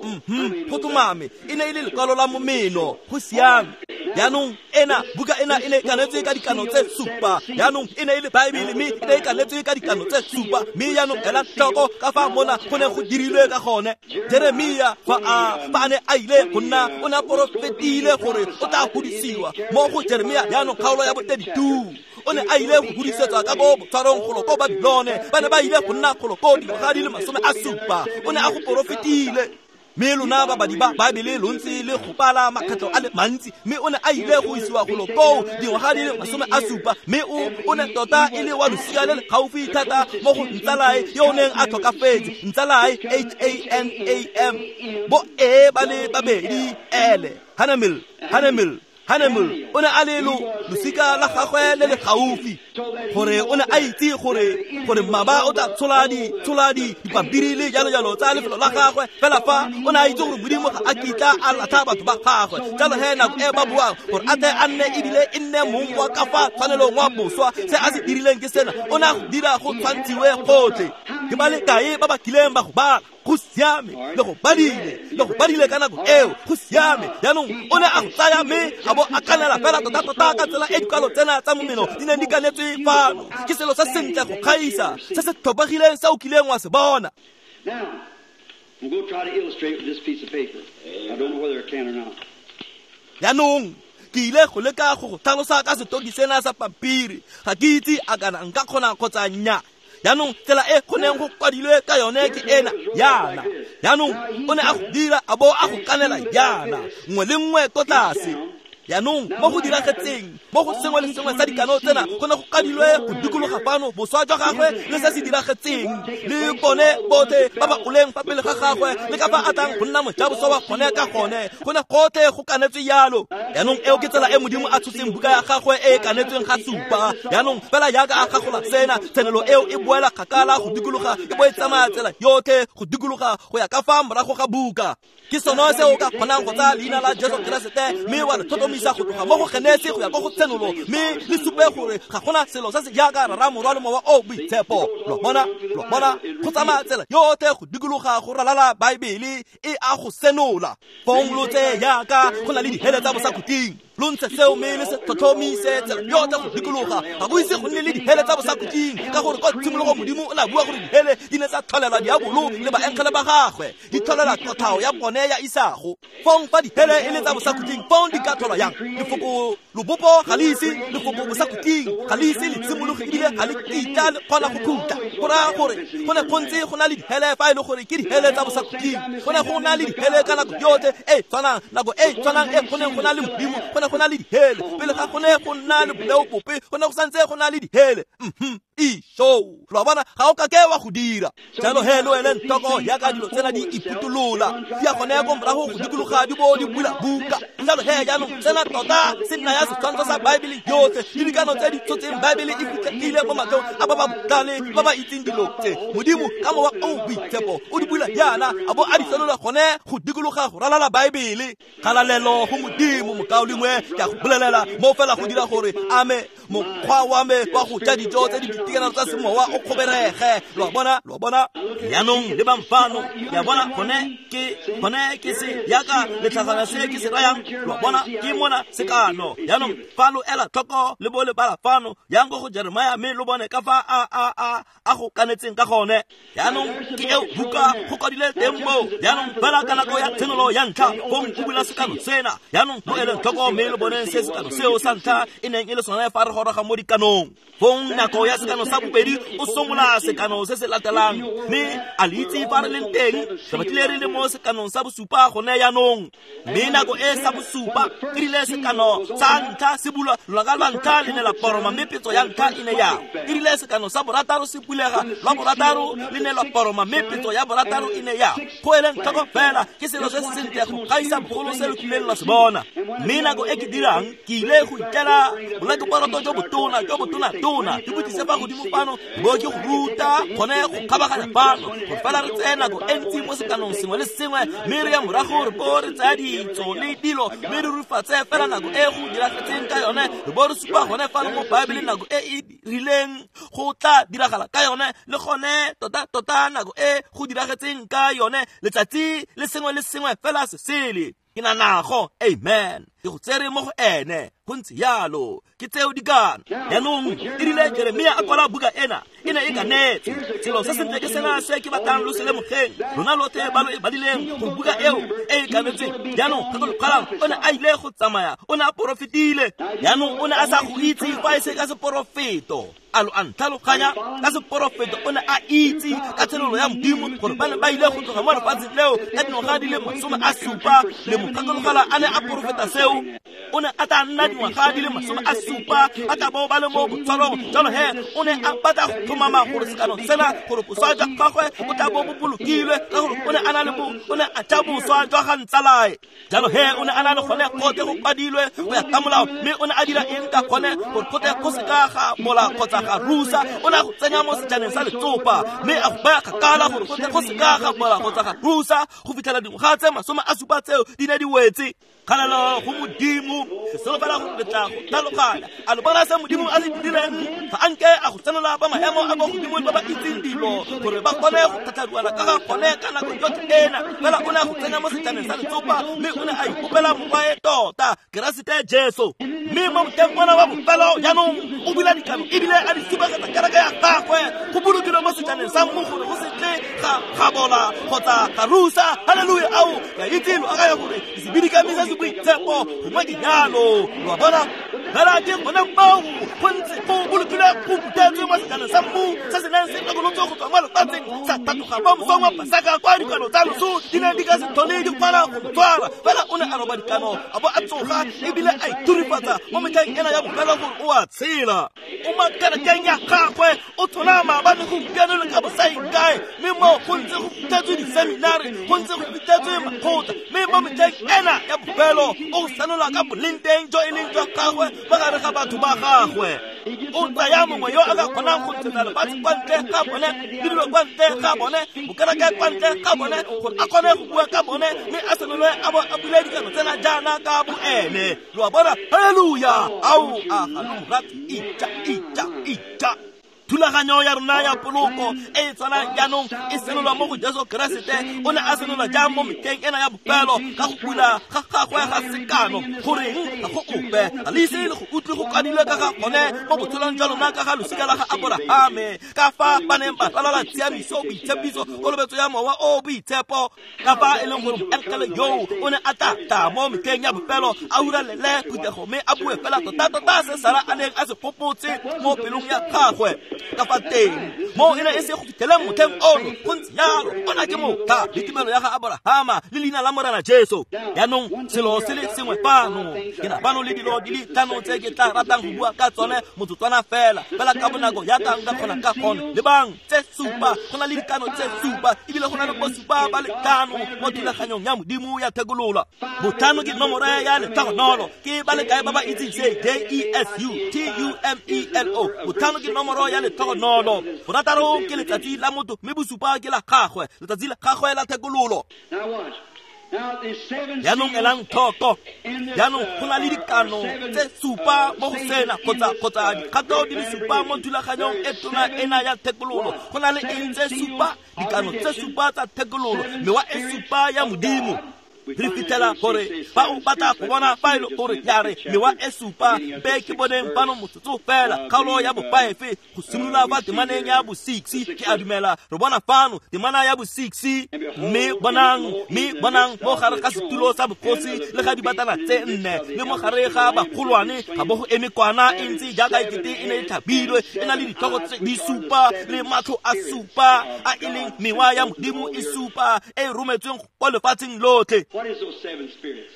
Go tlhomame e ne e le lekwalo la momeno. Go siame. Jaanong ena buka ena e ne e kanetswe ka dikano tse supa. Jaanong e ne e le Baebele, mme e ne e kanetswe ka dikano tse supa. Mme jaanong ela tlhoko ka fa mona go ne go dirilwe ka gone. Jeremia fa a ne a ile go nna, o ne a porofetile gore o tla godisiwa. Mo go Jeremia jaanong kgaolo ya bo 32, o ne a ile go godisetswa ka ko botshwarong golo ko Babilone. Ba ne ba ile go nna golo ko dingwaga di le 70. O ne a go porofetile. Mme lona babadi ba Baebele lo ntse le go bala makgetlho a le mantsi, mme o ne a ile go isiwa golo koo dingwaga di le 70. Mme o ne tota e le wa losika le le gaufi thata mo go ntsalae yo o neng a tlhokafetse, ntsalae H-A-N-A-M bo E ba le babedi L, Hanamel. O ne a le losika la gagwe le le gaufi, gore o ne a itse gore mmaba o tla tshola dipampiri le jalo jalo tsa lefelo la gagwe. Fela fa o ne a itse gore Modimo ga a kitla a latlha batho ba gagwe, jalo he nako e ba buang gore a tle a nne ebile e nne mong wa ka fa tshwanelong wa boswa, se a se dirileng ke sena. O ne a go dira go tshwantshiwe gotlhe. Ke ba le kae ba ba kileng ba go bala? Go siame, le go badile ka nako eo. Go siame. Jaanong o ne a go tsaya mme a bo a kanela fela tota-tota ka tsela e dikwalo tsena tsa momeno di neng di kanetswe fano. Ke selo se sentle go kgaisa se se tlhopegileng se o kileng wa se bona. Jaanong ke ile go leka go go tlhalosa ka setoki sena sa pampiri. Ga ke itse a kana nka kgona kgotsa nnyaa. Jaanong tsela e go neng go kwadilwe ka yone ke ena yana. Jaanong o ne a go dira a bo a go kanela yana, nngwe le nngwe ko tlase. Jaanong mo go diragetseng mo go sengwe le sengwe sa dikano tsena go ne go kadilwe go dikologa fano boswa jwa gagwe le se se diragetseng, le bone botlhe ba ba oleng fa pele ga gagwe, le ka fa a tlang go nna mojaboswa wa gone ka gone. Go ne gotlhe go kanetswe jalo. Jaanong eo ke tsela e Modimo a tshotseng buka ya gagwe e e kanetsweng ga supa. Jaanong fela jaaka a gagola sena, tshenolo eo e boela kgakala go dikologa, e bo e tsamaya tsela yotlhe go dikologa go ya ka fa morago ga buka. Ke sone se o ka kgonang go tsaya leina la Jesu Keresete mme wa le tlhotlhomisa go tloga mo go Genesi go ya ko go Tshenolo, mme le supe gore ga gona selo se se jaaka Rara, Morwa le Mowa o Boitshepo. Lo bona, lo bona, go tsamaya tsela yotlhe go dikologa go ralala Baebele e a go senola. Fong lo tseye jaaka go na le dihele tsa bosakhutleng, lo ntshe seo mme le se tlhotlhomise tsela yotlhe go dikologa. Ga go ise go nne le dihele tsa bosakhutleng, ka gore kwa tshimologong Modimo o ne a bua gore dihele di ne tsa tlholelwa diabolo le baengele ba gagwe, di tlholela kotlhao ya bone ya isago. Fong fa dihele e le tsa bosakhutleng, fong di ka tlholwa yang? Lefoko lobopo ga le ise, lefoko bosakhutleng ga le ise le tshimologe ebile ga le kitla le kgona go khutla. Go raya gore go ne go ntse go na le dihele fa e le gore ke dihele tsa bosakhutleng. Go ne go na le dihele ka nako yotlhe e tshwanang, nako e tshwanang e go neng go na le Modimo, go ne go na le dihele. Pele ga go ne go nna le boleo bope, go ne go santse go na le dihele. Isho, lo bona, ga o ka ke wa go dira. Jalo he lo eleng tlhoko jaaka dilo tsena di iputolola, di ya gone ko morago go dikologa di bo di bula buka. Jalo he jaanong tsena tota se nna ya setshwantsho sa Baebele yotlhe le dikano tse di tshotseng Baebele e fitlhegile mo matlhong a ba ba botlhale ba ba itseng dilo tse. Modimo ka Mowa o Boitshepo o di bula jaana a bo a di senola gone go dikologa go ralala Baebele. Kgalalelo go Modimo, mokaulengwe, ke a go bolelela mo fela go dira gore ame mokgwa wa me wa go ja dijo tse di boitekanelo tsa semowa o kgoberege. Lo a bona, lo a bona. Jaanong lebang fano, le a bona, gone ke se jaaka letlhagana se ke se rayang. Lo a bona, ke mona sekano. Jaanong fa lo ela tlhoko le bo le bala fano, yang ko go Jeremia mme lo bone ka fa a go kanetseng ka gone. Jaanong ke eo buka go kwadile teng moo. Jaanong fela ka nako ya tshenolo ya ntlha, fong o bula sekano sena. Jaanong lo eleng tlhoko mme lo boneng se sekano seo sa ntlha e neng e le sone fa re goroga mo dikanong. Fong nako ya sekano sa bobedi o somola sekano se se latelang, mme a le itse fa re leng teng, re batlile re le mo sekanong sa bosupa gone jaanong. Mme nako e sa bosupa e rile sekano sa ntlha se bulwa, lonaka lwa ntlha le ne la poroma mme petso ya ntlha e ne ya. E rile sekano sa borataro se bulega, lwa borataro le ne lwa poroma mme petso ya borataro e ne ya. Go eleng tlhoko fela ke selo se se sentle go gaisa bogolo se lo kileng lwa se bona. Mme nako e ke dirang, ke ile go itlela bolakeporoto jo botona jo botona-tona, ke botlise fa godimo fano, bo ke go ruta gone go kgabaganya fano, gore fela re tseye nako e ntsi mo sekanong sengwe le sengwe, mme re ya morago re bo re tsaya ditso le dilo, mme re rufatse fela nako e go diragetseng ka yone, re bo re supa gone fano mo Baebeleng nako e e rileng go tla diragala ka yone, le gone tota-tota nako e go diragetseng ka yone, letsatsi le sengwe le sengwe fela se sele. Ke na nago, amen. Ke go tsere mo go ene, go ntse jalo, ke tseo dikano. Jaanong e rile Jeremia a kwala buka ena, e ne e kanetse. Selo se sentle ke sena se ke batlang lo se lemogeng, lona lotlhe ba lo e badileng, gore buka eo e e kanetsweng. Jaanong gakologelang, o ne a ile go tsamaya, o ne a porofetile. Jaanong o ne a sa go itse fa e se ka seporofeto. A lo a ntlhaloganya? Ka seporofeto o ne a itse ka tshenolo ya Modimo gore ba ne ba ile go tloga mo lefatsheng leo ka dingwaga di le 70 le mogakologela a ne a porofeta seo. O ne a tla nna dingwaga di le 70 a tla bo ba le mo botshwarong. Jalo he o ne a batla go tlhomama gore sekano sena, gore boswa jwa gagwe bo tla bo bo bolokilwe, ka gore o ne a na le o ne a ja boswa jwa ga ntsalae. Jalo he o ne a na le gone gotlhe go kwadilwe go ya ka molao, mme o ne a dira eng ka gone gore gotlhe go seka ga mola kgotsa ga rusa. O ne a go tsenya mo sejaneng sa letsopa mme a go baya kgakala gore gotlhe go seka ga mola kgotsa ga rusa go fitlhela dingwaga tse 70 tseo di ne di wetse. Kgalalelo go Modimo, ke solofela gore le tla go tlhaloganya. A lo bona se Modimo a se dirileng? Ga a nke a go senola ba maemo a kwa godimo le ba ba itseng dilo gore ba kgone go tlhatlharuana ka ga gone ka nako yotlhe ena. Fela o ne a go tsenya mo sejaneng sa letsopa mme o ne a ikopela morwae tota, Keresete Jesu. Mme mo motlheng ona wa bofelo jaanong o bula dikano ebile a di supegetsa kereke ya gagwe go bolokilwe mo sejaneng sa mmu gore go se tle ga bola kgotsa ga rusa. Haleluya! Ao, ke a itse lo akanya gore sebidikami se se boitshepo gongwe ke jalo. Lo a bona? Fela ke gone moo go ntse go bolokilwe go phuthetswe mo sejaneng sa mmu se se neng se lekolotswe go tswa mo lefatsheng, sa tlhatloga mo mosong wa Pasaka kwa dikano tsa loso di neng di ka se tlhole di kgona go mo tshwara. Fela o ne a roba dikano a bo a tsoga ebile a ithurifatsa mo metlheng ena ya bofelo gore o a tshela. O mo kerekeng ya gagwe o tshola maabane, gompieno le ka bosaengkae, mme mo go ntse go fitlhetswe diseminari, go ntse go fitlhetswe makgotla, mme mo metlheng ena ya bofelo o go senola ka boleng teng jo e leng jwa gagwe mo gare ga batho ba gagwe. O tsaya mongwe yo a ka kgonang go ntshetsa lefatshe kwa ntle ga bone, le dilo kwa ntle ga bone, bokereke kwa ntle ga bone, gore a kgone go bua ka bone, mme a senolwe a bo a bule dikano tsena jaana ka boene. Lo a bona? Haleluya! Ao, a ga lo mo rate? Ija, ija, ija. Thulaganyo ya rona ya poloko e e tshwanang jaanong e senolwa mo go Jesu Keresete. O ne a senolwa jang mo metlheng ena ya bofelo ka go bula ga gagwe ga sekano? Goreng ga go ope ga le ise le go utlwe go kwadilwe ka ga gone mo botshelong jwa lona ka ga losika la ga Aborahame, ka fa ba neng ba ralala tshiamiso, boitshepiso, kolobetso ya mowa o boitshepo, ka fa e leng gore moengele yoo o ne a tla tla mo metlheng ya bofelo a huralele phuthego mme a bue fela tota-tota se Sara a neng a se gopotse mo pelong ya gagwe ka fa teng. Mo e ne e se go fitlheleng motlheng ono, go ntse jalo. Ona ke motlha le tumelo ya ga Aborahama le leina la Morena Jesu. Jaanong selo se le sengwe fano, ke na fano le dilo di le tlhano tse ke tla ratang go bua ka tsone motsotswana fela, fela ka bonako jaaka nka kgona ka gone. Lebang, tse supa, go na le dikano tse supa, ebile go na le bosupa ba le tlhano mo thulaganyong ya Modimo ya thekololo. Botlhano ke nomoro ya letlhogonolo. Ke ba le kae ba ba itseng se? J E S U T U M E L O. Botlhano ke nomoro ya letlhogonolo. Borataro ke letsatsi la motho, mme bosupa ke la gagwe, letsatsi la gagwe la thekololo.
Now watch. Now the seven
Jaanong elang tlhoko. Jaanong go na le dikano tse supa mo go sena, kgotsa dikgato di le supa mo thulaganyong e tona ena ya thekololo. Go na le eng tse supa? Dikano tse supa tsa thekololo, mewa e supa ya Modimo. Re fitlhela gore fa o batla go bona fa e le gore ya re mewa e supa, mpe ke boneng fano motsotso fela, kgaolo ya bo-5 go simolola fa temaneng ya bo-6. Ke a dumela re bona fano temana ya bo-6. Mme bonang mo gare ga setulo sa bogosi le ga dibatana tse nne le mo gare ga bagolwane ga bo go eme kwana e ntse jaaka ekete e ne e tlhabilwe, e na le ditlhogo tse di supa le matlho a supa, a e leng mewa ya Modimo e supa e e rometsweng kwa lefatsheng lotlhe.
What is those seven spirits?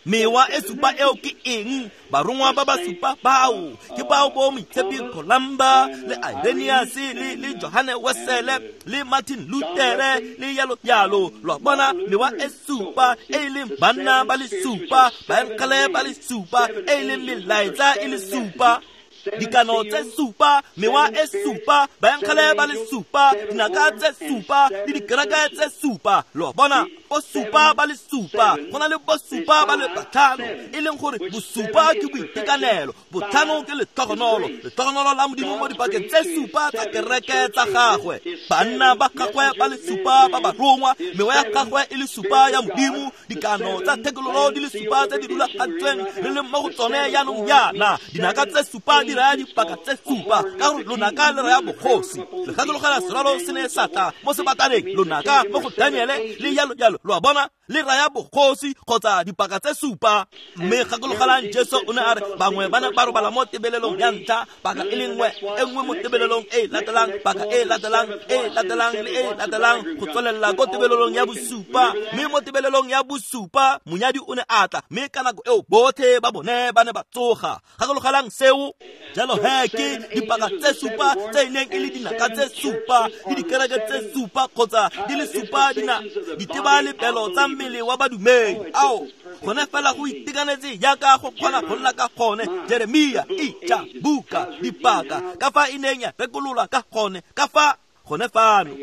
Mewa e supa eo ke eng? Barongwa ba ba supa bao ke bao bo Moitshepi Columba le Irenaeus le Johane Wesele le Martin Luthere le yalo yalo. Lo a bona, mewa e supa e e leng banna ba le supa, baengele ba le supa, e e leng melaetsa e le supa. Dikano tse supa, mewa e supa, baengele ba le supa, dinaka tse supa le dikereke tse supa. Lo a bona, bosupa ba le supa, go na le bosupa ba le batlhano, e leng gore bosupa ke boitekanelo, botlhano ke letlhogonolo, letlhogonolo la Modimo mo dipakeng tse supa tsa kereke tsa gagwe, banna ba gagwe ba le supa ba barongwa, mewa ya gagwe e le supa ya Modimo, dikano tsa thekololo di le supa tse di rulagantsweng re leng mo go tsone jaanong jaana. Dinaka tse supa di raya dipaka tse supa, ka gore lonaka le raya bogosi. Le gakologela serwalo se ne sa tla mo sebataneng, lonaka mo go Daniele le jalo jalo. Lo a bona, le raya bogosi kgotsa dipaka tse supa. Mme gakologelang, Jesu o ne a re bangwe ba ne ba robala mo tebelelong ya ntlha paka e le nngwe, e nngwe mo tebelelong e e latelang, paka e e latelang, e e latelang le e e latelang, go tswelela ko tebelelong ya bosupa. Mme mo tebelelong ya bosupa monyadi o ne a tla, mme ka nako eo botlhe ba bone ba ne ba tsoga. Gakologelang seo. Jalo he ke dipaka tse supa tse e neng e le dinaka tse supa le dikereke tse supa, kgotsa di le supa dina ditebalebelo tsa mmele wa badumedi. Ao, gone fela go itekanetse jaaka go kgona go nna ka gone. Jeremia, ija buka dipaka ka fa e neng ya rekololwa ka gone, ka fa gone fano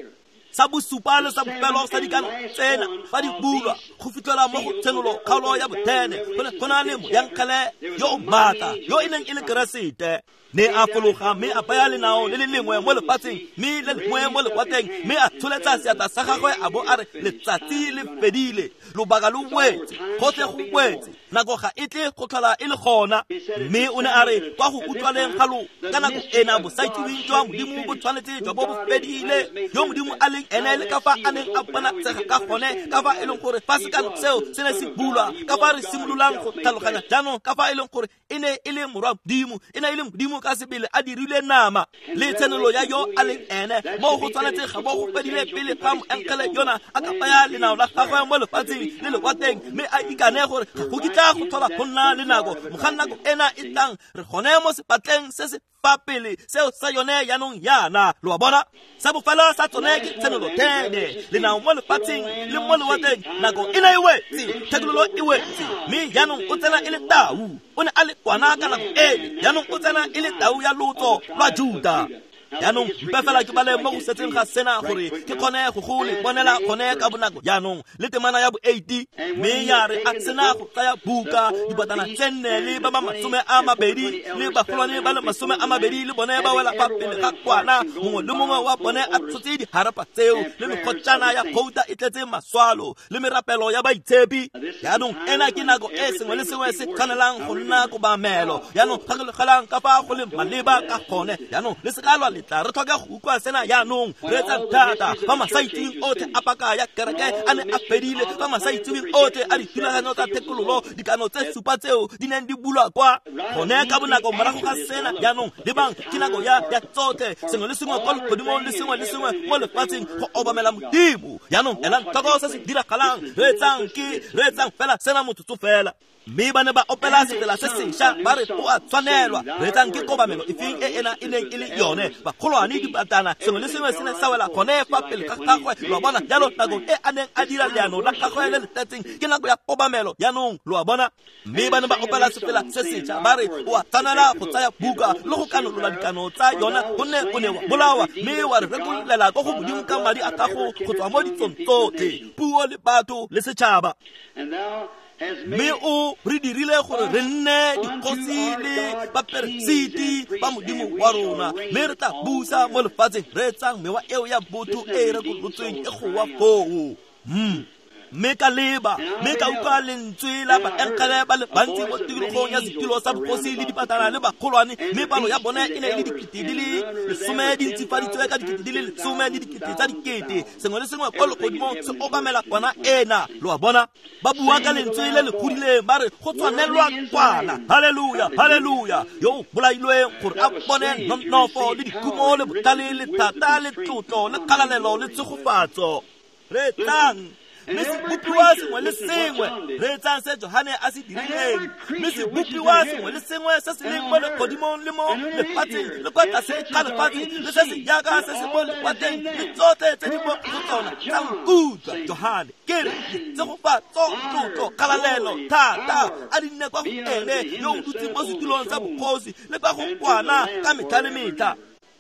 sa bosupa le sa bofelo sa dikano tsena fa di bulwa go fitlhela mo go Tshenolo kgaolo ya bo-10, go ne go na le moyankgele yo o maatla yo e neng e le Keresete, ne a fologa mme a baya lenao le le lengwe mo lefatsheng mme le lengwe mo lewatleng, mme a tsholetsa seatla sa gagwe a bo a re, "Letsatsi le fedile, lobaka lo wetse, gotlhe go wetse, nako ga e tle go tlhola e le gona." Mme o ne a re kwa go utlwaleng ga lo ka nako ena bosaitsiweng jwa Modimo bo tshwanetse jwa bo bo fedile, yo Modimo a leng ene le ka fa a neng a bonatsega ka gone, ka fa e leng gore fa sekano seo se ne se bulwa, ka fa re simololang go tlhaloganya jaanong ka fa e leng gore e ne e le morwa Modimo, e ne e le Modimo ka sebele a dirile nama, le tshenolo ya yo a leng ene. Mo go tshwanetse ga bo go fedile pele ga moengele yona a ka baya lenao la gagwe mo lefatsheng le lewatleng mme a ikane gore ga go kitla go tlhola go nna le nako mogang nako ena e tlang. Re gone mo sepatleng se se fa pele seo sa yone jaanong yana. Lo a bona? Sa bofelo sa tsone ke tshenolo 10. Lenao mo lefatsheng le mo lewatleng, nako e ne e wetse, thekololo e wetse, mme jaanong o tsena e le tau. O ne a le kwana ka nako ele, jaanong o tsena e le tau ya lotso lwa Juta. Jaanong mpe fela ke bale mo go setseng ga sena gore ke kgone go go le bonela gone ka bonako. Jaanong le temana ya bo 80, mme ya re a sena go tsaya buka, dibatana tse nne le ba ba 20 le bagolwane ba le 20 le bone ba wela fa pele ga kwana, mongwe le mongwe wa bone a tshotse diharapa tseo le mekgotjana ya gouta e tletse maswalo le merapelo ya baitshepi. Jaanong ena ke nako e sengwe le sengwe se tshwanelang go nna kobamelo. Jaanong gakologelang ka fa go le maleba ka gone. Jaanong le seka lwa letla re tlhoka go utlwa sena. Jaanong re etsa thata ba masaitseweng otlhe a paka ya kereke a ne a fedile, ba masaitseweng otlhe a dithulaganyo tsa thekololo, dikano tse supa tseo di neng di bulwa kwa gone ka bonako morago ga sena. Jaanong lebang, ke nako ya tsotlhe, sengwe le sengwe kwa legodimong le sengwe le sengwe mo lefatsheng go obamela Modimo. Jaanong elang tlhoko se se diragalang. Re etsang fela sena motsotso fela. Mme ba ne ba opela sefela se sešwa ba re o a tshwanelwa. Re etsang ke kobamelo efeng e ena e neng e le yone? Bagolwane, dibatana, sengwe le sengwe se ne sa wela gone fa pele ga gagwe. Lo a bona? Jalo nako e a neng a dira leano la gagwe le le tletseng ke nako ya kobamelo. Jaanong lo a bona? Mme ba ne ba opela sefela se sešwa ba re o a tshwanela go tsaya buka le go kanolola dikano tsa yona, gonne o ne wa bolawa mme wa re rekololela ko go Modimo ka madi a gago go tswa mo ditsong tsotlhe, puo le batho le setšhaba. Mme o re dirile gore re nne dikgosi le baperesiti ba Modimo wa rona, mme re tla busa mo lefatsheng. Re etsang mewa eo ya botho e e rekolotsweng e goa foo. Mme ka leba, mme ka utlwa lentswe la baengele ba le bantsi mo tikologong ya setulo sa bogosi le dipatana le bagolwane, mme palo ya bone e ne e le 10,000 di ntsifaditswe ka 10,000 le 10,000 tsa dikete. Sengwe le sengwe kwa legodimong se obamela kwana ena. Lo a bona? Ba bua ka lentswe le le godileng ba re go tshwanelwa kwana. Haleluya, haleluya, yo o bolailweng gore a bone nonofo le dikhumo le botlhale le thata le tlotlo le kgalalelo le tshegofatso. Re tlang mme sebopiwa sengwe le sengwe, re etsang se Johane a se dirileng. Mme sebopiwa sengwe le sengwe se se leng mo legodimong le mo lefatsheng le kwa tlase ga lefatshe le se se jaaka se se mo lewatleng le tsotlhe tse di mo go tsona tsa nkutlwa. Johane ke re tshegofatso, tlotlo, kgalalelo, thata a di nne kwa go ene yo o dutseng mo setulong sa bogosi le kwa go kwana ka metlha le metlha.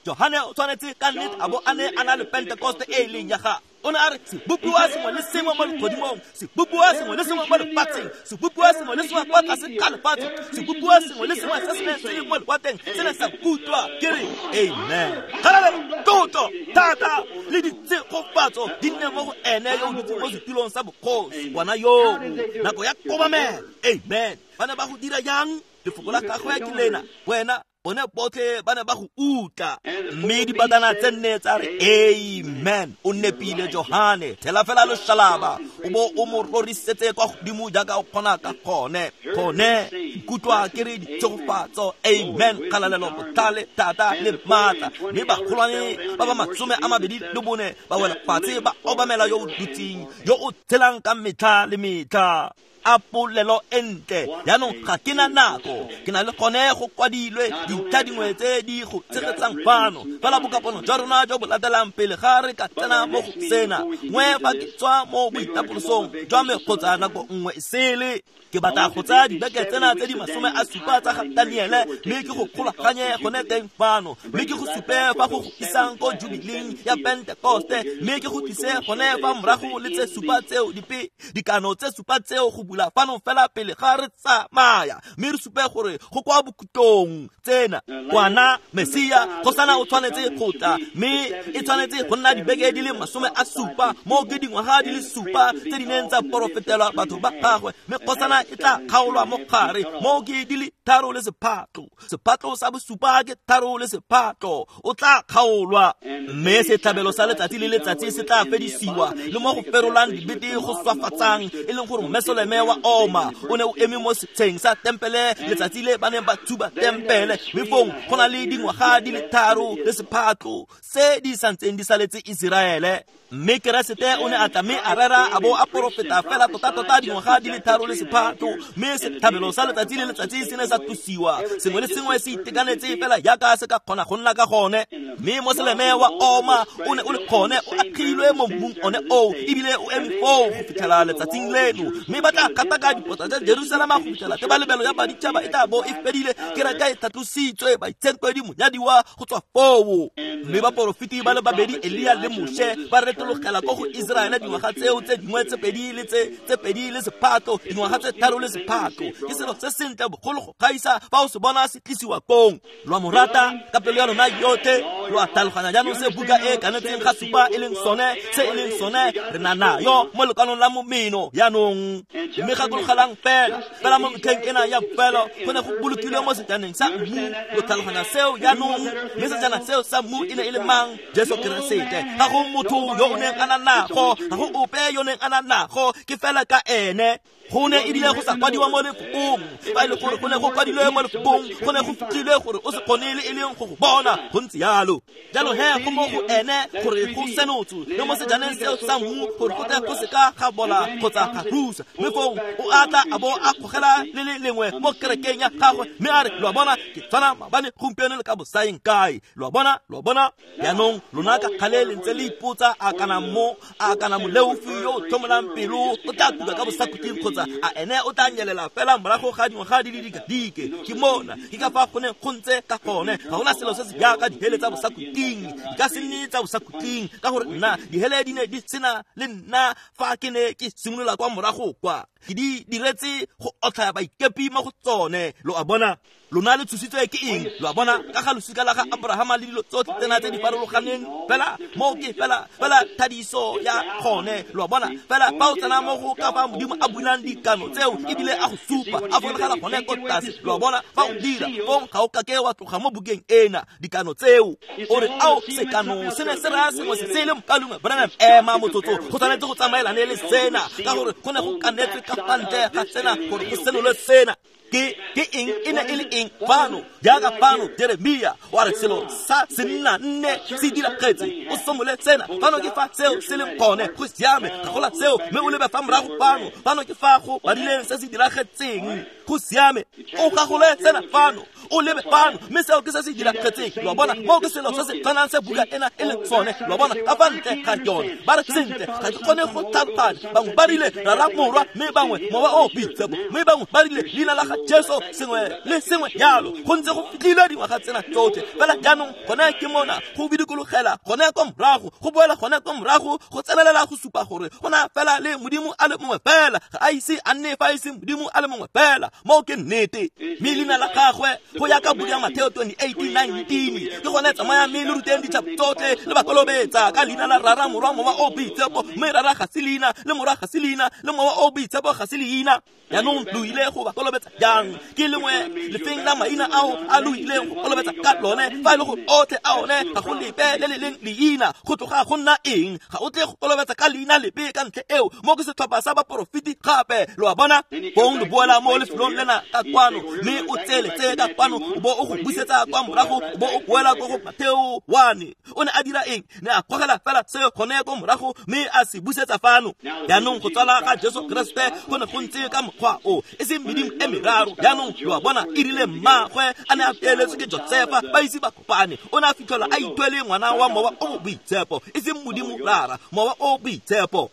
Johane o tshwanetse ka nnete a bo a ne a na le Pentekoste e e leng ya gagwe. O ne a re sebopiwa sengwe le sengwe mo legodimong, sebopiwa sengwe le sengwe mo lefatsheng, sebopiwa sengwe le sengwe kwa tlase ga lefatshe, sebopiwa sengwe le sengwe se se neng se le mo lewatleng se ne sa kutlwa. Ke re amen. Kgalalelo, tlotlo, thata le ditshegofatso di nne mo go ene yo o dutseng mo setulong sa bogosi, ngwana yoo. Nako ya kobamelo. Amen. Ba ne ba go dira jang? Lefoko la gagwe ke lena, wena bone botlhe ba ne ba go utlwa. Mme dibatana tse nne tsa re amen. O nepile Johane, thela fela loshalaba o bo o mo rorisetse kwa godimo jaaka o kgona ka gone. Gone nkutlwa ke re ditshegofatso, amen, kgalalelo, botlhale, thata le maatla. Mme bagolwane ba ba 24 ba wela fatshe ba obamela yo o dutseng, yo o tshelang ka metlha le metlha. A polelo e ntle. Jaanong ga ke na nako, ke na le gone go kwadilwe dintlha dingwe tse di go tshegetsang fano. Fela bokapono jwa rona jo bo latelang pele ga re ka tsena mo go sena, nngwe fa ke tswa mo boitapolosong jwa me kgotsa nako nngwe e sele, ke batla go tsaya dibeke tsena tse di 70 tsa ga Daniele, mme ke go kgolaganye gone teng fano, mme ke go supe fa go go isang ko jubiling ya Pentekoste, mme ke go tlise gone fa morago le tse supa tseo dipe dikano tse supa tseo go bula fano fela pele ga re tsamaya, mme re supe gore go kwa bokhutlong tsena kwana Mesia kgosana o tshwanetse go tla, mme e tshwanetse go nna dibeke di le 70 mo ke dingwaga di le 7 tse di neng tsa porofetelwa batho ba gagwe, mme kgosana e tla kgaolwa mo gare mo ke di le 3 le sephatlo. Sephatlo sa bosupa ke 3 le sephatlo, o tla kgaolwa. Mme setlhabelo sa letsatsi le letsatsi se tla fedisiwa, le mo go ferolang dibete go swafatsang, e leng gore Mesoleme wa oma o ne o eme mo setsheng sa tempele letsatsi le ba neng ba thuba tempele, mme fong go na le dingwaga di le 3 le sephatlo se di santseng di saletse Iseraele. Mme Keresete o ne a tla mme a rera a bo a porofeta fela tota-tota dingwaga di le 3 le sephato, mme setlhabelo sa letsatsi le letsatsi se ne sa tlosiwa, sengwe le sengwe se itekanetse fela jaaka se ka kgona go nna ka gone. Mme Moseleme wa Oma o ne o le gone o agilwe mo mmung one oo, ebile o eme foo go fitlhela letsatsing leno. Mme ba tla gataka dipota tsa Jerusalema go fitlhela tebalebelo ya baditšhaba e tla bo e fedile, kereke e tlhatlositswe, baitshenkwedi monyadiwa go tswa foo. Mme baporofeti ba le babedi, Elia le Moshe, ba retologela ko go Iseraele dingwaga tseo tse dingwe tse pedi le tse pedi le sephato, dingwaga tse 3 le sephato. Ke selo se sentle bogolo go gaisa fa o se bona se tlisiwa kong. Lo a mo rata ka pelo ya lona yotlhe, lo a tlhaloganya jaanong se buka e kanetseng ga supa e leng sone, se e leng sone re na nayo mo lekwalong la momeno jaanong. Mme gakologelang fela, fela mo metlheng ena ya bofelo go ne go bolokilwe mo sejaneng sa mmu. Lo tlhaloganya seo jaanong? Mme sejana seo sa mmu e ne e le mang? Jesu Keresete. Ga go motho yo o neng a na nago, ga go ope yo neng a na nago, ke fela ka ene. Go ne ebile go sa kwadiwa mo lefokong. Fa e le gore go ne go kwadilwe mo lefokong, go ne go fitlhilwe gore o se kgone le e leng go go bona. Go ntse jalo. Jalo he go mo go ene gore go senotswe le mo sejaneng seo sa mmu, gore go tle go seka ga bola kgotsa ga rusa. Mme foo o a tla a bo a kgogela le le lengwe mo kerekeng ya gagwe, mme a re, lo a bona, ke tshwana maabane, gompieno le ka bosaeng kae. Lo a bona, lo a bona. Jaanong lona ka kgale le ntse le ipotsa a kana mo, a kana moleofi yo o tlhomolang pelo o tla tuka ka bosakhutleng kgotsa a ene o tla nyelela fela morago ga dingwaga di le dikadike. Ke mona, ke ka fa go ne go ntse ka gone. Ga gona selo se se jaaka dihele tsa bosakhutleng, di ka se nne tsa bosakhutleng, ka gore nna dihele di ne di sena le nna fa ke ne ke simolola kwa morago kwa. Ke di diretse go otlhaya baikepi mo go tsone. Lo a bona? Lona le tshositswe ke eng? Lo a bona? Ka ga losika la ga Abrahama le dilo tsotlhe tsena tse di farologaneng, fela mo ke fela fela thadiso ya gone. Lo a bona? Fela fa o tsena mo go ka fa Modimo a bulang dikano tseo ebile a go supa, a fologela gone ko tlase. Lo a bona? Fa o dira fong ga o kake wa tloga mo bukeng ena dikano tseo. O re, ao, sekano se ne se raya sengwe se se le mokalungwe. Branham, ema motsotso, go tshwanetse go tsamaelane le sena, ka gore go ne go kanetswe ka fa ntle ga sena gore go senolwe sena. Ke eng e ne e le eng fano? Jaaka fano Jeremia wa re selo sa senna nne se diragetse, o somole sena. Fano ke fa seo se leng gone, go siame, ga gola seo, mme o lebe fa morago fano. Fano ke fa go badileng se se diragetseng, go siame, o gagole sena fano, o lebe fano, mme seo ke se se diragetseng. Lo a bona? Moo ke selo se se tshwanang se buka ena e leng sone. Lo a bona? Ka fa ntle ga yone ba re, sentle, ga ke kgone go tlhaloganya. Bangwe ba rile Rara, Morwa, mme bangwe Mowa o Boitshepo, mme bangwe ba rile leina la ga Jesu, sengwe le sengwe jalo. Go ntse go fitlhilwe dingwaga tsena tsotlhe. Fela jaanong gone ke mona go bidikologela gone ko morago, go boela gone ko morago, go tsenelela go supa gore go na fela le Modimo a le mongwe fela. Ga a ise a nne fa e se Modimo a le mongwe fela. Moo ke nnete. Mme leina la gagwe go ya ka buka ya Mateo 28:19 ke gone, tsamaya mme le ruteng ditšhaba tsotlhe le ba kolobetsa ka leina la Rara, Morwa, Mowa o Boitshepo. Mme Rara ga se leina, le Morwa ga se leina, le Mowa o Boitshepo ga se leina. Jaanong lo ile go ba kolobetsa jang? Ke lengwe lefeng la maina ao a lo ileng go kolobetsa ka lone? Fa e le gore otlhe a one ga go lepe le le leng leina, go tloga go nna eng? Ga o tle go kolobetsa ka leina lepe ka ntlha eo. Mo ke setlhopha sa baporofeti gape. Lo a bona? Fong lo boela mo lefelong lena ka kwano, mme o tsele tse ka kwano, o bo o go busetsa kwa morago, o bo o boela ko go Mateo 1. O ne a dira eng? Ne a gogela fela se gone ko morago, mme a se busetsa fano. Jaanong go tswala ga Jesu Keresete go ne go ntse ka mokgwa o, e seng medimo e meraro. Jaanong lo a bona, e rile mmagwe a ne a peeletswe ke Josefa, ba ise ba kopane, o ne a fitlhelwa a ithwele ngwana wa Mowa o Boitshepo, e seng Modimo Rara, Mowa o Boitshepo.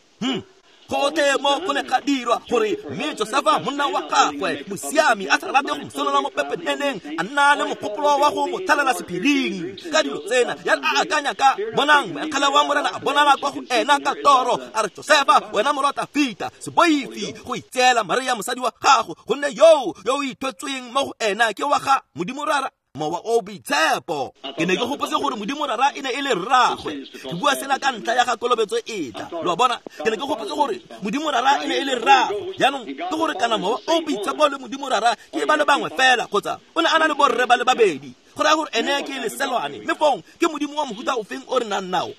Gotlhe mo go ne ga dirwa gore mme Josefa monna wa gagwe mosiami a sa rate go mo senola mo pepeneneng, a nna le mogopolo wa go mo tlhalela sephiring ka dilo tsena. Ya re a akanya ka, bonang, moengele wa Morena a bonala kwa go ena ka toro, a re, Josefa, wena morwa Tafita, se boife go itseela Maria mosadi wa gago, gonne yo o ithwetsweng mo go ena ke wa ga Modimo Rara, Mowa o Boitshepo. Ke ne ke gopotse gore Modimo Rara e ne e le rraagwe. Ke bua sena ka ntlha ya ga kolobetso e tla. Lo a bona? Ke ne ke gopotse gore Modimo Rara e ne e le rraagwe. Jaanong ke gore kana Mowa o Boitshepo le Modimo Rara ke ba le bangwe fela, kgotsa o ne a na le borre ba le babedi. Go raya gore ene ke leselwane, mme fong ke Modimo wa mohuta ofeng o re nang nao?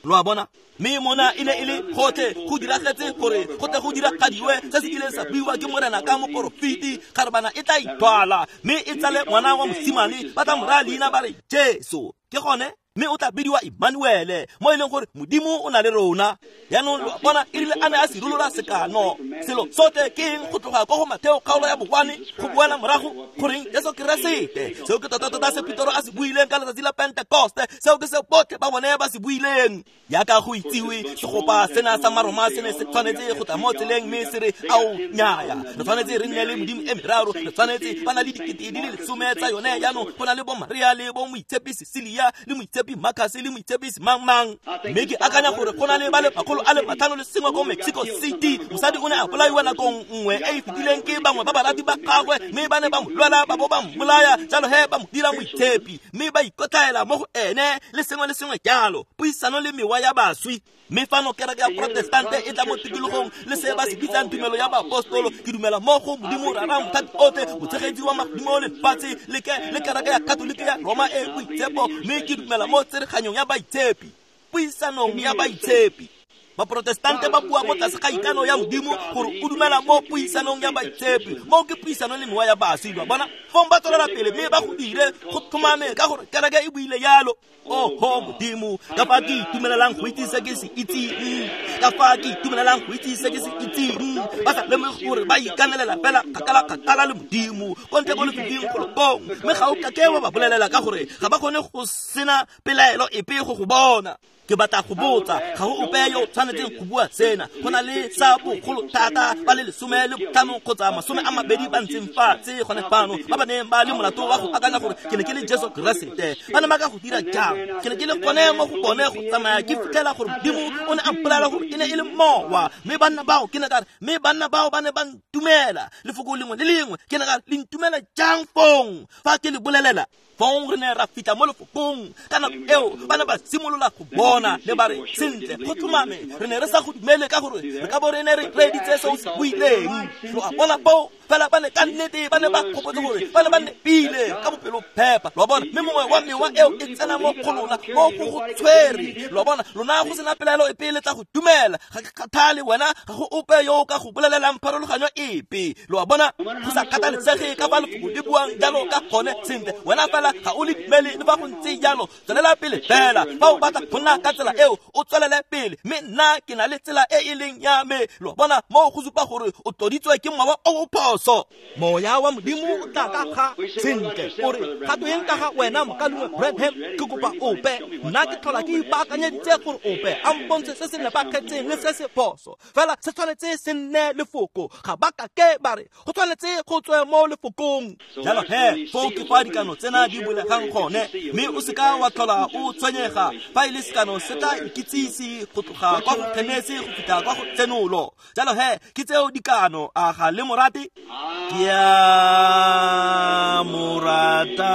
Lo a bona? Mme mona e ne e le gotlhe go diragetse gore go tle go diragadiwe se se kileng sa buiwa ke Morena ka moporofeti, kgarebana e tla ithwala mme e tsale ngwana wa mosimane, ba tla mo raya leina ba re Jesu. Ke gone? Mme o tla bidiwa Emmanuele, mo e leng gore Modimo o na le rona. Jaanong lo a bona, e rile a ne a sirolola sekano. Selo sotlhe ke eng go tloga ko go Matheo kgaolo ya bokwane go boela morago goreng Jesu Keresete. Seo ke tota-tota se Petoro a se buileng ka letsatsi la Pentekoste, seo ke se botlhe ba bone ba se buileng. Jaaka go itsiwe, segopa sena sa Maroma se ne se tshwanetse go tla mo tseleng mme se re, ao nnyaya, re tshwanetse re nne le Modimo e meraro, re tshwanetse ba na le 10 di le 10 tsa yone. Jaanong go na le bo Maria le bo moitshepi Cecilia le moitshepi Marcus le moitshepi mang-mang. Mme ke akanya gore go na le ba le 501 ko Mexico City. Mosadi o ne a bolaiwa nakong nngwe e e fetileng ke bangwe ba barati ba gagwe, mme ba ne ba mo lwela ba bo ba mmolaya. Jalo he ba mo dira moitshepi mme ba ikotlaela mo go ene le sengwe le sengwe jalo, puisano le mewa ya baswi. Mme fano kereke ya Protestante e tla mo tikologong le se ba se bitsang tumelo ya baapostolo. Ke dumela mo go Modimo Rara Mothati otlhe, motshegetsi wa magodimo le lefatshe, le kereke ya Katolike ya Roma e boitshepo, mme ke dumela mo tsereganyong ya baitshepi, puisanong ya baitshepi. Baprotestante ba bua mo tlase ga ikano ya Modimo gore o dumela mo puisanong ya baitshepi, moo ke puisano le mewa ya baswi. Ba bona fong ba tswelela pele mme ba go dire go tlhomame ka gore kereke e buile jalo. Oho Modimo, ka fa ke itumelelang go itse se ke se itseng, ka fa ke itumelelang go itse se ke se itseng. Ba sa lemoge gore ba ikanelela fela kgakala-kgakala le Modimo ko ntle ko lefifing golokong, mme ga o kake wa ba bolelela ka gore ga ba kgone go sena pelaelo epe go go bona. Ke batla go botsa, ga go ope yo o tshwanetseng go bua sena. Go na le sa bogolo thata ba le 15 kgotsa 20 ba ntseng fatshe gone fano ba ba neng ba le molato wa go akanya gore ke ne ke le Jesu Keresete. Ba ne ba ka go dira jang? Ke ne ke le gone mo go bone go tsamaya ke fitlhela gore Modimo o ne a mpolelela gore e ne e le mowa. Mme banna bao ke ne ka re, mme banna bao ba ne ba ntumela lefoko lengwe le lengwe. Ke ne ka re, le ntumela jang fong fa ke le bolelela? Fong re ne ra fitlha mo lefokong ka nako eo ba ne ba simolola go bona le ba re, sentle go tlhomame re ne re sa go dumele ka gore re ka bo re ne re reeditse se o se buileng. Lo a bona foo, fela ba ne ka nnete ba ne ba gopotse gore ba ne ba nepile ka bopelophepa. Lo a bona, mme mongwe wa mewa eo e tsena mo go lona mo go go tshwere. Lo a bona, lona go sena pelaelo epe le tla go dumela. Ga ke kgathale wena, ga go ope yo o ka go bolelelang pharologanyo epe. Lo a bona, go sa kgathalesege ka fa lefoko le buang jalo ka gone, sentle wena fela ga o le dumele le fa go ntse jalo. Tswelela pele fela fa o batla go nna ka tsela eo, o tswelele pele, mme nna ke na le tsela e e leng ya me. Lo a bona, moo go supa gore o tloditswe ke mowa o o phoso. Moya wa Modimo o tla ka ga sentle o re, ga tweng ka ga wena mokaulengwe Branham? Ke kopa ope, nna ke tlhola ke ipaakanyeditse gore ope a mpontshe se se nepagetseng le se se phoso, fela se tshwanetse se nne lefoko. Ga ba kake ba re go tshwanetse go tswe mo lefokong. Jalo he foo ke fa dikano tsena di bulegang gone, mme o seka wa tlhola o tshwenyega fa e le sekano se tla ikitsise go tloga kwa go Genesi go fitlha kwa go Tsenolo. Jalo he ke tseo dikano. A ga le morate? Ke a morata,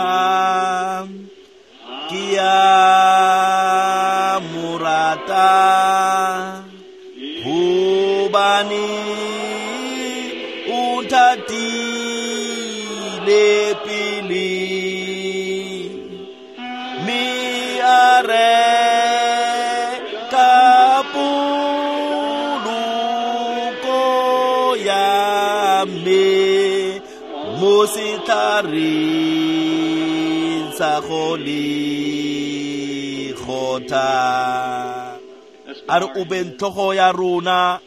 ke a morata, hobane o nthatile pele, mme a reka poloko ya me mo setlhareng sa Golegotha. A re obeng tlhogo ya rona.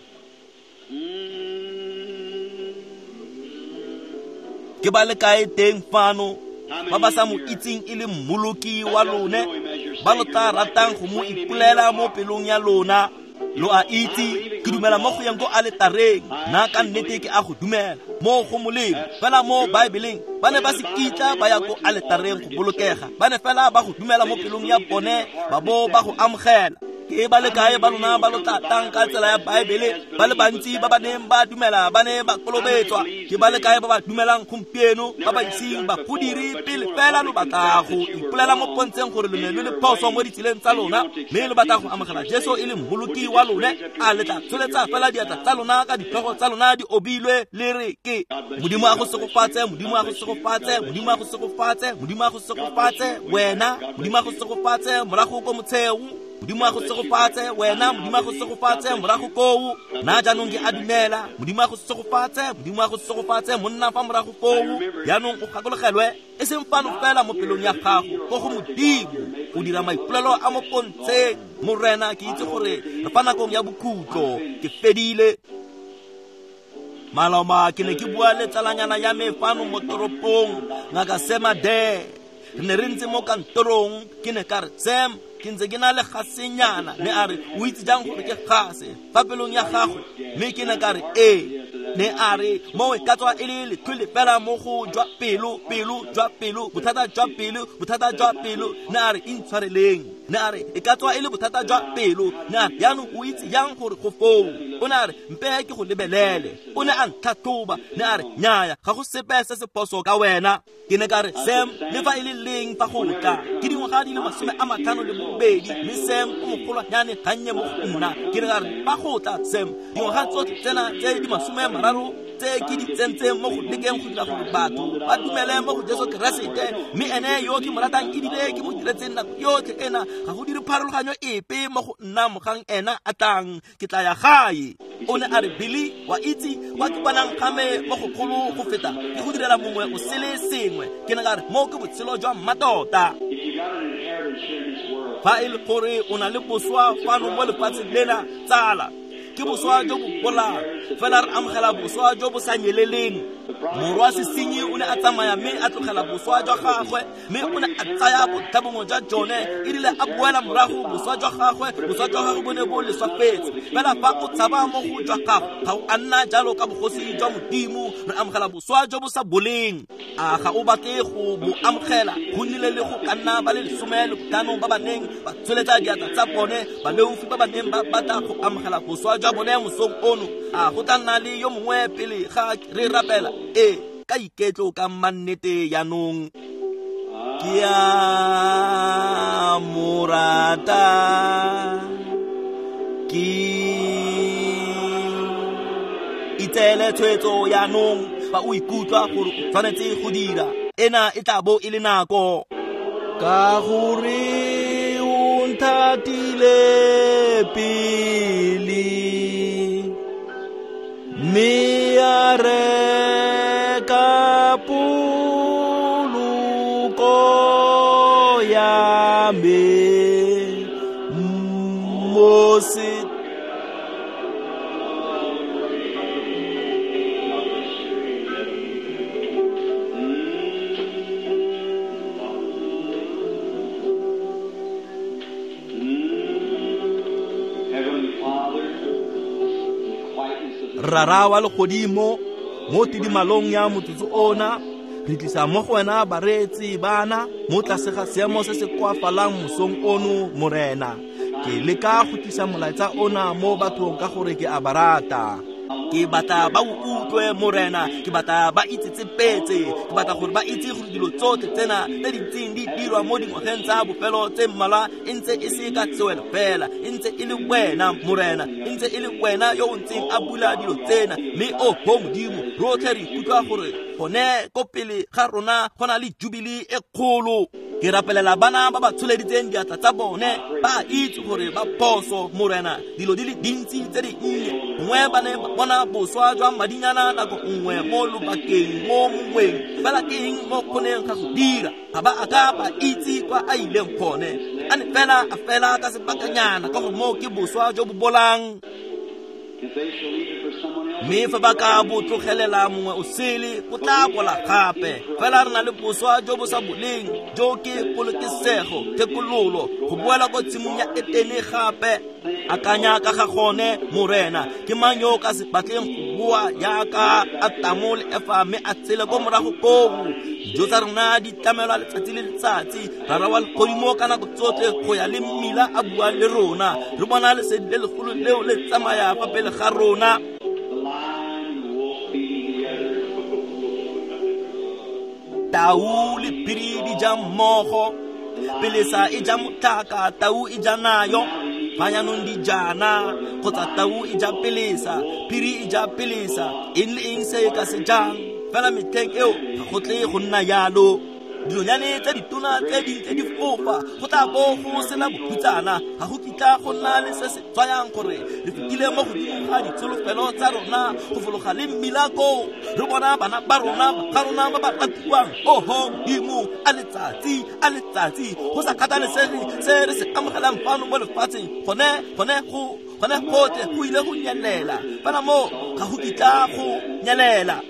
Ke ba le kae teng fano ba ba sa mo itseng e le mmoloki wa lone, ba lo tla ratang go mo ipolela mo pelong ya lona? Lo a itse, ke dumela mo go yang ko aletareng. Nna ka nnete ke a go dumela mo go molemo. Fela mo Baebeleng ba ne ba se kitla ba ya ko aletareng go bolokega, ba ne fela ba go dumela mo pelong ya bone ba bo ba go amogela. Ke ba le kae ba lona ba lo tla tlang ka tsela ya Baebele? Ba le bantsi ba ba neng ba dumela ba ne ba kolobetswa. Ke ba le kae ba ba dumelang gompieno ba ba iseng ba go dire pele? Fela lo batla go ipolela mo pontsheng gore lo ne lo le phoso mo ditseleng tsa lona, mme lo batla go amogela Jesu e le mmoloki wa lone. A le tla tsholetsa fela diatla tsa lona ka ditlhogo tsa lona di obilwe le re, ke Modimo a go segofatse, Modimo a go segofatse, Modimo a go segofatse, Modimo a go segofatse wena, Modimo a go segofatse morago ko motsheo. Modimo a go segofatse wena, Modimo a go segofatse morago koo. Nna jaanong ke a dumela. Modimo a go segofatse, Modimo a go segofatse monna fa morago koo. Jaanong o gakologelwe, e seng fano fela mo pelong ya gago, ko go Modimo, go dira maipolelo a mo pontsheng. Morena, ke itse gore re fa nakong ya bokhutlo, ke fedile. Maloma ke ne ke bua le tsalanyana ya me fano mo toropong, Ngaka Sam Adair. Re ne re ntse mo kantorong, ke ne ka re, Sam, ke ntse ke na le gasenyana. Ne a re, o itse jang gore ke gase fa pelong ya gago? Mme ke ne ka re, ee. Ne a re, mo e ka tswa e le lethole fela mo go jwa pelo, pelo jwa pelo, bothata jwa pelo, bothata jwa pelo. Ne a re, intshwareleng. Ne a re, e ka tswa e le bothata jwa pelo. Ne a re, jaanong o itse jang gore go foo? O ne a re, mpe ke go lebelele. O ne a ntlhatlhoba. Ne a re, nnyaya, ga go sepe se se phoso ka wena. Ke ne ka re, Sam, le fa e le leng fa go tla, ke dingwaga di le 52, mme Sam o mogolwanyane gannye mo go nna. Ke ne ka re, fa go tla, Sam, dingwaga tsotlhe tsena tse di 30 tse ke di tsentseng mo go lekeng go dira gore batho ba dumele mo go Jesu Keresete, mme ene yo ke mo ratang ebile ke mo diretseng nako yotlhe ena, ga go dire pharologanyo epe mo go nna mogang ena a tlang, ke tla ya gae. O ne a re, Billy, wa itse kwa ke bonang ga me mo go kgolo go feta ke go direla mongwe o sele sengwe. Ke ne ka re, mo ke botshelo jwa mmatota. Fa e le gore o na le boswa fano mo lefatsheng lena, tsala, ke boswa jo bo bolang, fela re amogela boswa jo bo sa nyeleleng. Morwa sesenyi o ne a tsamaya mme a tlogela boswa jwa gagwe, mme o ne a tsaya bontlhabongwe jwa jone. E rile a boela morago, boswa jwa gagwe bo ne bo leswafetse. Fela fa o tshaba mo go jwa gago, ga o a nna jalo ka bogosi jwa Modimo. Re amogela boswa jo bo sa boleng. A ga o batle go bo amogela? Go nnile le go ka nna ba le 15 ba ba neng ba tsholetsa diatla tsa bone, baleofi ba ba neng ba batla go amogela boswa jwa bone mosong ono. A go tla nna le yo mongwe pele ga re rapela? Ee, ka iketlo ka mannete jaanong. Ke a mo rata, ke itseele tshwetso jaanong. Fa o ikutlwa gore o tshwanetse go dira, ena e tla bo e le nako. Ka gore o nthatile pele, mme a reka poloko ya me mo se. Rara wa legodimo, mo tidimalong ya motsotso ona, re tlisa mo go wena bareetsi bana mo tlase ga seemo se se koafalang mosong ono, Morena. Ke leka go tlisa molaetsa ona mo bathong ka gore ke a ba rata. Ke batla ba o utlwe, Morena. Ke batla ba itsetsepetse. Ke batla gore ba itse gore dilo tsotlhe tsena tse di ntseng di dirwa mo dingwageng tsa bofelo tse mmalwa e ntse e se ka tsewelo fela, e ntse e le wena, Morena, e ntse e le wena yo o ntseng a bula dilo tsena. Mme oho Modimo, rotlhe re ikutlwa gore gone ko pele ga rona go na le jubile e kgolo. Ke rapelela bana ba ba tsholeditseng diatla tsa bone, ba itse gore ba phoso, Morena. Dilo di le dintsi tse di nnye, gongwe ba ne ba bona boswa jwa madinyana nako nngwe mo lobakeng mo mongweng, fela ke eng mo kgoneng ga go dira? Ga ba a ka ba itse kwa a ileng gone. A ne fela a fela ka sebakanyana, ka gore moo ke boswa jo bo bolang. Mme fa ba ka bo tlogelela mongwe o sele, o tla bola gape. Fela re na le boswa jo bo sa boleng, jo ke polokesego, thekololo, go boela ko tshimong ya Etene gape. Akanya ka ga gone, Morena. Ke mang yo o ka se batleng go boa jaaka Atamo le Efa mme a tshele ko morago koo? Dijo tsa rona di tlamelwa letsatsi le letsatsi. Rara wa legodimo ka nako tsotlhe go ya le mmila a bua le rona. Re bona lesedi le legolo leo le tsamaya fa pele ga rona. Tau le phiri di ja mmogo, pelesa e ja motlhaka, tau e ja nayo. Fa jaanong di jana, kgotsa tau e ja pelesa, phiri e ja pelesa, eng le eng se e ka se jang. Fela metlheng eo ga go tle go nna jalo. Dinonyane tse ditona tse di ntse di fofa, go tla bo go sena bohutsana, ga go kitla go nna le se se tswayang gore re fetile mo godimo ga ditsholofelo tsa rona go fologa le mmila koo, re bona bana ba rona ga rona ba ba ratiwang. Oho Modimo, a letsatsi, a letsatsi, go sa kgathalesege se re se amogelang fano mo lefatsheng, gone gotlhe go ile go nyelela, fela mo ga go kitla go nyelela.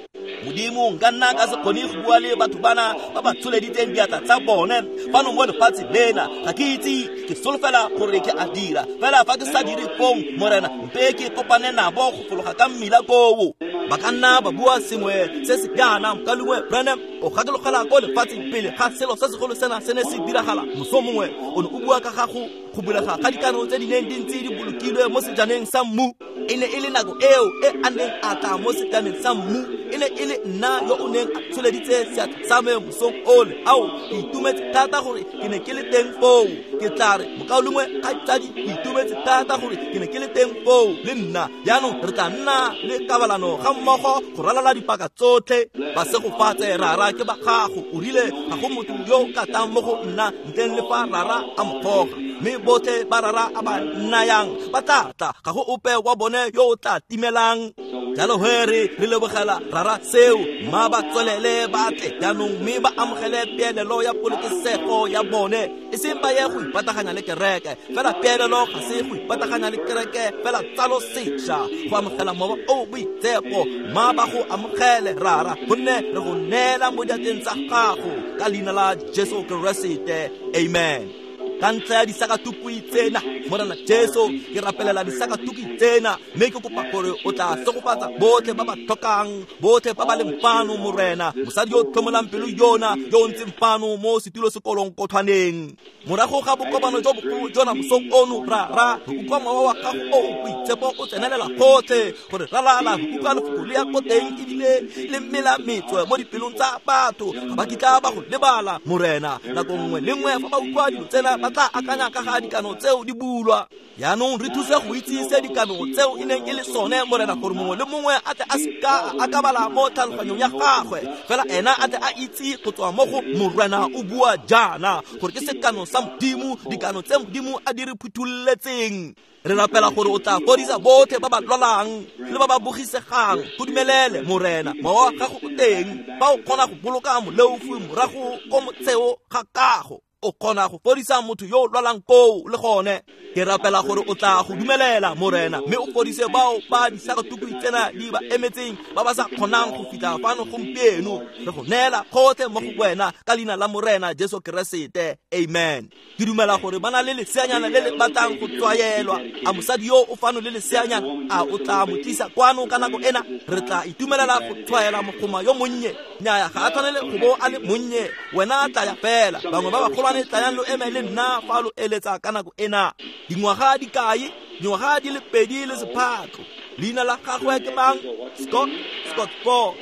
Modimo, nka nna ka se kgone go bua le batho bana ba ba tsholeditseng diatla tsa bone fano mo lefatshe lena. Ga ke itse, ke solofela gore ke a dira, fela fa ke sa dire fong, Morena, mpe ke kopane nabo go fologa ka mmila koo. Ba ka nna ba bua sengwe se se jaana, mokaulengwe Branham o gakologela ko lefatsheng pele ga selo se segolo sena se ne se diragala. Moso mongwe o ne o bua ka ga go bulega ga dikano tse di neng di ntse di bolokilwe mo sejaneng sa mmu. E ne e le nako eo e a neng a tla mo sejaneng sa mmu. E ne e le nna yo o neng a tsholeditse seatla sa me mosong ole. Ao, ke itumetse thata gore ke ne ke le teng foo. Ke tla re, mokaulengwe kgaitsadi, ke itumetse thata gore ke ne ke le teng foo le nna. Jaanong re tla nna le kabalano ga mmogo go ralala dipaka tsotlhe. Ba segofatse, Rara, ke ba gago. O rile ga go motho yo o ka tlang mo go nna ntleng le fa Rara a mo goga, mme botlhe ba Rara a ba nnayang ba tla tla, ga go ope wa bone yo o tla timelang. Jalo he re lebogela Rara seo, mma ba tswelele ba tle jaanong mme ba amogele peelelo ya polokesego ya bone, e seng ba ye go ipataganya le kereke. Fela peelelo ga se go ipataganya le kereke, fela tsalo sešwa, go amogela mowa o boitshepo. Mma ba go amogele, Rara, gonne re go neela mo diatleng tsa gago ka leina la Jesu Keresete. Amen. Ka ntlha ya disakatukwi tsena, Morena Jesu, ke rapelela disakatukwi tsena, mme ke kopa gore o tla segofatsa botlhe ba ba tlhokang, botlhe ba ba leng fano, Morena. Mosadi yo o tlhomolang pelo yona, yo o ntseng fano mo setulo sekolong kothwaneng. Morago ga bokopano jo bogolo jona mosong ono, Rara, re utlwa mowa wa gago o o boitshepo o tsenelela gotlhe, gore ralala re utlwa lefoko le ya ko teng ebile le mela metswe mo dipelong tsa batho. Ga ba kitla ba go lebala, Morena. Nako nngwe le nngwe fa ba utlwa dilo tsena, ba tla akanya ka ga dikano tseo di bulwa. Jaanong re thuse go itse se dikano tseo e neng e le sone, Morena, gore mongwe le mongwe a tle a seka a akabala mo tlhaloganyong ya gagwe, fela ena a tle a itse go tswa mo go Morena o bua jaana, gore ke sekano sa Modimo, dikano tse Modimo a di re phuthololetseng. Re rapela gore o tla fodisa botlhe ba ba lwalang le ba ba bogisegang. Go dumelele, Morena, mowa wa gago o teng, fa o kgona go boloka moleofi morago ko motsheo ga kago, o kgona go fodisa motho yo o lwalang koo le gone. Ke rapela gore o tla go dumelela, Morena, mme o fodise bao ba disakatukwi tsena di ba emetseng, ba ba sa kgonang go fitlha fano gompieno. Re go neela gotlhe mo go wena ka leina la Morena Jesu Keresete. Amen. Ke dumela gore ba na le leseanyana le le batlang go tswaelwa. A mosadi yo o fano le leseanyana, a o tla mo tlisa kwano ka nako ena? Re tla itumelela go tshwaela mogoma yo monnye. Nnyaya, ga a tshwanele go bo a le monnye. Wena tlaya fela. Bangwe ba bagolwane tlayang lo eme le nna fa lo eletsa ka nako ena. Dingwaga di kae? Dingwaga di le 2 le sephatlo. Leina la gagwe ke mang? Scott Ford.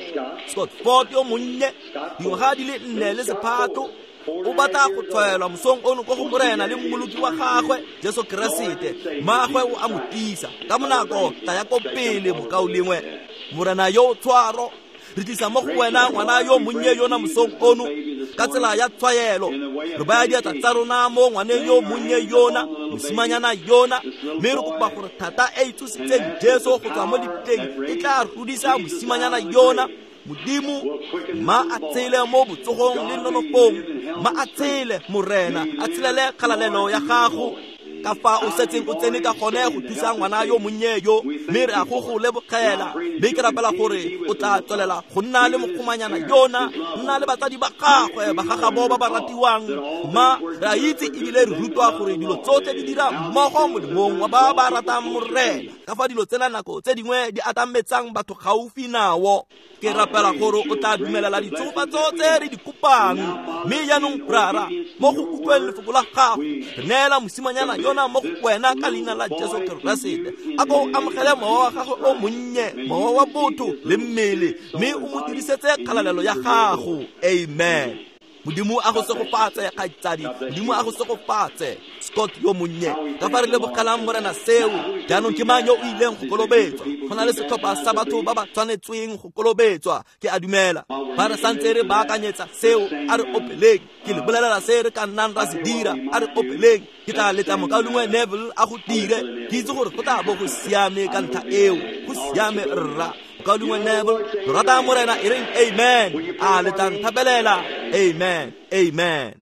Scott Ford yo monnye, dingwaga di le 4 le sephatlo. O batla go tshwaelwa mosong ono ko go Morena le mmoloki wa gagwe Jesu Keresete. Mmagwe o a mo tisa ka bonako. Tlaya ko pele, mokaulengwe. Morena yo o tshwaro, re tlisa mo go wena ngwana yo monnye yona mosong ono ka tsela ya tshwaelo. Re baya diatla tsa rona mo ngwaneng yo monnye yona, mosimanyana yona, mme re kopa gore thata e e tsositseng Jesu go tswa mo lebitleng e tla rudisa mosimanyana yona. Modimo, ma a tshele mo botsogong le nonofong, ma a tshele, Morena, a tshelele kgalalelo ya gago. Ka fa o setseng o tsene ka gone go thusa ngwana yo monnye yo, mme re a go go lebogela. Mme ke rapela gore o tla tswelela go nna le mogomanyana yona, nna le batsadi ba gagwe, ba gagabo ba ba ratiwang. Ma re a itse ebile re rutwa gore dilo tsotlhe di dira mmogo molemong wa ba ba ratang Morena. Ka fa dilo tsena nako tse dingwe di atametsang batho gaufi nao. Ke rapela gore o tla dumelela ditshegofatso tse re di kopang. Mme jaanong, Rara, mo go utlweng lefoko la gago, re neela mosimanyana yona mo go wena ka leina la Jesu Keresete. A ko o amogele mowa wa gagwe o monnye, mowa wa botho le mmele, mme o mo dirisetse kgalalelo ya gago. Amen. Modimo a go segofatse, kgaitsadi. Modimo a go segofatse, Scott yo monnye. Ka fa re lebogelang Morena seo. Jaanong ke mang yo o ileng go kolobetswa? Go na le setlhopha sa batho ba ba tshwanetsweng go kolobetswa, ke a dumela. Fa re santse re baakanyetsa seo, a re opeleng. Ke le bolelela se re ka nnang ra se dira, a re opeleng. Ke tla letla mokaulengwe Neville a go dire. Ke itse gore go tla bo go siame ka ntlha eo. Go siame, rra. Mokaulengwe Neville, lo rata Morena, e reng amen. A le tla nthapelela? Amen, amen.